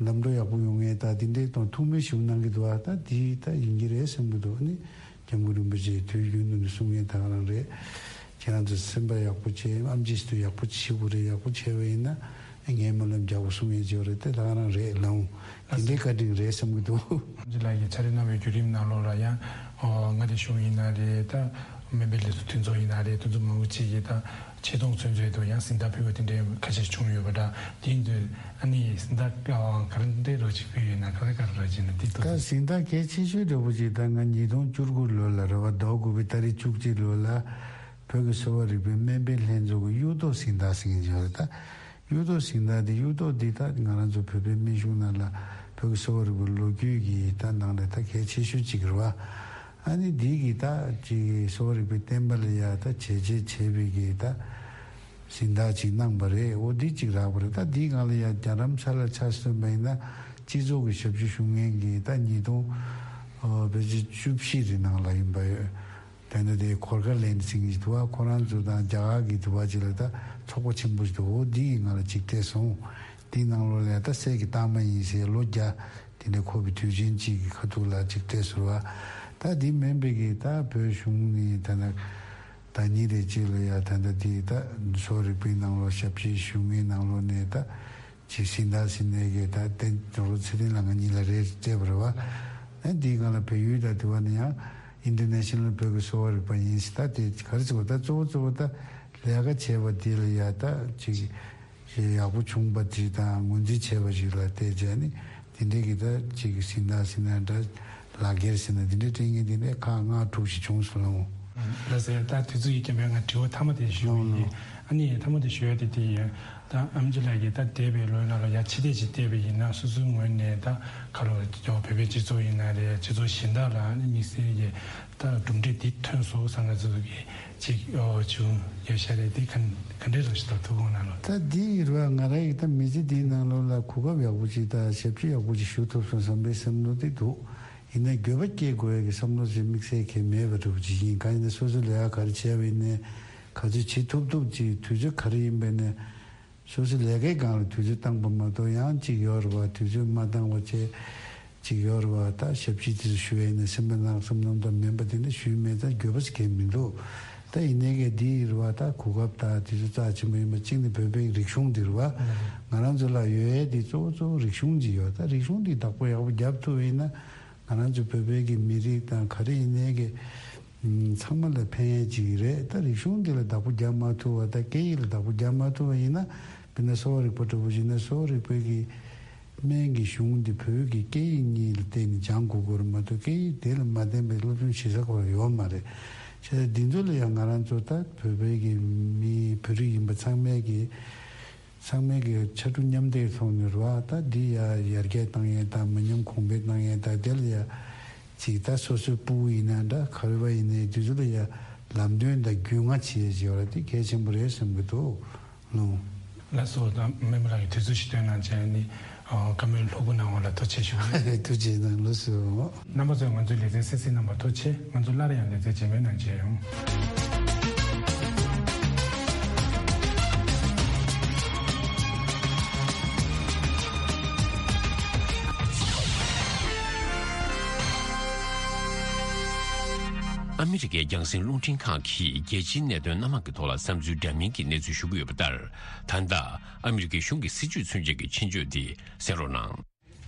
ལམ་འགྲོ་ཡག་པོ་ཡོང་ངེས་ད་དེ་འདྲའི་དང་ཐུགས་སྨོན་ཞིག་གནང་གི་འདུག་ཨ། ད་དེ་ད་ཡིན་གྱི་རེད་བསམ་གྱི་འདུག་ཨ་ནི་སྐྱབས་མགོན་རིན་པོ་ཆེས་དུས་རྒྱུན་དུ་ནས་གསུང་མཁན་ད་ག་རང་རེད། ཁྱེད་རང་ཚོ་སེམས་པ་ཡག་པོ་བྱེད། ཨེམ་ཆི་ཞིག་ཏུ་ཡག་པོ་བྱེད་དགོས་རེད། ཡག་པོ་བྱས་པ་ཡིན་ན་ངའི་སྨོན་ལམ་རྒྱག་དགོས་གསུང་མཁན་ཅིག་ཡོད་རེད། དེ་ད་ག་རང་རེད་ལགས། དེ་འདྲའི་བཀའ་དྲིན་རེད་བསམ་གྱི་འདུག་ཨེམ་ཆི་ལགས་ཀྱིས་ཕྱག་ལས་གནང་བའི་བརྒྱུད་རིམ་ནང་ལོགས་ལ་ཡང་མངའ་སྡེ་གཞུང་ཡིན་ན་རེད། ད་སྨན་པའི་ལས་ཚོགས་མཐུན་ཚོགས་ཡིན་ན་རེད། དེ་ཚོ་མང་པོ་ཅིག་གིས་ད་ཆེ་མཐོང་ཚུན་ཚོད་དུ་ཡང་གཟེངས་རྟགས་ཕུལ་བ་དེ་འདྲའི་ཁ་ཤས་བྱུང་ཡོད་པ་འདྲ། དེ་ཡིན་དུས་ཨ་ནི་གཟེངས་རྟགས་ག་རེ་འདྲ་རོ་ཅིག་ཕུལ་ཡོད་ན། ག་རེ་ག་རེ་རོ་ཅིག་ན་འདི་ད་ཏོ་གཟེངས་རྟགས་གལ་ཆེ་ཤོས་འདྲ་པོ་ཅིག་ད་ང་ཉིས་སྟོང་བཅུ་དགུ་ལོ་ལ་རེད་བ། ཟླ་དགུ་པའི་ཏ་རིག་བཅུ་གཅིག་ལོ་ལ་བོད་ཀྱི་གསོ་བ་རིག་པའི་སྨན་པའི་ལྷན་ཚོགས་ཀྱི་གཡུ་ཐོག་གཟེངས་རྟགས་ཟེར་མཁན་ཅིག་ཡོད་རེད། ད་གཡུ་ཐོག་གཟེངས་རྟགས་འདི། གཡུ་ཐོག་འདི་ད་ང་རང་ཚོ་བོད་པའི་སྨན་གཞུང་ནང་ལ་བོད་ཀྱི་གསོ་བ་རིག་པའི་ལོ་རྒྱུས་ཀྱི་ད་ནང་ནས་ད་གལ་ཆེ་ཤོས་ཅིག་རེད་བ། ཨ་ནི་འདི་གི་ད་ཅིག་གསོ་བ་རིག་པའི་བསྟན་པ་ལ་ཡ་ད་བྱས་རྗེས་བྱས་པའི་གི་ད་གཟེངས་རྟགས་ཅིག་གནང་བ་རེད། འོ་འདི་ཅིག་རག་པ་རེད། ད་འདིའི་སྒང་ལ་ཡ་རྒྱ་རམ་ས་ལ་ཆ་མཚོན་པ་ཡིན་ན་སྤྱི་ཚོགས་ཀྱི་ཞབས་ཞུ་ཞུ་མཁན་གྱི་ད་ཉིས་སྟོང་ཨ་བེད་སྤྱི་བཅུ་བཞི་རེ་ནང་ལ་ཡིན་པ་ཡོད། དེ་ནས་དེ་གོར་ཁ་ལན་ཟེར་མཁན་ཞིག་འདུག་བ། ཁོ་རང་ཚོ་དང་རྒྱ་གར་གྱི་འདུག་བ། ཅིག་ལ་ད་ཚོགས་པ་ཆེན་པོ་ཞིག་འདུག་འོ་འདི་ཡིས་ང་ལ་ཅིག་སྤྲད་སོང་། འདིའི་ནང་ལོགས་ལ་ད་སྲས་ཀྱི་རྟགས་མ་ཡིན་ཟེར་ལོ་བརྒྱ་དེ་འདྲ་འཁོར་བའི་དུས་ཆེན་གཅིག་གི་ཁ་ཐུག་ལ་ཅིག་སྤྲད་སོང་བ། ད་འདི་མིན་པའི་གི་ད་བོད་གཞུང་ནས་ད་ནི་ཟླ་ཉིན་རེ་གཅིག་ལ་ཡ་ད་ད་འདི་ད་གསོ་བ་རིག་པའི་ནང་ལོགས་ཞབས་ཕྱི་ཞུ་མཁན་ནང་ལོགས་ནས་ད། ཅིག་གཟེངས་རྟགས་ཟེར་ནས་གི་ད་དེ་རོ་ཚེ་རིང་ལ་ང་གཉིས་ལ་རེ་སྤྲད་པ་རེད་བ། ཨ་འདིའི་སྒང་ལ་བལ་ཡུལ་དང་དེ་བ་ནི་ཡང་ཨིན་ཊར་ནེ་ཤ་ནལ་བོད་ཀྱི་གསོ་བ་རིག་པ་ཡིན་ཟེར། ད་དེ་ག་རེ་ཟེར་བ། ད་གཙོ་བོ་གཙོ་བོ་ད་ལས་ཀ་བྱས་པ་དེ་ལ་ཡ་ད་ཅིག་ཡག་པོ་བྱུང་བ་དེ་དང་ངོས་འཛིན་བྱས་པ་ཞིག་ལ་བལྟས་བྱས་ནི་དེ་འདྲའི་གི་ད་ཅིག་གཟེངས་རྟགས་ཟེར་ན་འདྲ། ལག་འཁྱེར་ཟེར་ན་འདི་འདྲའི་སྤྲད་མཁན་འདི་འདྲའི་ཁག་ལྔ་དྲུག་ཞིག་བྱུང་སོང་ལགས། ལགས་སེ། ད་དུས་ཚོད་ཀྱི་རྐྱེན་པས་ང་དྲི་བ་མཐའ་མ་དེ་ཞུ་ཡི་ཡིན། ཨ་ནི་མཐའ་མ་དེ་ཞུ་ཡ་དེ་དེ་ཡིན། ད་ཨེམ་ཆི་ལགས་ཀྱིས་ད་འདས་པའི་ལོའི་ནང་ལ་ཡ་ཕྱི་བལྟས་ཅིག་བལྟས་པ་ཡིན་ན་སོ་སོའི་ངོས་ནས་ད་ག་ལོ་བོད་པའི་སྤྱི་ཚོགས་ཡིན་ན་རེད། སྤྱི་ཚོགས་གཞན་དག་ལ་ཨ་ནི་དམིགས་བསལ་གྱི་ད་གྲུབ་འབྲས་འདི་ཐོན་སོང་བསམ་ན་ཚོ་གི་ཅིག་ཨོ་བྱུང་ཡོད་ཤག་རེད། དེ་ག་ག་འདྲའི་རང་ཞིག་དང་ཐུགས་དགོངས་གནང་ལོ། ད་འདི་ཡིན་ར་ང་རང་ཡི་ད་མི་ཚེ་འདིའི་ནང་ལོགས་ལ་གོ་སྐབས་ཡག་པོ་ཅིག་དང་ཞབས་ཕྱི་ཡག་པོ་ཅིག་ཞུ་ཐུབ་སོང་བསམ་པའི་བསམ་བློ་དེ་འདུག་ཡིན་ན་འགྱོད་པ་སྐྱེ་དགོས་ཡ་གི་བསམ་བློ་ཞིག་དམིགས་བསལ་གང་མེད་པ་འདྲ་པོ་ཅིག་ཡིན། གང་ཡིན་ན་སོ་སོ་ལས་ཀ་ག་རེ་བྱས་པ་ཡིན་ནའི་ག་ཚོད་བྱེད་ཐུབ་ཐུབ་ཅིག་དུས་ཚོད་ག་རེ་ཡིན་པ་ཡིན་ནའི་སོ་སོའི་ལས་ཀའི་སྒང་ལ་དུས་ཚོད་བཏང་པ་མ་གཏོགས་ཡང་ཅིག་ཡོད་རེད་བ། དུས་ཚོད་མ་བཏང་བ་བྱས་ཅིག་ཡོད་རེད་བ། ད་ཞབས་ཕྱི་དེ་ཚོ་ཞུ་ཡ་ཡིན་ན་སེམས་པ་ནང་བསམ་བློ་དང་མིན་པ་དེ་འདྲ་ཞུས་མེད། ད་འགྱོད་པ་ཞིག་གང་མི་འདུག་ད་ཡིན་ནའི་གི་འདི་ཡིན་རེད་བ། ད་གོ་སྐབས་ད་དུས་ཚོད་རྩ་ཆེན་པོ་ཡིན་པ་གཅིག་ནི་བོད་པའི་རིག་གཞུང་འདི་རེད་བ། ང་རང་ཚོ་ལ་ཡོད་ཡ་འདི་གཙོ་བོ་གཙོ་བོ་རིག་གཞུང་ཅིག་ཡོད། ད་རིག་གཞུང་འདི་བདག་པོ་ཡག་པོ་རྒྱབ་ཐུབ་པ་ཡིན་ན། ང་རང་ཚོ་བོད་པའི་གི་མི་རིགས་དང་ག་རེ་ཡིན་ནའི་གི་ཚང་མ་ལ་ཕན་ཡས་ཅིག་རེད། ད་རིག་གཞུང་འདི་ལ་བདག་པོ་རྒྱག་མ་ཐུབ་པ་དང་སྐད་ཡིག་ལ་བདག་པོ་རྒྱག་མ་ཐུབ་པ་ཡིན་ན། དཔེར་ན་གསོ་བ་རིག་པ་འདྲ་པོ་ཡིན་ན་གསོ་བ་རིག་པའི་གི་ སྨན་གྱི་གཞུང་འདི་བོད་ཀྱི་སྐད་ཡིག་གཉིས་ལ་བརྟེན་ནས་སྦྱང་དགོས་ཀྱི་རེད་མ་གཏོགས། སྐད་ཡིག་དེ་ལ་མ་བརྟེན་པའི་སློབ་སྦྱོང་བྱེད་ས་ཁོ་རང་ཡོད་མ་རེད། བྱས་ཙང་འདི་ཚོ་ལ་ཡང་ང་རང་ཚོ་ད་བོད་པའི་གི་མི་བོད་རིགས་ཡིན་པ་ཚང་མས་གི་ཚང་མས་གི་ཕྱར་གྲུ་མཉམ་འདེགས་ཐོག་ནས་རེད་བ། ད་འདི་ཡ་ཡར་རྒྱས་བཏང་ཡས་དང་མི་ཉམས་གོང་འཕེལ་བཏང་ཡས་དང་། དེ་ལ་ཡ་ཅིག་ད་སོ་སོའི་སྤུ་གུ་ཡིན་ན་འདྲ། ག་རེ་བ་ཡིན་ནའི་དེ་ཚོ་ལ་ཡ་ལམ་སྟོན་དང་རྒྱུས་མངའ་བྱེད་ཡས་ཅིག་ཡོད་ར། དེ་གལ་ཆེན་པོ་རེད་བསམ་གི་འདུག་ལོ། ལགས་སོ། ད་སྨན་པ་ལགས་ཀྱིས་དུས་ཚོད་ཞིག་བཏོན་གནང་བྱས་ནི། ཨ། བཀའ་མོལ་ལྷུག་པོ་གནང་བ་ལ་ཐུགས་རྗེ་ཆེ་ཞུ་གི་ཡིན། ཐུགས་རྗེ་གནང་། ལགས་སོ། རྣམ་པ་ཚོས་ང་ཚོའི་ལེ་ཚན་གསན་གཟིགས་གནང་བར་ཐུགས་རྗེ་ཆེ། ང་ཚོ་སླར་ཡང་ལེ་ཚན་རྗེས་མའི་ནང་མཇལ་ཡོང་། ཨ་མི་རི་ཀའི་རྒྱང་སྲིང་རླུང་འཕྲིན་ཁང་གིས་རྒྱལ་སྤྱིའི་གནད་དོན་སྣ་མང་གི་ཐོག་ལ་བསམ་ཚུལ་འདྲ་མིན་གྱི་གནས་ཚུལ་ཞུ་གི་ཡོད་པ་ལྟར། ད་ལྟ་ཨ་མི་རི་ཀའི་གཞུང་གི་སྲིད་བྱུས་མཚོན་བྱེད་ཀྱི་ཆེད་བརྗོད་འདི་གསན་རོགས་གནང་།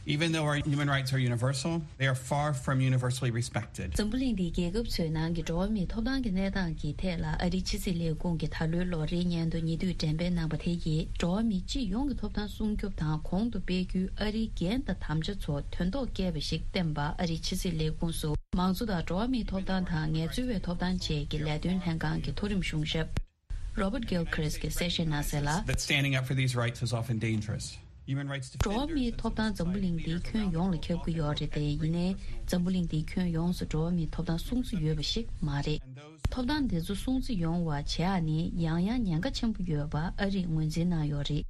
Even though our human rights are universal, they are far from universally respected. འཛམ་བུ་གླིང་འདིའི་རྒྱལ་ཁབ་ཚོའི་ནང་གི་འགྲོ་བ་མིའི་ཐོབ་ཐང་གི་གནས་སྟངས་ཀྱི་ཐད་ལ། ཨ་རིའི་ཕྱི་སྲིད་ལས་ཁུངས་ཀྱི་ད་ལོའི་ལོ་རེའི་སྙན་ཐོ་ཉེ་དུས་འགྲེམས་སྤེལ་གནང་བ་དེ་ཡིས། འགྲོ་བ་མི་སྤྱི་ཡོངས་ཀྱི་ཐོབ་ཐང་སྲུང་སྐྱོབ་དང་གོང་དུ་སྤེལ་རྒྱུའི་ཨ་རིའི་འགན་དང་དམ་བཅའ་ཚོ་དོན་ཐོག་བསྐྱལ་བ་ཞིག་བསྟན་པ། ཨ་རིའི་ཕྱི་སྲིད་ལས་ཁུངས་སུ་མང་གཙོ་དང་འགྲོ་བ་མིའི་ཐོབ་ཐང་དང་ངལ་རྩོལ་བའི་ཐོབ་ཐང་བཅས་ཀྱི་ལས་དོན་ལྷན་ཁང་གི་མཐོ་རིམ་གཞུང་ཞབས་Robert Gilchrist གྱིས་གསལ་བཤད་གནང་གསལ་ལ། That standing up for these rights is often dangerous. Human rights འགྲོ་བ་མིའི་ཐོབ་ཐང་འཛམ་བུ་གླིང་འདིའི་ཁྱོན་ཡོངས་ལ་ཁྱབ་ཀྱི་ཡོད་རེད་དེ། ཡིན་ནའི་འཛམ་བུ་གླིང་འདིའི་ཁྱོན་ཡོངས་སུ་འགྲོ་བ་མིའི་ཐོབ་ཐང་སྲུང་བརྩི་ཡོད་པ་ཞིག་མ་རེད། ཐོབ་ཐང་འདི་ཚོ་སྲུང་བརྩི་ཡོང་བ་བྱེད་ཡ་ནི་ཡང་ཡང་ཉེན་ཁ་ཆེན་པོ་ཡོད་པ་ཨ་རིས་ངོས་འཛིན་གནང་ཡོད་རེད།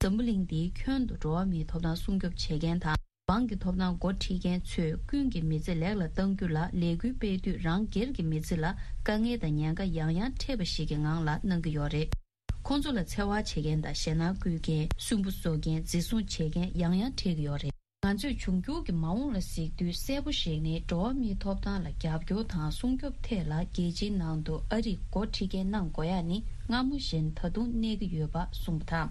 འཛམ་བུ་གླིང་འདིའི་ཁྱོན་དུ་འགྲོ་བ་མིའི་ཐོབ་ཐང་སྲུང་སྐྱོབ་བྱེད་མཁན་དང་། འབངས་ཀྱི་ཐོབ་ཐང་འགོ་ཁྲིད་མཁན་ཚོས་ཀུན་གྱིས་མི་ཚེ་ལེགས་ལ་གཏང་རྒྱུ་ལ་ལས་འགུལ་སྤེལ་དུས། རང་སྒེར་གྱི་མི་ཚེ་ལ་དཀའ་ངལ་དང་ཉེན་ཁ་ཡང་ཡང་འཕྲད་པ་ཞིག་གི་ངང་ལ་གནང་གི་ཡོད་རེད། ཁོང་ཚོ་ལ་འཚེ་བ་བྱེད་མཁན་དང་ཞེད་སྣང་བསྐུལ་མཁན། སུན་པོ་བཟོ་མཁན། འཛིན་བཟུང་བྱེད་མཁན་ཡང་ཡང་འཕྲད་ཀྱི་ཡོད་རེད། ང་ཚོས་འབྱུང་འགྱུར་གྱི་མ་འོངས་ལ་གཟིགས་དུས། གསལ་པོ་ཞིག་ནི། འགྲོ་བ་མིའི་ཐོབ་ཐང་ལ་རྒྱབ་སྐྱོར་དང་སྲུང་སྐྱོབ་ཐད་ལ་རྒྱལ་སྤྱིའི་ནང་དུ་ཨ་རིས་འགོ་ཁྲིད་མཁན་གནང་དགོས་ཡ་ནི་སྔ་མོ་བཞིན་ད་དུང་གནས་ཀྱི་ཡོད་པ་གསུངས་པ་དང་།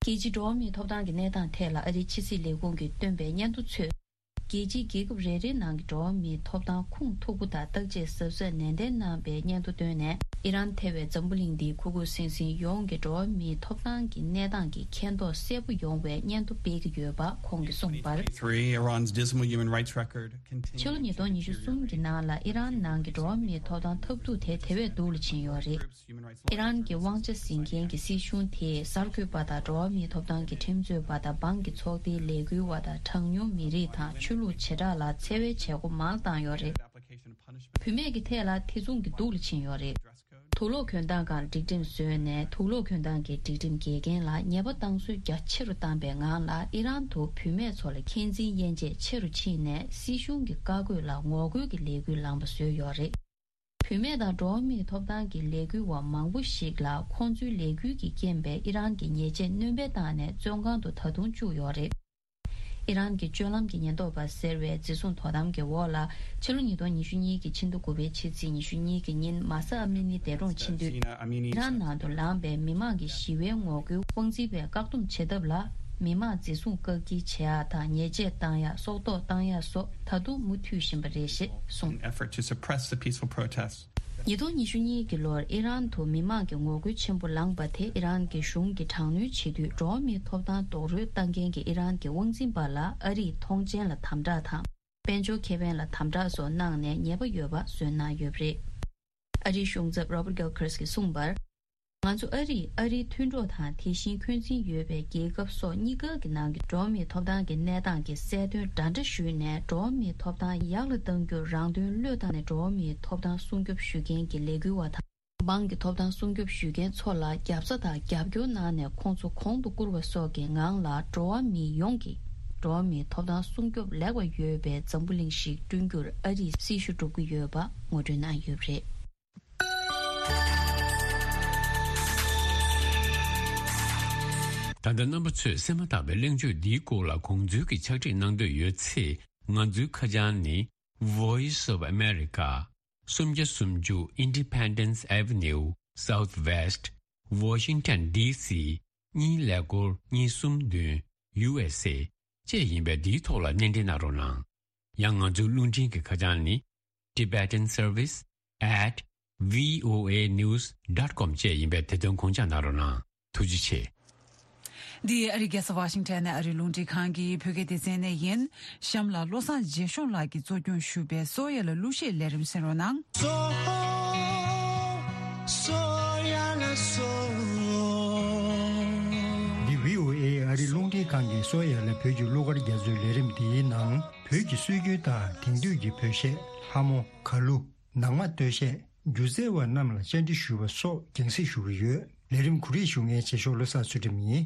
རྒྱལ་སྤྱིའི་འགྲོ་བ་མིའི་ཐོབ་ཐང་གི་གནས་སྟངས་ཐད་ལ་ཨ་རིའི་ཕྱི་སྲིད་ལས་ཁུངས་ཀྱིས་བཏོན་པའི་སྙན་ཐོ་ཚོས། རྒྱལ་སྤྱིའི་རྒྱལ་ཁབ་རེ་རེའི་ནང་གི་འགྲོ་བ་མིའི་ཐོབ་ཐང་ཁུངས་ཐུག་པོ་དང་བརྟག་དཔྱད་གཟབ་གཟབ་ནན་ཏན་གནང་པའི་སྙན་ཐོ་བཏོན་ནས། ཨི་རན་ཐེ་བའི་འཛམ་བུ་གླིང་འདིའི་ཁུ་ཁུ་སིམ་སིམ་ཡོངས་ཀྱི་འགྲོ་བ་མིའི་ཐོབ་ཐང་གི་གནས་སྟངས་ཀྱི་མཁྱེན་རྟོགས་གསལ་པོ་ཡོང་བའི་སྙན་ཐོ་སྤེལ་གྱི་ཡོད་པ་ཁོང་གིས་གསུངས་པར། Three, Iran's dismal human rights record continues ཕྱི་ལོ་ཉིས་སྟོང་ཉི་ཤུ་གསུམ་གྱི་ནང་ལ་ཨི་རན་ནང་གི་འགྲོ་བ་མིའི་ཐོབ་ཐང་ཐབས་སྡུག་དེ་དེ་བས་སྡུག་ལ་ཕྱིན་ཡོད་རེད། ཨི་རན་གྱི་དབང་ཆ་འཛིན་མཁན་གྱི་སྲིད་གཞུང་དེས་གསར་འགོད་པ་དང་འགྲོ་བ་མིའི་ཐོབ་ཐང་གི་ཁྲིམས་རྩོད་པ་དང་། འབངས་ཀྱི་ཚོགས་སྡེའི་ལས་འགུལ་བ་དང་། གྲངས་ཉུང་མི་རིགས་དང་ཆོས་ལུགས་བྱེ་བྲག་ལ་འཚེ་བའི་བྱེད་སྒོ་མང་བཏང་ཡོད་རེད། བུད་མེད་ཀྱི་ཐད་ལ་དེ་མཚུངས་ཀྱི་སྡུག་ལ་ཕྱིན་ཡོད་རེད། དུག་ལོག་གྱོན་སྟངས་སྒང་སྒྲིག་ཁྲིམས་བཟོས་ནས། དུག་ལོག་གྱོན་སྟངས་ཀྱི་སྒྲིག་ཁྲིམས་འགལ་རྐྱེན་ལ་ཉེས་པ་བཏང་ཚུལ་རྒྱ་ཆེ་རུ་བཏང་པའི་ངང་ལ། ཨི་རན་དུ་བུད་མེད་ཚོ་ལ་འཁོན་འཛིན་དབྱེ་འབྱེད་ཆེ་རུ་ཕྱིན་ནས། སྲིད་གཞུང་གི་བཀའ་བཀོད་ལ་ངོ་རྒོལ་གྱི་ལས་འགུལ་ལངས་པ་བཟོས་ཡོད་རེད། བུད་མེད་དང་འགྲོ་བ་མིའི་ཐོབ་ཐང་གི་ལས་འགུལ་བ་མང་པོ་ཞིག་ལ་ཁོང་ཚོའི་ལས་འགུལ་གྱི་རྐྱེན་པས་ཨི་རན་གྱི་ཉེས་ཆད་སྣོན་པ་བཏང་ནས་བཙོན་ཁང་དུ་ད་དུང་བཅུག་ཡོད་རེད། ཨི་རན་གྱི་སྤྱོད་ལམ་གྱི་ཉེན་རྟོག་པ་ཟེར་བའི་འཛིན་བཟུང་དོ་དམ་གྱི་འོག་ལ། ཕྱི་ལོ་ཉིས་སྟོང་ཉི་ཤུ་གཉིས་ཀྱི་ཕྱི་ཟླ་དགུ་པའི་ཕྱི་ཚེས་ཉི་ཤུ་གཉིས་ཀྱི་ཉིན། མཱ་ས་ཨ་མི་ནི་འདས་གྲོངས་ཕྱིན་དུས། ཨི་རན་ནང་དུ་ལངས་པའི་མི་མང་གི་ཞི་བའི་ངོ་རྒོལ་དབང་འཛིན་པས་བཀག་སྡོམ་བྱེད་ཐབས་ལ། མི་མང་འཛིན་བཟུང་བཀག་སྐྱིལ་བྱེད་ཡག་དང་ཉེས་ཆད་བཏང་ཡག་སྲོག་ཐོག་བཏང་ཡག་སོགས་ད་དུང་མུ་མཐུད་བཞིན་པ་རེད་ཞེས་གསུངས། An effort to suppress the peaceful protests. ཉིས་སྟོང་ཉི་ཤུ་གཉིས་ཀྱི་ལོར་ཨི་རན་དུ་མི་མང་གི་ངོ་རྒོལ་ཆེན་པོ་ལངས་པ་དེ། ཨི་རན་གྱི་གཞུང་གིས་དྲག་གནོན་བྱེད་དུས། འགྲོ་བ་མིའི་ཐོབ་ཐང་རྡོག་རོལ་བཏང་མཁན་གྱི་ཨི་རན་གྱི་དབང་འཛིན་པ་ལ་ཨ་རིས་ཐོངས་མཆན་ལ་དམ་དྲག་དང་། དཔལ་འབྱོར་ཁེ་ཕན་ལ་དམ་དྲག་སོགས་གནང་ནས་ཉེས་པ་ཡོད་པ་བཟོས་གནང་ཡོད་པ་རེད། ཨ་རིའི་གཞུང་ཚབ་Robert Gilchrist གྱིས་གསུངས་པར། ང་ཚོ་ཨ་རིས་ཨ་རིའི་མཐུན་གྲོགས་དང་དེ་བཞིན་འཁོན་འཛིན་ཡོད་པའི་རྒྱལ་ཁབ་སོགས་གཉིས་ཀ་གི་ནང་གི་འགྲོ་བ་མིའི་ཐོབ་ཐང་གི་གནས་སྟངས་ཀྱི་གསལ་སྟོན་འདྲ་འདྲ་ཞུས་ནས། འགྲོ་བ་མིའི་ཐོབ་ཐང་ཡག་ལ་གཏང་རྒྱུར་རང་དོན་བློས་བཏང་ནས། འགྲོ་བ་མིའི་ཐོབ་ཐང་སྲུང་སྐྱོབ་ཞུ་མཁན་གྱི་ལས་འགུལ་བ་དང་། འབངས་ཀྱི་ཐོབ་ཐང་སྲུང་སྐྱོབ་ཞུ་མཁན་ཚོ་ལ་རྒྱབ་རྩ་དང་རྒྱབ་སྐྱོར་གནང་ནས། ཁོང་ཚོ་གོང་དུ་བཀུར་བ་སོགས་ཀྱི་ངང་ལ། འགྲོ་བ་མི་ཡོངས་ཀྱིས་འགྲོ་བ་མིའི་ཐོབ་ཐང་སྲུང་སྐྱོབ་ལེགས་པ་ཡོད་པའི་འཛམ་བུ་གླིང་ཞིག་བསྐྲུན་རྒྱུར་ཨ་རིས་སྲི་ཞུ་སྒྲུབ་ཀྱི་ཡོད་པ་ངོ་སྤྲོད་གནང་ཡོད་པ་རེད། ད་ལྟ་རྣམ་པ་ཚོས་གསན་མ་ཐག་པའི་གླེང་བརྗོད་འདིའི་སྐོར་ལ་དགོངས་ཚུལ་གྱི་ཕྱག་བྲིས་གནང་འདོད་ཡོད་ཚེ། ང་ཚོའི་ཁ་བྱང་ནི། Voice of America། སུམ་བརྒྱ་སུམ་ཅུ་Independence Avenue Southwest, Washington D C གཉིས་ཀླད་ཀོར་གཉིས་གསུམ་བདུན། U S A བཅས་ཡིན་པས། འདིའི་ཐོག་ལ་སྣེ་འདྲེན་གནང་རོགས་གནང་། ཡང་ང་ཚོའི་རླུང་འཕྲིན་གྱི་ཁ་བྱང་ནི། Tibetan Service at V O A news dot com བཅས་ཡིན་པས། དེ་དོན་དགོངས་འཇགས་གནང་རོགས་གནང་། ཐུགས་རྗེ་ཆེ། འདི་ཨ་རིའི་རྒྱལ་ས་ཝ་ཤིང་ཊོན་ནས་ཨ་རིའི་རླུང་འཕྲིན་ཁང་གི་བོད་སྐད་སྡེ་ཚན་ནས་ཡིན། གཤམ་ལ་བློ་བཟང་རྒྱས་གཤོང་ལགས་ཀྱིས་གཙོ་སྐྱོང་ཞུས་པའི་སོ་ཡ་ལ་གླུ་གཞས་ལས་རིམ་གསན་རོགས་གནང་། འདི་བྷི་ཨོ་ཨེ་ཨ་རིའི་རླུང་འཕྲིན་ཁང་གི་སོ་ཡ་ལ་བོད་ཀྱི་གླུ་གར་རྒྱ་མཚོའི་ལས་རིམ་འདིའི་ནང་བོད་ཀྱི་སྲོལ་རྒྱུན་དང་དེང་དུས་ཀྱི་བོད་གཞས། ལྷ་མོ། གར་གླུ། ནང་མ་སྟོད་གཞས། སྒྱུ་རྩལ་བ་རྣམས་ལ་བཅར་འདྲི་ཞུས་པ་སོགས་རྒྱང་སྲིང་ཞུ་གི་ཡོད། ལས་རིམ་གོ་སྒྲིག་ཞུ་མཁན་རྗེས་ཕྱོགས་བློ་བཟང་ཚུལ་ཁྲིམས་ཡིན།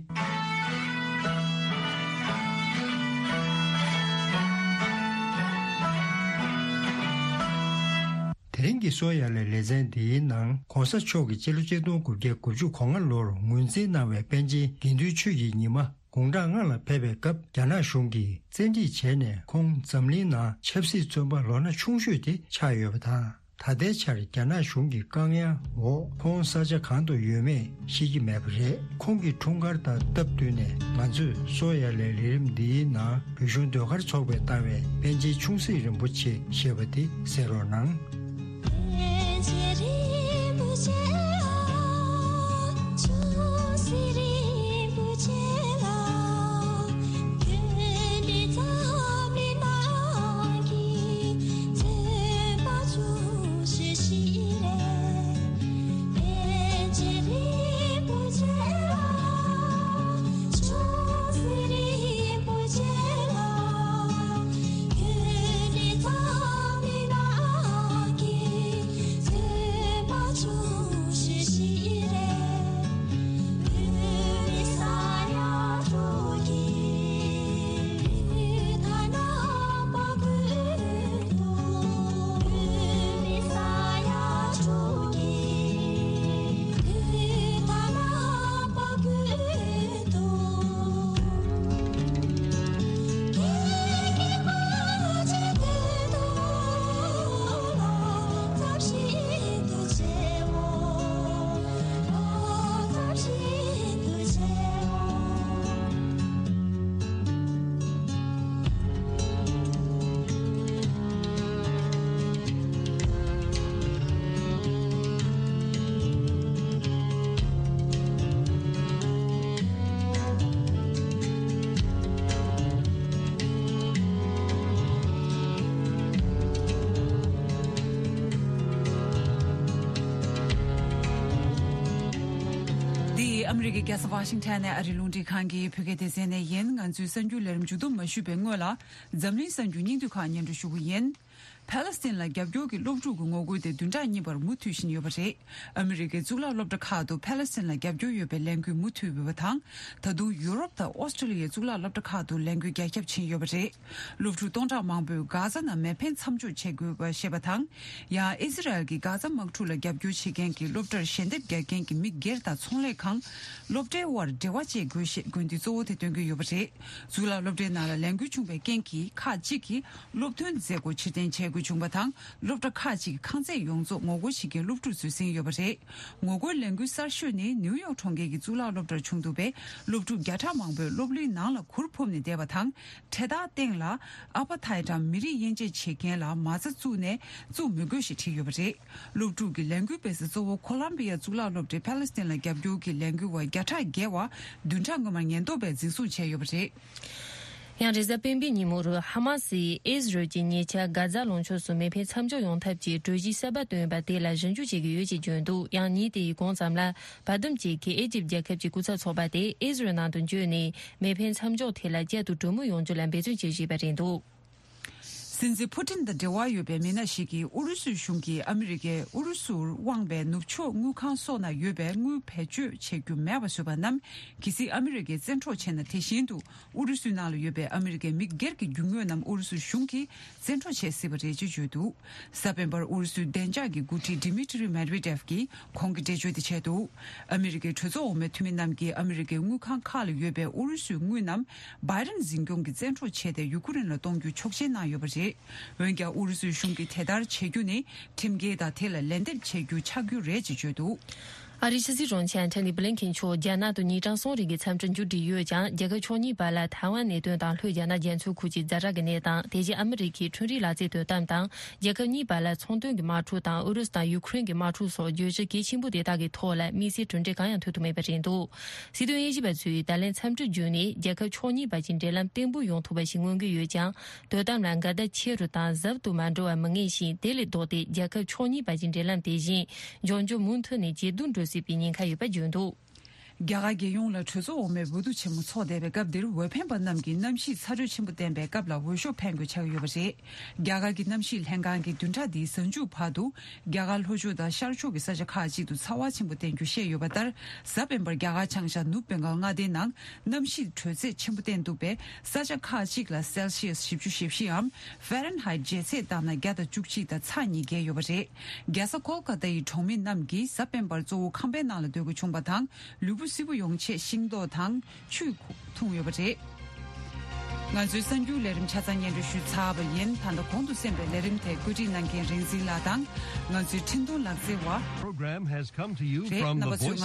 དེ་རིང་གི་སོ་ཡ་ལའི་ལེ་ཚན་འདིའི་ནང་གོང་ས་མཆོག་གིས་སྤྱི་ལོ་ཆིག་སྟོང་དགུ་བརྒྱ་དགུ་བཅུ་གོ་ལྔ་ལོར་ངོས་འཛིན་གནང་བའི་པཎ་ཆེན་དགེ་འདུན་ཆོས་ཀྱི་ཉི་མ་དགུང་གྲངས་ལྔ་ལ་ཕེབས་པའི་སྐབས་རྒྱ་ནག་གཞུང་གིས་བཙན་ཁྲིད་བྱས་ནས་ཁོང་འཛམ་གླིང་ནང་ཆབ་སྲིད་བཙོན་པ་ལོ་ན་ཆུང་ཤོས་དེ་ཆགས་ཡོད་པ་དང་། ད་ལྟའི་ཆར་རྒྱ་ནག་གཞུང་གི་བཀག་ཉར་འོག་ཁོང་ས་ཆ་གང་དུ་ཡོད་མེད་ཤེས་ཀྱི་མེད་པ་རེད། ཁོང་གི་འཁྲུངས་སྐར་དང་སྟབས་བསྟུན་ནས་ང་ཚོས་སོ་ཡ་ལའི་ལས་རིམ་འདིའི་ནང་བོད་གཞུང་ཟློས་གར་ཚོགས་པས་བཏང་བའི་པཎ་ཆེན་ཆུང་སྲིད་རིན་པོ་ཆེ་ཞེས་པ་དེ་གསན་རོགས་གནང་། འདི་ཨ་མི་རི་ཀའི་རྒྱལ་ས་ཝ་ཤིང་ཊོན་ནས་ཨ་རིའི་རླུང་འཕྲིན་ཁང་གི་བོད་སྐད་སྡེ་ཚན་ནས་ཡིན། ང་ཚོའི་གསར་འགྱུར་ལས་རིམ་མཇུག་བསྡོམས་མ་ཞུས་པའི་སྔོན་ལ། འཛམ་གླིང་གསར་འགྱུར་སྙིང་བསྡུས་ཁག་སྙན་སྒྲོན་ཞུ་གི་ཡིན། ཕཱ་ལེ་སི་ཐན་ལ་རྒྱབ་སྐྱོར་གྱི་སློབ་ཕྲུག་གི་ངོ་རྒོལ་དེ་བདུན་ཕྲག་གཉིས་པར་མུ་མཐུད་བཞིན་ཡོད་པ་རེད། ཨ་མི་རི་ཀའི་གཙུག་ལག་སློབ་གྲྭ་ཁག་ཏུ་ཕཱ་ལེ་སི་ཐན་ལ་རྒྱབ་སྐྱོར་ཡོད་པའི་ལས་འགུལ་མུ་མཐུད་ཡོད་པ་དང་། ད་དུང་ཡུ་རོབ་དང་ཨོ་སི་ཀྲི་ལི་ཡའི་གཙུག་ལག་སློབ་གྲྭ་ཁག་ཏུ་ལས་འགུལ་རྒྱ་ཁྱབ་ཕྱིན་ཡོད་པ་རེད། སློབ་ཕྲུག་སྟོང་ཕྲག་མང་པོས་གྷ་ཛ་ནང་མེ་འཕེན་མཚམས་འཇོག་བྱེད་དགོས་པ་ཞེས་པ་དང་། ཡང་ཨི་ཟི་རལ་གྱིས་གྷ་ཛ་དམག་འཁྲུག་ལ་རྒྱབ་སྐྱོར་བྱེད་མཁན་གྱི་སློབ་གྲྭར་ཞལ་འདེབས་རྒྱག་མཁན་གྱི་མི་སྒེར་དང་ཚོང་ལས་ཁང་། སློབ་གྲྭའི་དབར་འབྲེལ་བ་བཅད་དགོས་ཞེས་དགོས་འདུན་གཙོ་བོ་དེ་བཏོན་གྱི་ཡོད་པ་རེད། གཙུག་ལག་སློབ་གྲྭའི་ནང་ལ་ལས་འགུལ་བྱུང་བའི་རྐྱེན་གྱིས་ཁག་ཅིག་གིས་སློབ་ཐོན་མཛད་སྒོ་ཕྱིར་འཐེན་བྱེད་དགོས་བྱུང་བ་དང་། སློབ་གྲྭ་ཁག་ཅིག་གི་ཁང་ཚད་ཡོངས་རྫོགས་ངོ་རྒོལ་བྱེད་མཁན་སློབ་ཕྲུག་ཚོས་ཟིན་ཡོད་པ་རེད། ངོ་རྒོལ་ལས་འགུལ་གསར་ཤོས་ནི་ནིའུ་ཡོག་གྲོང་ཁྱེར་གྱི་གཙུག་ལག་སློབ་གྲྭར་བྱུང་འདུག་པས། སློབ་ཕྲུག་བརྒྱ་ཕྲག་མང་པོས་སློབ་གླིང་ནང་ལ་གུར་ཕུབ་ནས་བསྡད་པ་དང་། འཕྲེད་དར་སྟེང་ལ་ཨ་པ་ཐའི་དང་མི་རིགས་དབྱེ་འབྱེད་བྱེད་མཁན་ལ་མ་རྩ་བཙུགས་ནས་བཙུགས་མི་དགོས་ཞེས་བྲིས་ཡོད་པ་རེད། སློབ་ཕྲུག་གི་ལས་འགུལ་སྤེལ་ས་གཙོ་བོ་ཁོ་ལམ་བི་ཡ་གཙུག་ལག་སློབ་གྲྭའི་ཕཱ་ལེ་སི་ཐན་ལ་རྒྱབ་སྐྱོར་གྱི་ལས་འགུལ་བ་བརྒྱ་ཕྲག་བརྒལ་བ་བདུན་ཕྲག་སྔོན་མར་ཉེན་རྟོག་པས་འཛིན་བཟུང་བྱས་ཡོད་པ་རེད། ཡང་རེས་གཟའ་སྤེན་པའི་ཉིན་མོར་ཧ་མ་སིས་ཨི་ཟི་རལ་གྱི་ཉེ་ཆར་གྷ་ཛ་ལུང་ཕྱོགས་སུ་མེ་འཕེན་མཚམས་འཇོག་ཡོང་ཐབས་ཀྱི་གྲོས་གཞི་གསར་པ་བཏོན་པ་དེ་ལ་ཞིབ་འཇུག་བྱེད་ཀྱི་ཡོད་ཅེས་བརྗོད་འདུག་ཡང་ཉིན་དེའི་གོང་ཙམ་ལ། བར་འདུམ་བཅས་ཀྱིས་ཨི་ཇིབ་རྒྱལ་ཁབ་ཀྱི་སྐུ་ཚབ་ཚོགས་པ་དེ་ཨི་ཟི་རལ་ནང་དུ་འབྱོར་ནས་མེ་འཕེན་མཚམས་འཇོག་ཐད་ལ་བསྐྱར་དུ་གྲོས་མོལ་ཡོང་རྒྱུ་ལ་འབད་བརྩོན་བྱེད་བཞིན་པ་རེད་འདུག་སྲིད་འཛིན་ཕུ་ཏིན་དང་འབྲེལ་བ་ཡོད་པའི་མི་སྣ་ཞིག་གིས་ཨུ་རུ་སུའི་གཞུང་གིས་ཨ་མི་རི་ཀས་ཨུ་རུ་སུར་དབང་བའི་ནུབ་ཕྱོགས་དངུལ་ཁང་སོགས་ན་ཡོད་པའི་དངུལ་བེད་སྤྱོད་བྱེད་རྒྱུ་མེད་པ་བཟོས་པ་རྣམས་གལ་སྲིད་ཨ་མི་རི་ཀས་བཙན་འཕྲོག་བྱས་ན། དེ་བཞིན་དུ་ཨུ་རུ་སུའི་ནང་ལ་ཡོད་པའི་ཨ་མི་རི་ཀའི་མི་སྒེར་གྱི་རྒྱུ་དངོས་རྣམས་ཨུ་རུ་སུའི་གཞུང་གིས་བཙན་འཕྲོག་བྱེད་སྲིད་པ་རེད་ཅེས་བརྗོད་འདུག་གཟའ་སྤེན་པར་ཨུ་རུ་སུའི་བདེ་འཇགས་ཀྱི་འགོ་ཁྲིད་ཌི་མི་ཏྲི་མེད་ཝེ་ཏེབ་ཀྱིས་ཁོང་གི་འགྲེལ་བརྗོད་དེ་བྱས་འདུག་ཨ་མི་རི་ཀའི་གྲོས་ཚོགས་འོག་མའི་འཐུས་མི་རྣམས་ཀྱིས་ཨ་མི་རི་ཀའི་དངུལ་ཁང་ཁག་ལ་ཡོད་པའི་ཨུ་རུ་སུའི་དངུལ་རྣམས་བྷའི་ཌེན་འཛིན་སྐྱོང་གིས་བཙན་འཕྲོག་བྱས་ཏེ་ཡུ་ཀེ་རེན་ལ་གཏོང་རྒྱུ་ཆོག་མཆན་གནང་ཡོད་པ་རེད། འོན་ཀྱང་ཨུ་རུ་སུའི་གཞུང་གིས་དེ་ལྟར་བྱེད་རྒྱུ་ནི་ཁྲིམས་འགལ་དང་དེ་ལ་ལན་འདེབས་བྱེད་རྒྱུ་ཆགས་རྒྱུ་རེད་ཅེས་བརྗོད་འདུག་ཨ་རིའི་ཕྱི་སྲིད་དྲུང་ཆེ་ཨན་ཐོ་ནི་བྷི་ལིན་ཁེན་མཆོག་རྒྱ་ནག་ཏུ་ཉིན་གྲངས་གསུམ་རིང་གི་འཚམས་འདྲིར་མཇུག་སྒྲིལ་ཡོད་ཀྱང་། རྒྱལ་ཁབ་ཕྱོགས་གཉིས་བར་ལ་ཐའེ་ཝན་གནད་དོན་དང་ལྷོའི་རྒྱ་ནག་རྒྱ་མཚོའི་ཁུལ་གྱི་ཛ་དྲག་གི་གནས་སྟངས། དེ་བཞིན་ཨ་མི་རི་ཀའི་ཁྲོམ་རའི་ལག་རྩལ་དོ་དམ་དང་། རྒྱལ་ཁབ་གཉིས་བར་ལ་ཚོང་དོན་གྱི་དམག་འཁྲུག་དང་ཨུ་རུ་སུ་དང་ཡུ་ཁུ་རེན་གྱི་དམག་འཁྲུག་སོགས་བརྗོད་གཞི་གལ་ཆེན་པོ་དེ་དག་གི་ཐོག་ལ་དམིགས་བསལ་གྲུབ་འབྲས་གང་ཡང་ཐོན་ཐུབ་མེད་པ་རེད་འདུག། སྲིད་དོན་དབྱེ་ཞིབ་པ་ཚོས་ད་ལན་འཚམས་འདྲི་བརྒྱུད་ནས་རྒྱལ་ཁབ་ཕྱོགས་གཉིས་བར་གྱི་འབྲེལ་ལམ་བརྟན་པོ་ཡོང་ཐུབ་པ་ཞིག་མངོན་གྱི་ཡོད་ཀྱང་། དོ་དམ་ལ་འགལ་ཟླ་ཆེ་རུ་དང་ཟབ་ཏུ་མ་འགྲོ་བ་མི་ངེས་ཤིང་། དེ་ལས་ལྡོག་སྟེ་རྒྱལ་ཁབ་ཕྱོགས་གཉིས་བར་གྱི་འབྲེལ་ལམ་དེ་བཞིན་འབྱུང་འགྱུར་མུ་མཐུད་ནས་ཇེ་སྡུག་འགྲོ་སྲིད་པའི་ཉེན་ཁ་ཡོད་པ་བརྗོད་འདུག། རྒྱ་གར་རྒྱལ་ཡོངས་ལ་གྲོས་ཚོགས་འོག་མའི་འོས་བསྡུ་ཆེན་མོ་འཚོགས་བསྡད་པའི་སྐབས་འདིར་འོས་འཕེན་པ་རྣམས་ཀྱིས་གནམ་གཤིས་ཚ་དྲོད་ཆེན་པོ་བསྟན་པའི་སྐབས་ལ་འོས་ཤོག་འཕེན་དགོས་ཆགས་ཀྱི་ཡོད་པ་རེད། རྒྱ་གར་གྱི་གནམ་གཤིས་ལྷན་ཁང་གིས་བདུན་ཕྲག་འདིའི་གཟའ་མཇུག་བར་དུ་རྒྱ་གར་ལྷོ་ཕྱོགས་དང་ཤར་ཕྱོགས་ཀྱི་ས་ཆ་ཁག་ཅིག་ཏུ་ཚ་བ་ཆེན་པོ་བསྟན་རྒྱུ་བཤད་ཡོད་པ་ལྟར། གཟའ་སྤེན་པར་རྒྱ་གར་བྱང་ཤར་ནུབ་བོད་ཁང་མངའ་སྡེའི་ནང་གནམ་གཤིས་དྲོད་ཚད་ཆེན་པོ་བསྟན་འདུག་པས། ས་ཆ་ཁག་ཅིག་ལ་སེལ་སི་ཡས་བཞི་བཅུ་ཞེ་བཞི་འམ་ཧྥ་རན་ཧའེ་ཇེ་ཚད་བཏང་ན་བརྒྱ་དང་བཅུ་གཅིག་དང་ཚེག་ཉིས་བརྒལ་ཡོད་པ་རེད། རྒྱལ་ས་ཀོལ་ཀ་ཏའི་གྲོང་མི་རྣམས་ཀྱིས་གཟའ་སྤེན་པར་གཙོ་བོ་ཁང་པའི་ནང་ལ་སྡོད་དགོས་བྱུང་བ་དང་། ལུས་པོ་བསིལ་པོ་ཡོང་ཆེད་ཤིང་ཏོག་དང་ཆུ་འཐུང་ཡོད་པ་རེད། ང་ཚོའི་གསར་འགྱུར་ལས་རིམ་ཆ་ཚང་སྙན་སྒྲོན་ཞུས་ཚར་བ་ཡིན། ད་ལྟ་གོང་དུ་གསན་པའི་ལས་རིམ་དེ་བཀོད་སྒྲིག་གནང་མཁན་རིག་འཛིན་ལགས་དང་། ང་ཚོའི་འཕྲིན་གཏོང་ལག་རྩལ་བ། Program has come to you རེད། from རྣམ་པ་ཚོས།